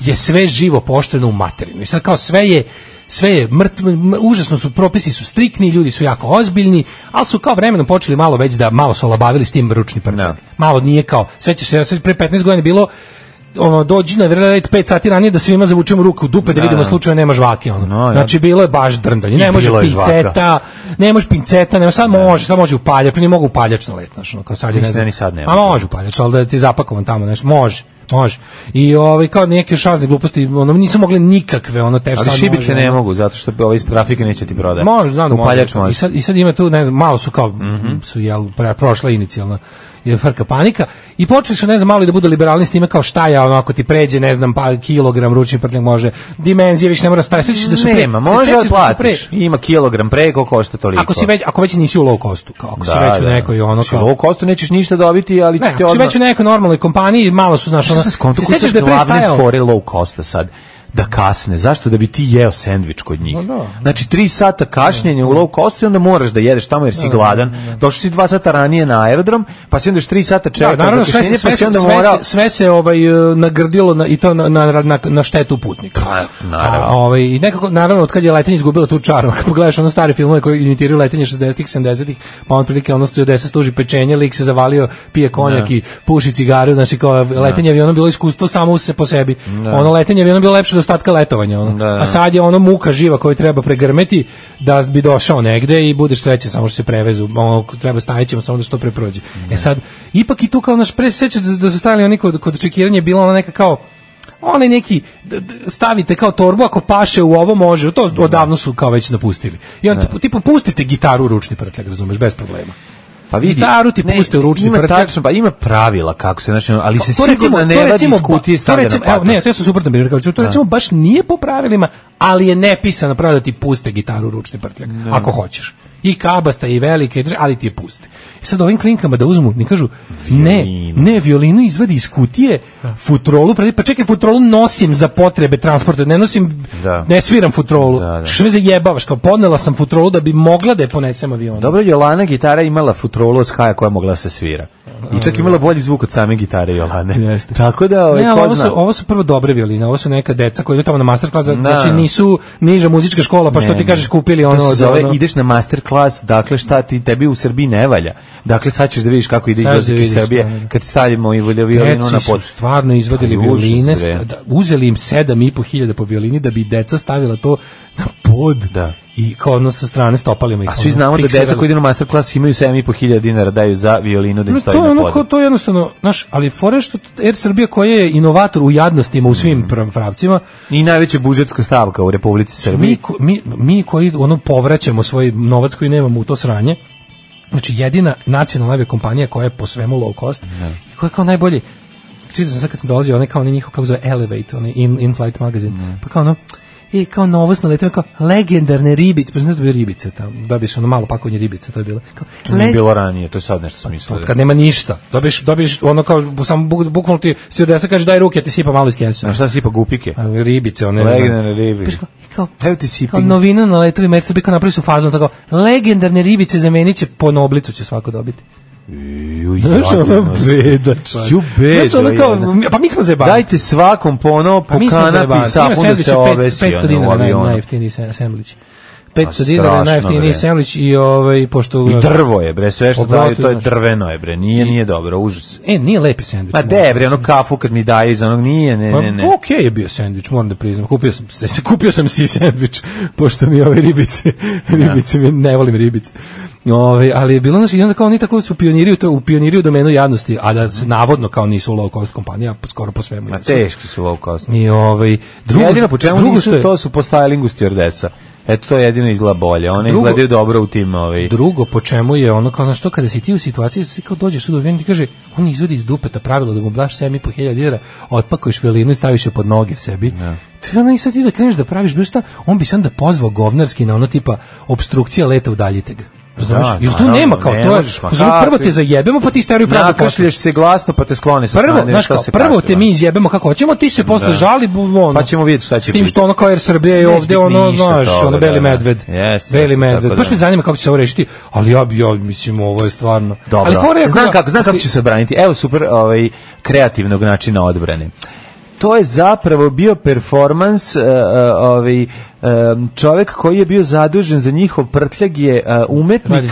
je sve živo pošteno u materinu. I sad kao sve je sve je mrtvo, užasno su, propisi su striktni, ljudi su jako ozbiljni, ali su kao vremenom počeli malo već da, malo su olabavili s tim ručni prtljag. No. Malo nije kao, sećaš se, sve pre petnaest godina bilo, ono, dođi na red pet sati ranije da svima zavučemo ruku u dupe da, da vidimo slučajno nema žvake, ono. No, znači, bilo je baš drndanje, ne može pinceta, ne može pinceta, nema, sad može, sad može upaljač, ne mogu upaljač na let, znaš, ono, kao sad je, ne znam. Sad nema. A može upaljač, ali da ti je zapakovan tamo, nešto, može. Može. I ovaj kao neke šazne gluposti, ono nisu mogli nikakve, ono te ali šibice ne mogu zato što ovaj iz trafike neće ti prodati. Može, znam da može. može. I sad i sad ima tu, ne znam, malo su kao mm-hmm. su jel prošla inicijalna je frka panika i počeli su ne znam malo i da budu liberalni s time kao šta je ono ako ti pređe ne znam pa kilogram ručni prtljag može dimenzije više ne mora staviti sećaš da su pre nema može da platiš ima kilogram preko košta toliko ako si već ako već nisi u low costu kao ako da, si već da. u nekoj ono kao u low costu nećeš ništa dobiti ali ćete odmah si već u nekoj normalnoj kompaniji malo su znaš ono sećaš da je prestajao fore low costa sad da kasne. Zašto? Da bi ti jeo sendvič kod njih. No, no. Znači, tri sata kašnjenja u low costu i onda moraš da jedeš tamo jer si gladan. Došli si dva sata ranije na aerodrom, pa si onda još tri sata čekao da, za kašnjenje, pa si onda sve, morao... Sve, sve se ovaj, nagrdilo na, i to na, na, na, na štetu putnika. Pa, naravno. A, ovaj, i nekako, naravno, od kad je letenje izgubilo tu čaru, ako pogledaš ono stare filmove koji imitiraju letenje šezdesetih, sedamdesetih, pa on prilike ono stewardesa stuži pečenje, lik se zavalio, pije konjak i puši cigaru, znači kao letenje avionom bilo iskustvo samo se po sebi. Da. Ono letenje avionom bilo lepše do ostatka letovanja. Ono. Da. A sad je ono muka živa koju treba pregrmeti da bi došao negde i budeš srećan samo što se prevezu. Ono, treba stavit ćemo samo da što pre prođe. Da. E sad, ipak i tu kao naš pre sećaš da, da su stavili oni kod, kod čekiranja bila ona neka kao onaj neki stavite kao torbu ako paše u ovo može, to odavno su kao već napustili. I on tipa, tipa pustite gitaru u ručni prtljag, razumeš, bez problema. Pa vidi, gitaru ti puste u ručni ima prtljag. Tačno, pa ima pravila kako se, znači, ali se to sigurno recimo, ne to radi recimo, iz kutije stavlja na patos. Ne, to su suprotno primjer, kao to recimo baš nije po pravilima, ali je nepisano pravilo da ti puste gitaru u ručni prtljag, ne. Ako hoćeš. I kabasta i velike, ali ti je puste. I sad ovim klinkama da uzmu, ne kažu, ne, ne, violinu izvadi iz kutije, futrolu, pa čekaj, futrolu nosim za potrebe transporta, ne nosim, da. Ne sviram futrolu. Da, da. Što me zajebavaš, kao podnela sam futrolu da bi mogla da je ponesem avionu. Dobro, Jolana gitara imala futrolu od Skaja koja mogla da se svira. I čak imala bolji zvuk od same gitare Jolane. Jeste. Tako da, ovaj, ne, ko ovo zna. su, ovo su prvo dobre violine, ovo su neka deca koji idu tamo na master klas, znači nisu niža muzička škola, pa što ne, ti kažeš kupili ono... To se zove, ono... ideš na master klas, dakle šta ti, tebi u Srbiji ne valja. Dakle, sad ćeš da vidiš kako ide izlazak iz Srbije, da, kad stavimo i violinu na pod. Su stvarno izvodili violine, da, uzeli im sedam i po hiljada po violini da bi deca stavila to na pod. Da. I kao ono sa strane stopalima ih. A svi znamo da deca koji idu na master klas imaju sedam i po hiljada dinara daju za violinu da im no, stoji to, na podu. Ono, to je jednostavno, znaš, ali fore što Air Srbija koja je inovator u jadnostima u svim mm. pravcima. I najveća budžetska stavka u Republici Srbiji. Mi, mi, mi koji ono povraćamo svoj novac koji nemamo u to sranje, znači jedina nacionalna aviokompanija koja je po svemu low cost ne. I koja je kao najbolji. Čitao sam sad kad sam dolazio, onaj kao onaj njihov, kako zove Elevate, onaj in, in-flight magazin, ne. Pa kao ono, i kao novost na letovima, kao legendarne ribice, pa znaš da bi ribice tamo, dobiješ ono malo pakovanje ribice, to je bilo. Kao, to nije bilo ranije, to je sad nešto smislo. Kad nema ništa, dobiješ, dobiješ ono kao, samo bukvalno ti stewardesa kaže daj ruke, ja ti sipa malo iz kese. A šta sipa, gupike? A, ribice, one. Legendarne ribice. Kao, evo ti sipi. Kao novina na letovima, jer se bi kao napravili su fazom, tako, legendarne ribice zamenit će, po noblicu će svako dobiti. Ju, znaš ono beda, ju beda, znaš ono kao, pa mi smo zajebali. Dajte svakom po ono, po kanapi sapun da se obesi. petsto dinara najjeftiniji sendvič. petsto dinara najjeftiniji sendvič i ovaj, pošto... I drvo je, bre, sve što daju, to je drveno je, bre, nije, nije dobro, užas. E, nije lepi sendvič. Pa de, bre, ono kafu kad mi daju iz onog nije, ne, ne, ne. Pa okej je bio sendvič, moram da priznam, kupio sam, kupio sam si sendvič, pošto mi ove ribice, ribice, ne volim ribice. Ove, ali je bilo, znači, onda kao oni tako su pioniri, to, u pioniri u domenu javnosti, a da se navodno kao nisu low cost kompanija, skoro po svemu. Ma teški su low cost. I ovaj, drugo, jedino po čemu nisu, je, to su po stylingu stewardesa. Eto, to jedino izgleda bolje, one drugo, izgledaju dobro u tim. Ovaj. Drugo, po čemu je ono, kao na što, kada si ti u situaciji, da si kao dođeš u dovijen, ti kaže, on izvodi iz dupeta pravilo da mu daš sedam i po hiljada dinara, otpakuješ violinu i staviš je pod noge sebi. Ja. Ti ono i sad ti da kreneš da praviš bilo šta, on bi sam da pozvao govnarski na ono tipa obstrukcija leta udaljite ga. Znaš, jer tu nema kao to je. Prvo te zajebemo, pa ti steriju pravdu. Nakašlješ se glasno, pa te skloni sa strane. Prvo, znaš kao, prvo te mi izjebemo kako hoćemo, ti se posle žali, ono. Pa ćemo vidjeti šta će biti. S tim što ono kao Air Srbija je ovde, ono, znaš, ono Beli medved. Beli medved. Baš me zanima kako će se ovo rešiti, ali ja bi, ja mislim, ovo je stvarno. Dobro, znam kako, znam kako će se braniti. Evo super, ovaj, kreativnog načina odbrane. To je zapravo bio performans uh, uh, ovaj um, čovjek koji je bio zadužen za njihov prtljag je uh, umetnik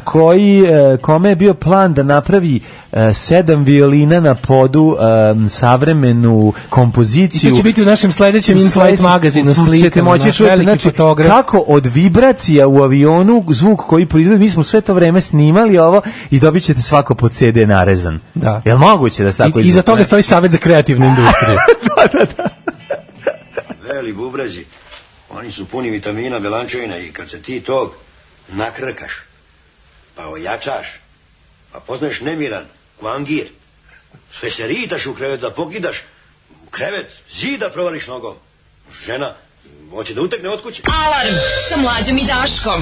koji uh, kome je bio plan da napravi uh, sedam violina na podu, um, savremenu kompoziciju. I to će biti u našem sledećem in-flight magazinu slika. Moći čuti, znači, kako od vibracija u avionu zvuk koji proizvodi, mi smo sve to vreme snimali ovo i dobit ćete svako pod ce de narezan. Da. Jel moguće da se tako izvuče? Iza toga stoji Savet za kreativnu industriju. da, da, da. Veli bubrezi, oni su puni vitamina, belančevina i kad se ti tog nakrkaš, pa ojačaš, pa poznaješ nemiran, kvangir, sve se ritaš u krevet da pokidaš, u krevet, zida provališ nogom. Žena, hoće da utekne od kuće. Alarm sa Mlađom i Daškom.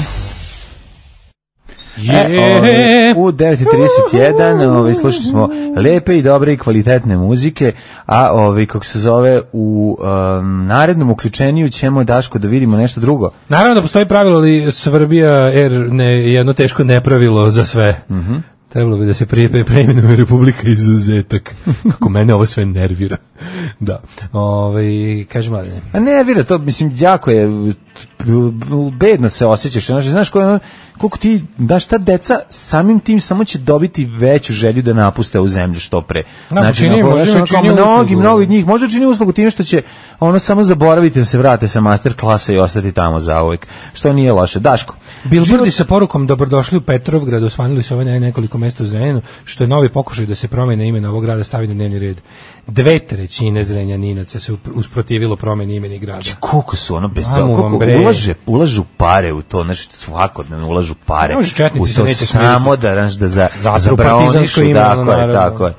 E, o, u devet i trideset jedan ovaj, slušali smo lepe i dobre i kvalitetne muzike, a ovaj, kako se zove, u um, narednom uključenju ćemo, Daško, da vidimo nešto drugo. Naravno da postoji pravilo, ali Srbija er ne, jedno teško nepravilo za sve. Mhm. Trebalo bi da se prije preimenuje Republika Izuzetak. Kako mene ovo sve nervira. Da. Ovaj kaže Mladene. A nervira to, mislim, jako je bedno se osjećaš, znači znaš kako koliko ti daš ta deca samim tim samo će dobiti veću želju da napuste ovu zemlju što pre. Znači, čini, ono, ono, čini mnogi, mnogi od njih možda čini uslugu time što će ono samo zaboraviti da se vrate sa master klasa i ostati tamo zauvek, što nije loše. Daško. Bilbordi sa porukom dobrodošli u Petrovgrad, osvanili su ovaj nekoliko mesta u Zrenjaninu, što je novi pokušaj da se promene ime ovog grada stavi na dnevni red. Dve trećine Zrenjaninaca se usprotivilo promeni imeni grada. Koliko su ono bez koliko ulaže, ulažu pare u to, znači svakodnevno ulažu pare u to samo da, da za, za braonišu, tako je, tako je.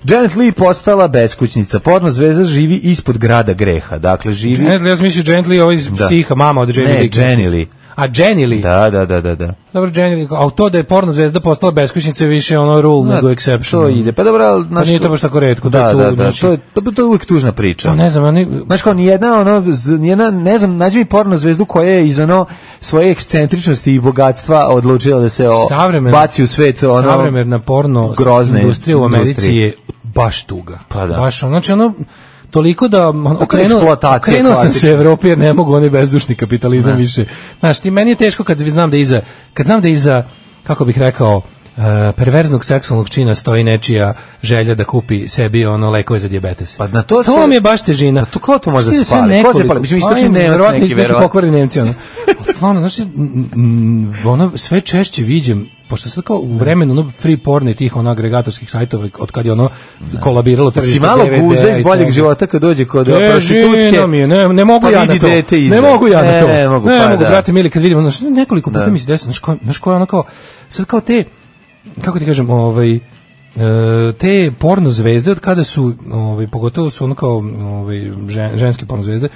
Janet Leigh postala beskućnica, porno zvezda živi ispod grada greha, dakle živi... Janet Leigh, ja sam mislio Janet Leigh, ovo iz psiha, mama od Jenny Leigh. Ne, Jenny Leigh. A Jenny Leigh? Da, da, da, da. da. Dobro, Jenny Leigh, a to da je porno zvezda postala beskućnica više ono rule da, nego exception. To ide, pa dobro... Pa nije to baš tako retko. Da, to da, tu, da, znači, to, je, to, to je uvijek tužna priča. To ne znam, oni... Znaš kao, nijedna, ono, nijedna, ne znam, nađi mi porno zvezdu koja je iz ono svoje ekscentričnosti i bogatstva odlučila da se o, baci u svet ono... Savremerna porno industrija u Americi je baš tuga. Pa da. Baš, znači ono... Toliko da okrenuo, okrenuo sam se Evropi jer ne mogu oni bezdušni kapitalizam ne. Više. Znaš, ti meni je teško kad znam da iza, kad znam da iza, kako bih rekao, uh, perverznog seksualnog čina stoji nečija želja da kupi sebi ono lekove za dijabetes. Pa na to, to se, mi je baš težina. Pa to ko to može da se pali? Ko se pali? Mislim, istočni Nemac neki, verovatno. Pokvarni Nemci, ono. Stvarno, znaš, ono, sve češće viđem, pošto sad kao u vremenu ono free porn i tih ono agregatorskih sajtova od kad je ono kolabiralo tržište si malo guza iz boljeg života kad dođe kod prostitutke ne, ne mogu ja na to ne mogu ja na to ne mogu, ne pa, mogu da. brate mili kad vidim ono nekoliko puta mi se desilo znaš ko, znaš ko je ono kao sad kao te kako ti kažem ovaj te porno zvezde od kada su ovaj pogotovo su ono kao ovaj žen, ženske porno zvezde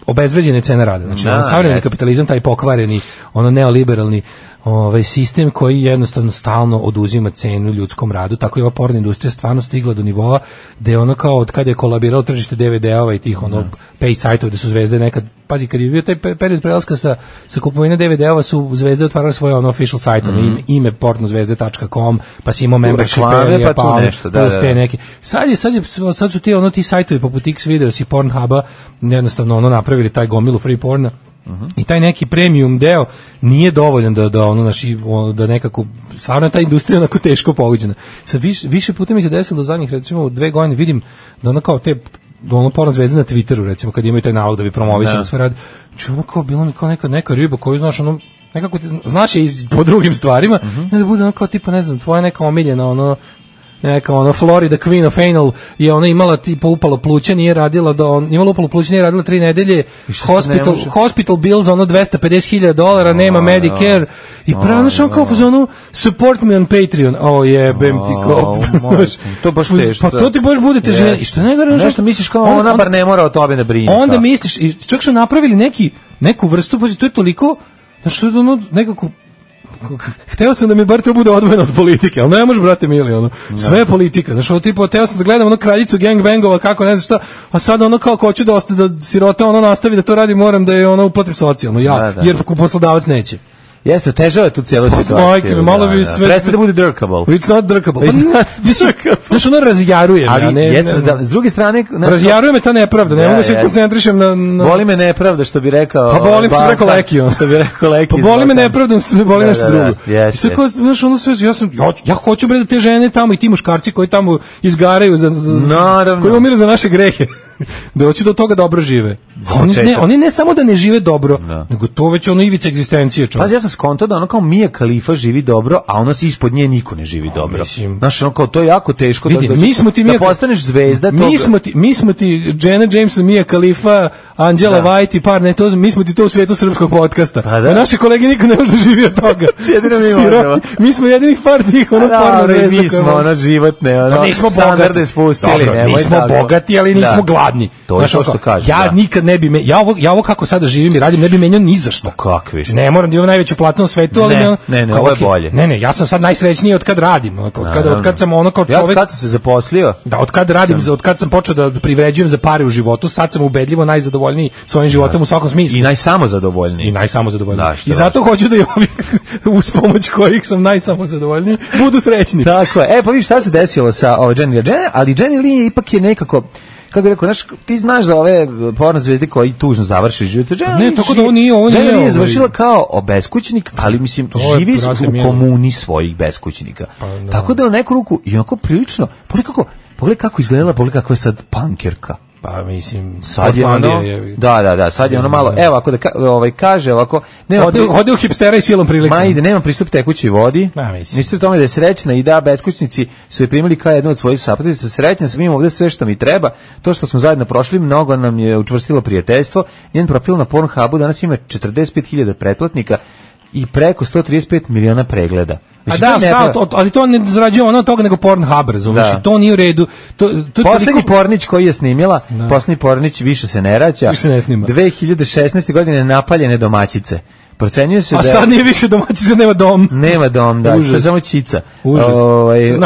obezvređene cene rada znači ono savremeni kapitalizam taj pokvareni ono neoliberalni ovaj sistem koji jednostavno stalno oduzima cenu ljudskom radu, tako je ova porno industrija stvarno stigla do nivoa da je ono kao od kada je kolabiralo tržište de ve de-ova i tih ono pay sajtova da su zvezde nekad, pazi kad je bio taj period prelaska sa, sa kupovine de ve de-ova su zvezde otvarale svoje ono official sajt, mm. ime, ime pornozvezde tačka com pa si imao membership area, pa, pa nešto, da, da, da. Neki. Sad, je, sad, je, sad su ti ono ti sajtovi poput X-Videos i Pornhuba jednostavno ono napravili taj gomilu free porna. Uh-huh. I taj neki premium deo nije dovoljan da da ono naši da nekako stvarno ta industrija onako teško pogođena. Sad više, više puta mi se desilo zadnjih recimo dve godine vidim da ono kao te ono porno zvezde na Twitteru recimo kad imaju taj nalog da bi promovisali sve radi. Znači ono kao bilo mi kao neka neka riba koju znaš ono nekako ti znaš je iz, po drugim stvarima uh-huh. da bude ono kao tipa ne znam tvoja neka omiljena ono neka ono Florida Queen of Anal je ona imala tipa upalo pluća, nije radila do on imala upalo pluća, nije radila tri nedelje, hospital hospital bills ono dvesta pedeset hiljada dolara, nema Medicare i pravno što kao fazonu support me on Patreon. O jebem ti ko. To baš teško. Pa to ti baš budete žene. I što ne garantujem nešto misliš kao ona bar ne mora o tome da brine. Onda misliš i čak su napravili neki neku vrstu, pa to je toliko znači ono nekako hteo sam da mi bar to bude odvojeno od politike, ali ne može, brate mili, ono, sve je politika, znaš, ovo tipa, hteo sam da gledam ono kraljicu gangbangova, kako, ne znam šta, a sad ono kao, ko ću da ostane, da sirota ono nastavi da to radi, moram da je ono uplatim socijalno, ja, da, da. Jer poslodavac neće. Jeste, težava tu cijelu situaciju. Majke, malo bi sve... Prestaje da bude drkable. It's not drkable. Znaš, ono razjaruje me. Ali, ne, jeste, ne, s druge strane... Znaš, razjaruje me ta nepravda, ne mogu se koncentrišem na, na... Boli me nepravda, što bi rekao... Pa boli me, što bi rekao Leki, on. Što bi rekao Leki. Pa boli me nepravda, što mi boli nešto drugo. Jeste. Znaš, ono sve, ja sam, ja, ja hoću bre da te žene tamo i ti muškarci koji tamo izgaraju za... za koji umiru za naše grehe. Da hoće do toga dobro žive. Oni ne, oni ne samo da ne žive dobro, no. nego to već ono ivica egzistencije. Pa ja sam skonto da ono kao Mia Khalifa živi dobro, a ono se ispod nje niko ne živi dobro. Mislim, znaš, ono kao to je jako teško vidi, da, mi smo ti da Mia, postaneš zvezda mi toga. Smo ti, mi smo ti Janet Jameson, Mia Khalifa, Angela da. White i par ne to, mi smo ti to u svijetu srpskog podcasta. Pa da. A naše kolege niko ne može da živi od toga. Jedino mi možemo. Mi smo jedinih par tih ono porno zvezda. Mi smo ono životne, ono standarde spustili. Nismo bogati, ali nismo jadni. To je to što kažem. Ja da. nikad ne bi me, ja ovo, ja ovo kako sada živim i radim ne bi menjao ni za što. Kakvi? Ne moram da imam najveću platu na svetu, ali ne, ne, ne, ne, ovo je bolje. Ne, ne, ja sam sad najsrećniji od kad radim, od kad od kad sam ono kao čovjek. Ja od kad sam se zaposlio? Da, od kad radim, sam... od kad sam počeo da privređujem za pare u životu, sad sam ubedljivo najzadovoljniji svojim životom u svakom smislu. I najsamozadovoljniji. I najsamozadovoljniji. Da, I zato vaš. Hoću da i ovi uz pomoć kojih sam najsamozadovoljniji budu srećni. Tako je. E, pa vidiš šta se desilo sa ovaj Jenny Lee, ali Jenny Lee ipak je nekako, kako bih rekao, znaš, ti znaš za ove porno zvezde koji tužno završi život. Ne, tako da ovo nije, ovo nije. Jenny Lee je završila kao beskućnik, ali mislim, živi u komuni svojih beskućnika. Pa, da. Tako da u neku ruku, i onako prilično, pogledaj kako, pogledaj kako izgledala, pogledaj kako je sad punkerka. Pa mislim, sad je ono, je, da, da, da, sad je ono malo, evo, ako da ka, ovaj, kaže ovako, nema ode, ode u hipstera i silom prilikom. Ma ide, nema pristup tekućoj vodi, mislite o tome da je srećna i da beskućnici su je primili kao jednu od svojih sapatice, srećna sam, imam ovdje sve što mi treba, to što smo zajedno prošli, mnogo nam je učvrstilo prijateljstvo, njen profil na Pornhubu danas ima četrdeset pet hiljada pretplatnika i preko sto trideset pet miliona pregleda. A da, stav, to, ali to ne zarađuje ono toga nego Pornhub, razumiješ, to nije u redu. To, to poslednji toliko... pornić koji je snimila, da. Poslednji pornić više se ne rađa, više ne snima. dve hiljade šesnaeste. godine napaljene domaćice. Procenjuje se a da... A sad nije više domaćica, nema dom. Nema dom, da, što je samo čica. Užas. Ovaj, u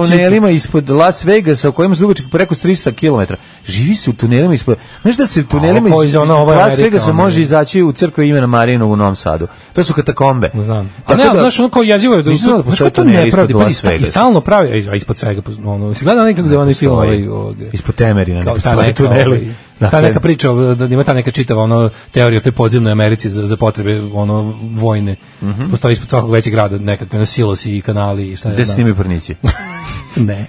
tunelima čica. Ispod Las Vegasa, u kojima se dugačak preko tristo kilometara. Živi se u tunelima ispod... Znaš da se u tunelima ispod ono, Las Vegasa može izaći u crkve imena Marijinog u Novom Sadu. To su katakombe. Znam. A ne, da, znaš, ono kao jezivo je... Da, znaš kao to ne pravi, pa i stalno pravi, a ispod svega, ono, si gleda nekako za onaj film ovaj... Ispod Temerina, ne postoje tuneli. Ta neka priča, da ima ta neka čitava ono teorija o toj podzemnoj Americi za, za potrebe ono vojne. Mm -hmm. Postoji ispod svakog većeg grada nekakve no, silosi i kanali i šta ne znam. Gde se snimaju pornići? Ne.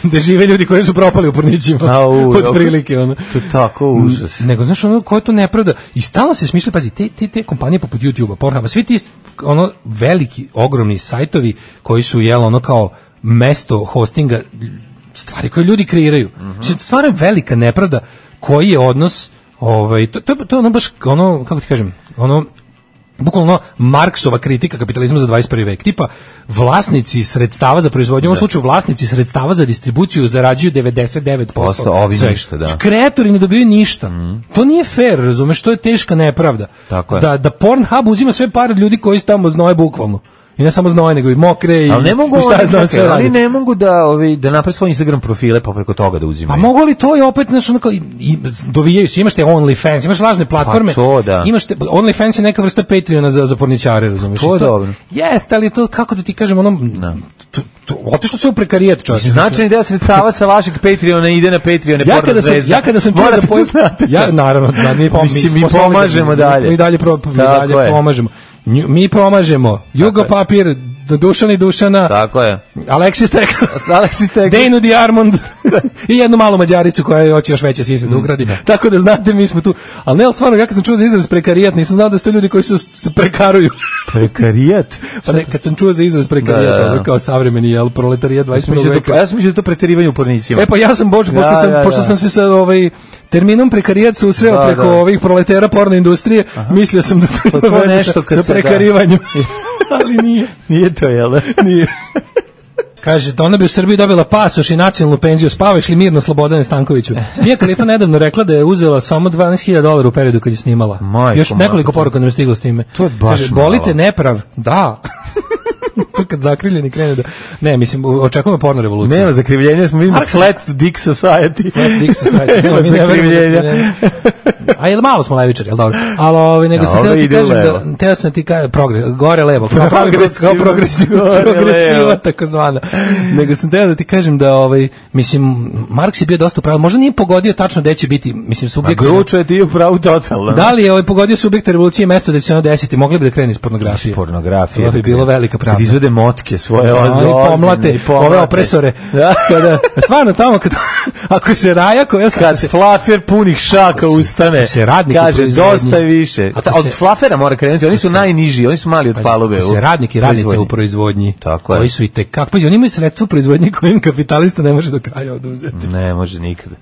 Gde žive ljudi koji su propali u pornićima. Od prilike ono. To je tako užas. Nego znaš ono ko je to nepravda i stalno se smišlja, pazi, te, te, te kompanije poput YouTube-a, Pornhuba, svi ti ono veliki, ogromni sajtovi koji su jelo ono kao mesto hostinga stvari koje ljudi kreiraju. Mm -hmm. Stvarno je velika nepravda koji je odnos, ovaj, to, to, to je ono baš, ono, kako ti kažem, ono, bukvalno Marksova kritika kapitalizma za dvadeset prvi vek. Tipa, vlasnici sredstava za proizvodnju, u ovom slučaju vlasnici sredstava za distribuciju zarađuju devedeset devet posto. Ovi ništa, da. Kreatori ne dobijaju ništa. Mm. To nije fair, razumeš, to je teška nepravda. Tako je. Da, da Pornhub uzima sve pare od ljudi koji su tamo znoje bukvalno. I ne samo znoje, nego i mokre i, ali ne mogu, i šta je znao sve radi. Ali ne mogu da, ovi, da naprave svoj Instagram profile pa preko toga da uzimaju. Pa mogu li to i opet, znaš, onako, i, i dovijaju se, imaš te OnlyFans, imaš lažne platforme. Pa to, da. Imaš te, OnlyFans je neka vrsta Patreona za, za porničare, razumiješ? To je dobro. Jeste, ali to, kako da ti kažem, ono, no. to, to, otišlo se u prekarijat, čovječ. Značajni deo sredstava sa vašeg Patreona ide na Patreone ja kada sam, ja kada sam čuo za pojem, ja, naravno, da, mi, pom, mi, mi pomažemo dalje. Mi dalje, pro, mi dalje pomažemo. Mi pomažemo. Jugo papir, Dušan i Dušana. Tako je. Alexis Texas. Alexis Texas. Dejnu Diarmond. I jednu malu Mađaricu koja hoće još veće sise da ugradi. Mm. Tako da znate, mi smo tu. Ali ne, ali stvarno, ja kad sam čuo za izraz prekarijat, nisam znao da su to ljudi koji su prekaruju. Prekarijat? Pa ne, kad sam čuo za izraz prekarijat, da, da, da. Kao savremeni, jel, proletarijat dvadeset prvog veka. Ja sam mislio da to preterivanje u pornicima. E pa ja sam boču, pošto, ja, sam, ja, pošto ja. sam se sa ovaj, terminom prekarijat susreo da, preko da. ovih proletera porno industrije, aha. Mislio sam da to ima veze nešto sa, sa prekarivanjem. Ali nije. Nije to, jel da? Nije. Kaže, da ona bi u Srbiji dobila pasoš i nacionalnu penziju, spavaš li mirno Slobodane Stankoviću? Mija Khalifa nedavno rekla da je uzela samo dvanaest hiljada dolara u periodu kad je snimala. Majko, još nekoliko poruka nam je stiglo s time. To je baš kaže, bolite neprav? Da. Kad zakriljeni krene da... Ne, mislim, očekujemo porno revoluciju. Nema zakrivljenja, smo vidimo Flat Dick Society. Flat Dick Society. Nema zakrivljenja. A jel malo smo levičari, jel dobro? Ali ovaj, nego se teo ti kažem da... Teo sam ti kažem, progres, gore levo. Kao progresiva, progresiva, tako zvana. Nego sam teo da ti kažem da, ovaj, mislim, Marks je bio dosta upravo, možda nije pogodio tačno gde će biti, mislim, subjekt... A Gručo je ti upravo totalno. Da li je ovaj pogodio subjekta revolucije mesto da će se ono desiti, mogli bi da krene iz pornografije. Pornografije. To bi bilo velika pravda. Kad izvede motke svoje oze, i pomlate, ove opresore. Da. Kada, stvarno tamo, kad, ako se raja koja... Kad se flafer punih šaka ustane. palube. Se radnik kaže dosta je više. A ta, od flafera mora krenuti, oni su se, najniži, oni su mali od palube. Se radnik i radnice u proizvodnji. Tako je. Koji su i tek kako, pa oni imaju sredstva u proizvodnji koje kapitalista ne može do kraja oduzeti. Ne može nikada.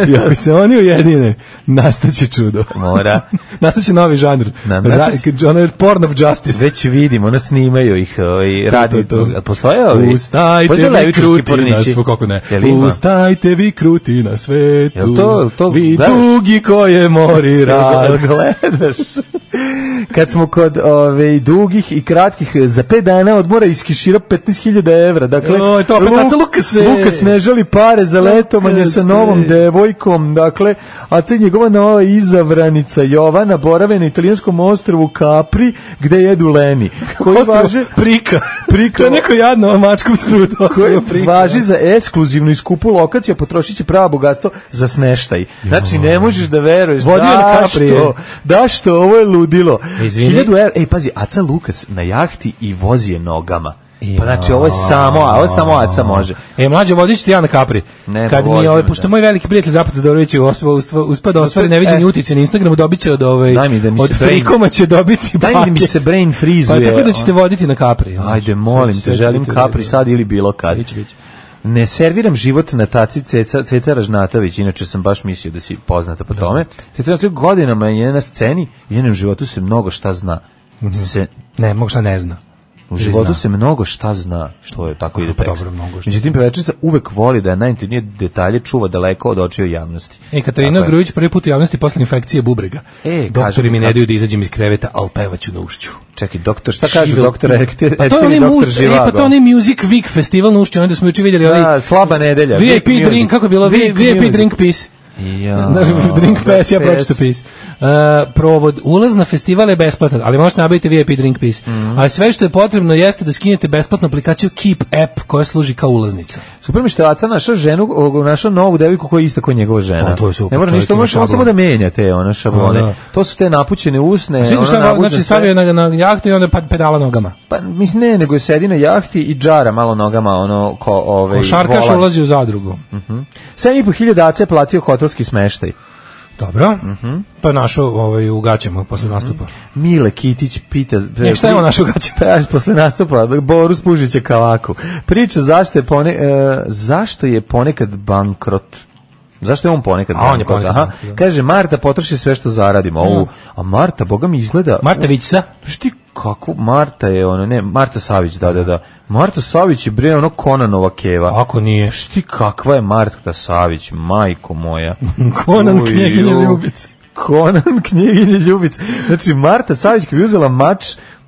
I ako se oni ujedine, nastaće čudo. Mora. Nastaće novi žanr. Na, nastaće... Žanr porn of justice. Već vidimo, ono snimaju ih i radi. Postoje ovi? Ustajte vi kruti na svetu, kako ne? Ustajte vi kruti na svetu. Jel to, to vi gledaš? Dugi koje mori rad. Gledaš. Kad smo kod ove, dugih i kratkih, za pet dana odmora iskešira petnaest hiljada evra. Dakle, o, to opet Luk, Lukas, Lukas ne želi pare za letovanje sa novom devojkom. Dakle, a ceg njegova nova izavranica Jovana borave na italijanskom ostrvu Capri, gde jedu leni. Koji važe... Prika. Prika. To je neko jadno mačkom sprut. Koji važi za ekskluzivnu i skupu lokaciju, potrošit će pravo bogatstvo za smeštaj. Znači, ne možeš da veruješ. Vodio na Capri. Da što, ovo je ludilo. Hiljadu evra, ej, pazi, Aca Lukas na jahti i vozi je nogama. Pa znači, ovo je samo, a ovo je samo Aca može. E, mlađe, vodit ću ti ja na Capri. Ne, kad mi, ovaj, pošto moj veliki prijatelj Zapad Todorović uspa da ostvari neviđeni utice na Instagramu, dobit će od, ovaj, od Frikoma će dobiti paket. Daj mi se brain freezuje. Pa tako da ćete voditi na Capri. Ajde, molim te, želim Capri sad ili bilo kad. Ne serviram život na taci Ceca, Ceca Ražnatović, inače sam baš mislio da si poznata po tome. Ceca Ražnatović godinama je na sceni, u njenom životu se mnogo šta zna. Se, ne, mnogo šta ne zna. U životu zna. Se mnogo šta zna, što je tako ide tekst. Međutim, pevačica uvek voli da najintimnije detalje čuva daleko od očiju javnosti. E, Katarina Grujić prvi put u javnosti posle infekcije bubrega. E, doktori mi ne daju da izađem iz kreveta, al pevaću na ušću. Čekaj, doktor, šta kaže doktor? Pa to je doktor Živago. E, pa to je Music Week festival na ušću, onda smo juče vidjeli ovaj slaba nedelja. V I P drink, kako je bilo? V I P drink piece. Ja, drink pass, ja pročito pis. Uh, provod, ulaz na festival je besplatan, ali možete nabaviti V I P drink piece. Mm. A sve što je potrebno jeste da skinete besplatnu aplikaciju Keep app koja služi kao ulaznica. Super mi što je Aca našao ženu, našao novu devojku koja je ista kao njegova žena. O, to je super. Ne može ništa, može samo da menja te ona šablone. O, da. To su te napućene usne. A svi su šta, znači stavio na, na jahtu i onda pedala nogama. Pa mislim ne, nego je sedi na jahti i džara malo nogama, ono ko ovaj. Košarkaš ulazi u zadrugu. Mhm. Uh sedam i po hiljada Aca je platio hotelski smeštaj. Dobro, uh-huh. Pa našo ovaj, u gaćama posle nastupa. Mile Kitić pita... Nek šta je on našo u gaćama? Posle nastupa, Borus Pužića Kavaku. Priča zašto je, pone, e, zašto je ponekad bankrot. Zašto je on ponekad bankrot? On je ponekad Aha. Bankrot. Kaže, Marta potroši sve što zaradimo. Ovu, a Marta, boga mi izgleda... Marta Vićsa? Šti kako? Marta je ono, ne, Marta Savić, da, da, da. Marta Savić je bre ono Konanova keva. Ako nije? Šti kakva je Marta Savić, majko moja. Konan knjeginje Ljubice. Konan knjeginje Ljubice. Znači, Marta Savić kad bi uzela mač,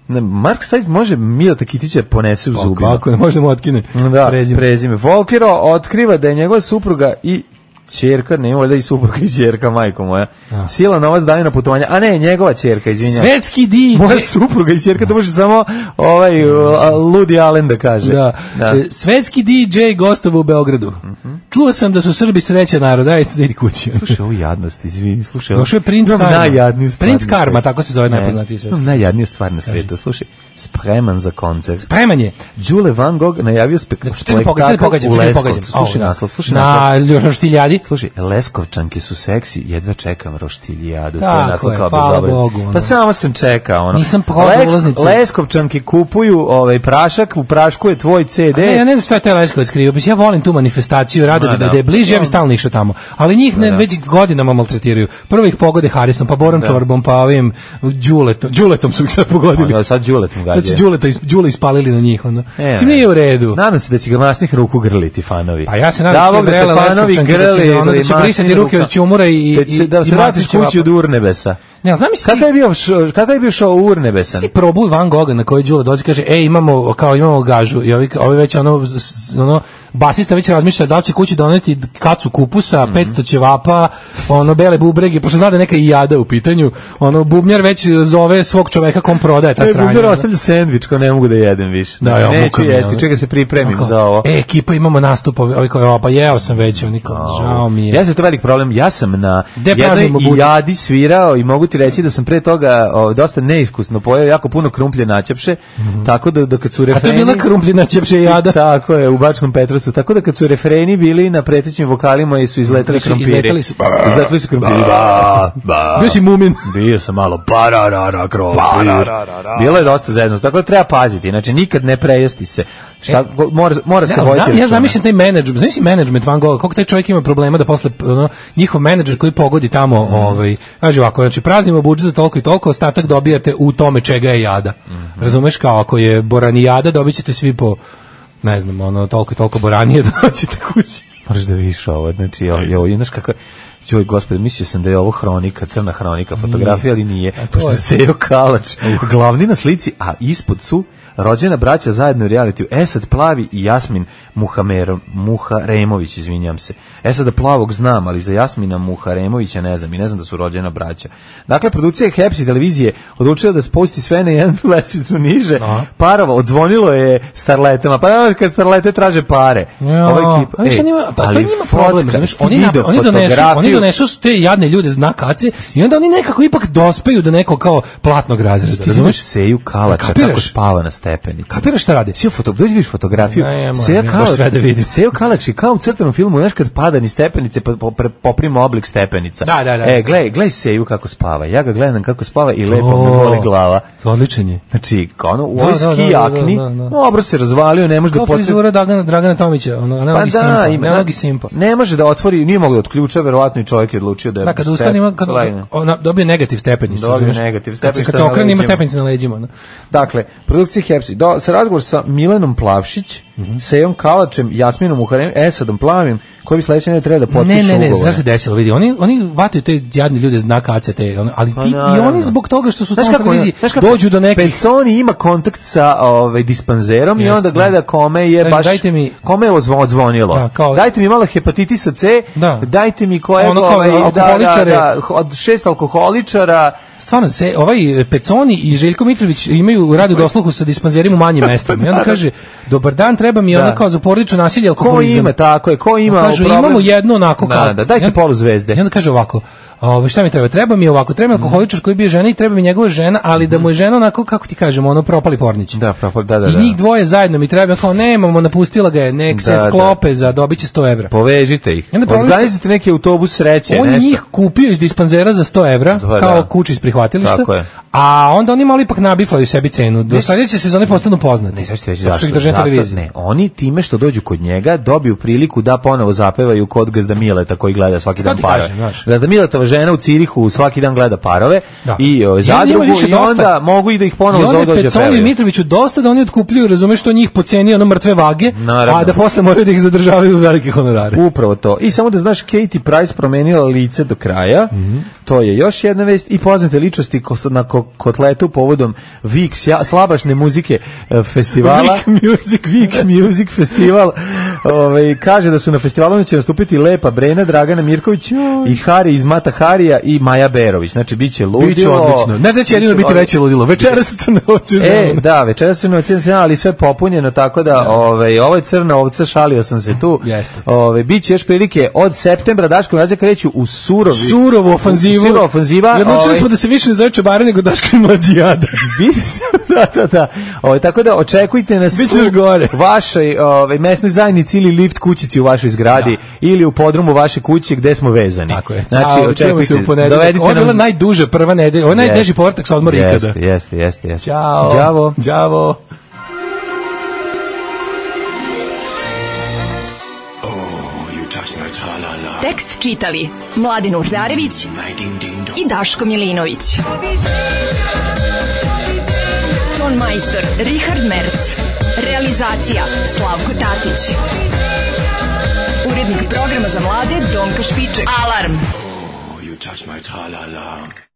Mark Savić može Mileta Kitića ponese u zubima. Kako ne, može mu otkine da, prezime. prezime. Volkero otkriva da je njegova supruga i ćerka, ne valjda i supruga i ćerka, majko moja. A. Sila novac daje na putovanje. A ne, njegova ćerka, izvinjam. Svetski didž. Moja supruga i ćerka, to može samo ovaj Ludi Allen da kaže. Da. Da. Svetski didž gostova u Beogradu. Uh-huh. Čuo sam da su Srbi srećan narod, ajde se idi kući. Slušaj, ovo jadnost, izvini, slušaj. Došao je Princ Karma. Najjadniju stvar. Princ Karma, tako se zove najpoznatiji svetski. Najjadniju stvar na svetu, slušaj. Spreman za koncert. Spreman je. Đule Van Gogh najavio spektakl u Leskovcu. Slušaj naslov, slušaj naslov. Na još roštiljadi. Slušaj, Leskovčanke su seksi, jedva čekam roštiljadu. To je naslov kao bezobrazno. Pa samo sam čekao. Ono. Nisam prodao ulaznicu. Leskovčanke kupuju ovaj prašak, u prašku je tvoj ce de. Ne, ja ne znam šta je taj Leskovac krivo. Ja volim tu manifestaciju, rado da, da, da je bliže, ja bi stalno išao tamo. Ali njih ne, već godinama maltretiraju. Prvo ih pogode Harisom, pa Borom Čorbom, pa ovim Đuletom. Đuletom su ih sad pogodili. A, sad Đuletom gađe. Sad su Đuleta, Đule ispalili na njih. Ono. E, Sim nije u redu. Nadam se da će ga masnih ruku grliti fanovi. Pa ja se nadam da će ga fanovi grli, onda da će brisati ruke od ćumura i, i, da se vratiš kući od Urnebesa. Ne, znam si kakav je bio kakav je bio šao Urnebesan. Si probuj Van Gogha na koji Đule dođe kaže ej imamo kao imamo gažu i ovi ovi već ono ono basista već razmišlja da li će kući doneti kacu kupusa, mm-hmm. petsto ćevapa, ono bele bubrege, pošto zna da neka i jada u pitanju, ono bubnjar već zove svog čoveka kom prodaje ta sranja. Bubnjar ostavlja sendvič, kao ne mogu da jedem više. Da, ja, neću jesti, čega se pripremim za ovo. E, ekipa imamo nastup, ovi kao, pa jeo sam već, oni kao, žao mi je. Ja sam to velik problem, ja sam na jednoj jadi svirao i mogu ti reći da sam pre toga o, dosta neiskusno pojeo jako puno krumplje načepše, mm-hmm. tako da, da kad su refreni... A to je bila krumplje načepše jada? Tako je, u Bačkom Petrovcu su, tako da kad su refreni bili na pretećim vokalima i su izletali krompiri. Izletali su. Izletali su krompiri. Ba, ba. Bio si mumin. Bio sam malo pararara krompir. Bilo je dosta zezno, tako da treba paziti, znači nikad ne prejesti se. Šta, e, mora, mora se voditi. Znam, ja zamišljam taj menadžment, znaš si menadžment Van Gogha, koliko taj čovjek ima problema da posle ono, njihov menadžer koji pogodi tamo, mm. ovaj, kaže ovako, znači praznimo budžet za toliko i toliko, ostatak dobijate u tome čega je jada. Mm-hmm. Razumeš, kao ako je boranijada, dobit ćete svi po, ne znam, ono, toliko i toliko boranije da nosite kući. Moraš da vidiš ovo, znači, jo, jo, znaš kako, joj, gospode, mislio sam da je ovo hronika, crna hronika, fotografija, ali nije, pošto je Sejo Kalač, glavni na slici, a ispod su rođena braća zajedno u realitiju Esad Plavi i Jasmin Muhamer, Muharemović, izvinjam se. Esada Plavog znam, ali za Jasmina Muharemovića ne znam i ne znam da su rođena braća. Dakle, produkcija Hepsi televizije odlučila da spusti sve na jednu lestvicu niže. Aha. Parova, odzvonilo je starletama, pa kad starlete traže pare. Ja, ovaj kip, ej, njima, pa to njima problem, znaš, oni, na, oni, donesu, oni donesu te jadne ljude znak kace i onda oni nekako ipak dospeju do nekog kao platnog razreda. Razumeš? Seju Kalača, kako spava na stepenici. Kapiraš šta radi? Sio foto, dođi vidiš fotografiju. Sejo Kalač, Sejo Kalač je kao u crtanom filmu, znaš kad pada ni stepenice, poprima oblik stepenica. Da, da, da. E, gledaj, gledaj Seju kako spava. Ja ga gledam kako spava i lepo oh, me boli glava. Odličan je. Znači, ono, u ovoj ski jakni, dobro se razvalio, ne može da potrebi. Kao frizura Dragana, Dragana Tomića, ono, ne pa mogi da, simpa. Ima, ne mogi simpa. Ne može da otvori, nije mogu da otključa, verovatno i čovjek je odlučio da... Da, kad ustane ima, kad ona dobije negativ stepenicu. Dobije negativ stepenicu. Kad se okrene ima stepenicu na leđima. Dakle, produkcija Hepsi, sa razgovor sa Milenom Plavšić, mm-hmm. Sejom Kalačem, Jasminom Muharem, Esadom Plavim, koji bi sledeće ne treba da potpišu ugovor. Ne, ne, ne, znaš se desilo, vidi, oni, oni vataju te jadni ljude znak A C T, ali ti, i oni zbog toga što su s tom televiziji dođu do nekih... Peconi ima kontakt sa ovaj, dispanzerom i onda gleda kome je baš, mi, kome je odzvonilo. Da, kao, dajte mi malo hepatitisa C, da. Dajte mi koje... Ono kao ovaj, alkoholičare. Da, da, od šest alkoholičara... Stvarno, se, ovaj Peconi i Željko Mitrović imaju radu dosluhu sa dispanzerim u manjim mestima. I onda kaže, dobar dan, treba mi ona kao za porodično nasilje, alkoholizam. Ko ima, tako je, ko ima kažu, problem? Imamo jedno onako kao... Da, da, dajte polu zvezde. I onda kaže ovako, Ove, šta mi treba? Treba mi ovako, treba mi alkoholičar koji bio žena i treba mi njegova žena, ali da mu je žena onako, kako ti kažemo, ono propali pornić. Da, propali, da, da, I da. njih dvoje zajedno mi treba, kao nemamo, napustila ga je, nek se da, sklope da. Za dobit će sto evra. Povežite ih. Organizujte neki autobus sreće, on nešto. On njih kupio iz dispanzera za sto evra, da, kao da. Kući iz prihvatilišta, a onda oni malo ipak nabiflaju sebi cenu. Do sljedeće sezone postanu poznati. Ne, zašto zašto? Zato, ne, oni time što dođu kod njega dobiju priliku da ponovo zapevaju kod Gazda Mileta koji gleda svaki dan parove. Gazda Miletova žena u Cirihu svaki dan gleda parove da. I o, zadrugu i onda dosta. Mogu i da ih ponovo zove dođe pevaju. I onda i Mitroviću dosta da oni otkupljuju, razumeš, što njih poceni ono mrtve vage, naravno. A da posle moraju da ih zadržavaju u velike honorare. Upravo to. I samo da znaš, Katy Price promenila lice do kraja, mm-hmm. To je još jedna vest i poznate ličnosti na kotletu povodom Vix, ja, slabašne muzike festivala. Vik Music, Vik Music festival. Ove, kaže da su na festivalu će nastupiti Lepa Brena, Dragana Mirković i Hari iz Mata Harija i Maja Berović. Znači, bit će ludilo. Biće odlično. Ne znači jedino biti veće ludilo. Večeras su crne ovce. E, da, večeras su crne ovce, ali sve popunjeno, tako da, da. Ove, ovo je crna ovca, šalio sam se tu. Jeste. Ove, biće još prilike od septembra, Daško i Mlađa kreću u surovi. Surovu ofanzivu. Surovu ofanziva. I odlučili smo da se više ne zove čebare nego Daško i Mlađijada. da, da, da. Ove, tako da očekujte nas u vašoj ove, mesnoj zajednici ili lift kućici u vašoj zgradi da. Ili u podrumu vaše kuće gde smo vezani. Tako je. Znači, Ćao, očekujte. Ovo je bila nam... najduža prva nedelja. Ovo je najteži povrtak sa odmora ikada. Jeste, jeste, jeste, jeste. Ćao. Đavo. Đavo. Tekst čitali Mladin Urdarević i Daško Milinović. Ton majstor Richard Merc. Realizacija Slavko Tatić. Urednik programa za mlade Donka Špiček. Alarm! Oh, you touch my tra-la-la.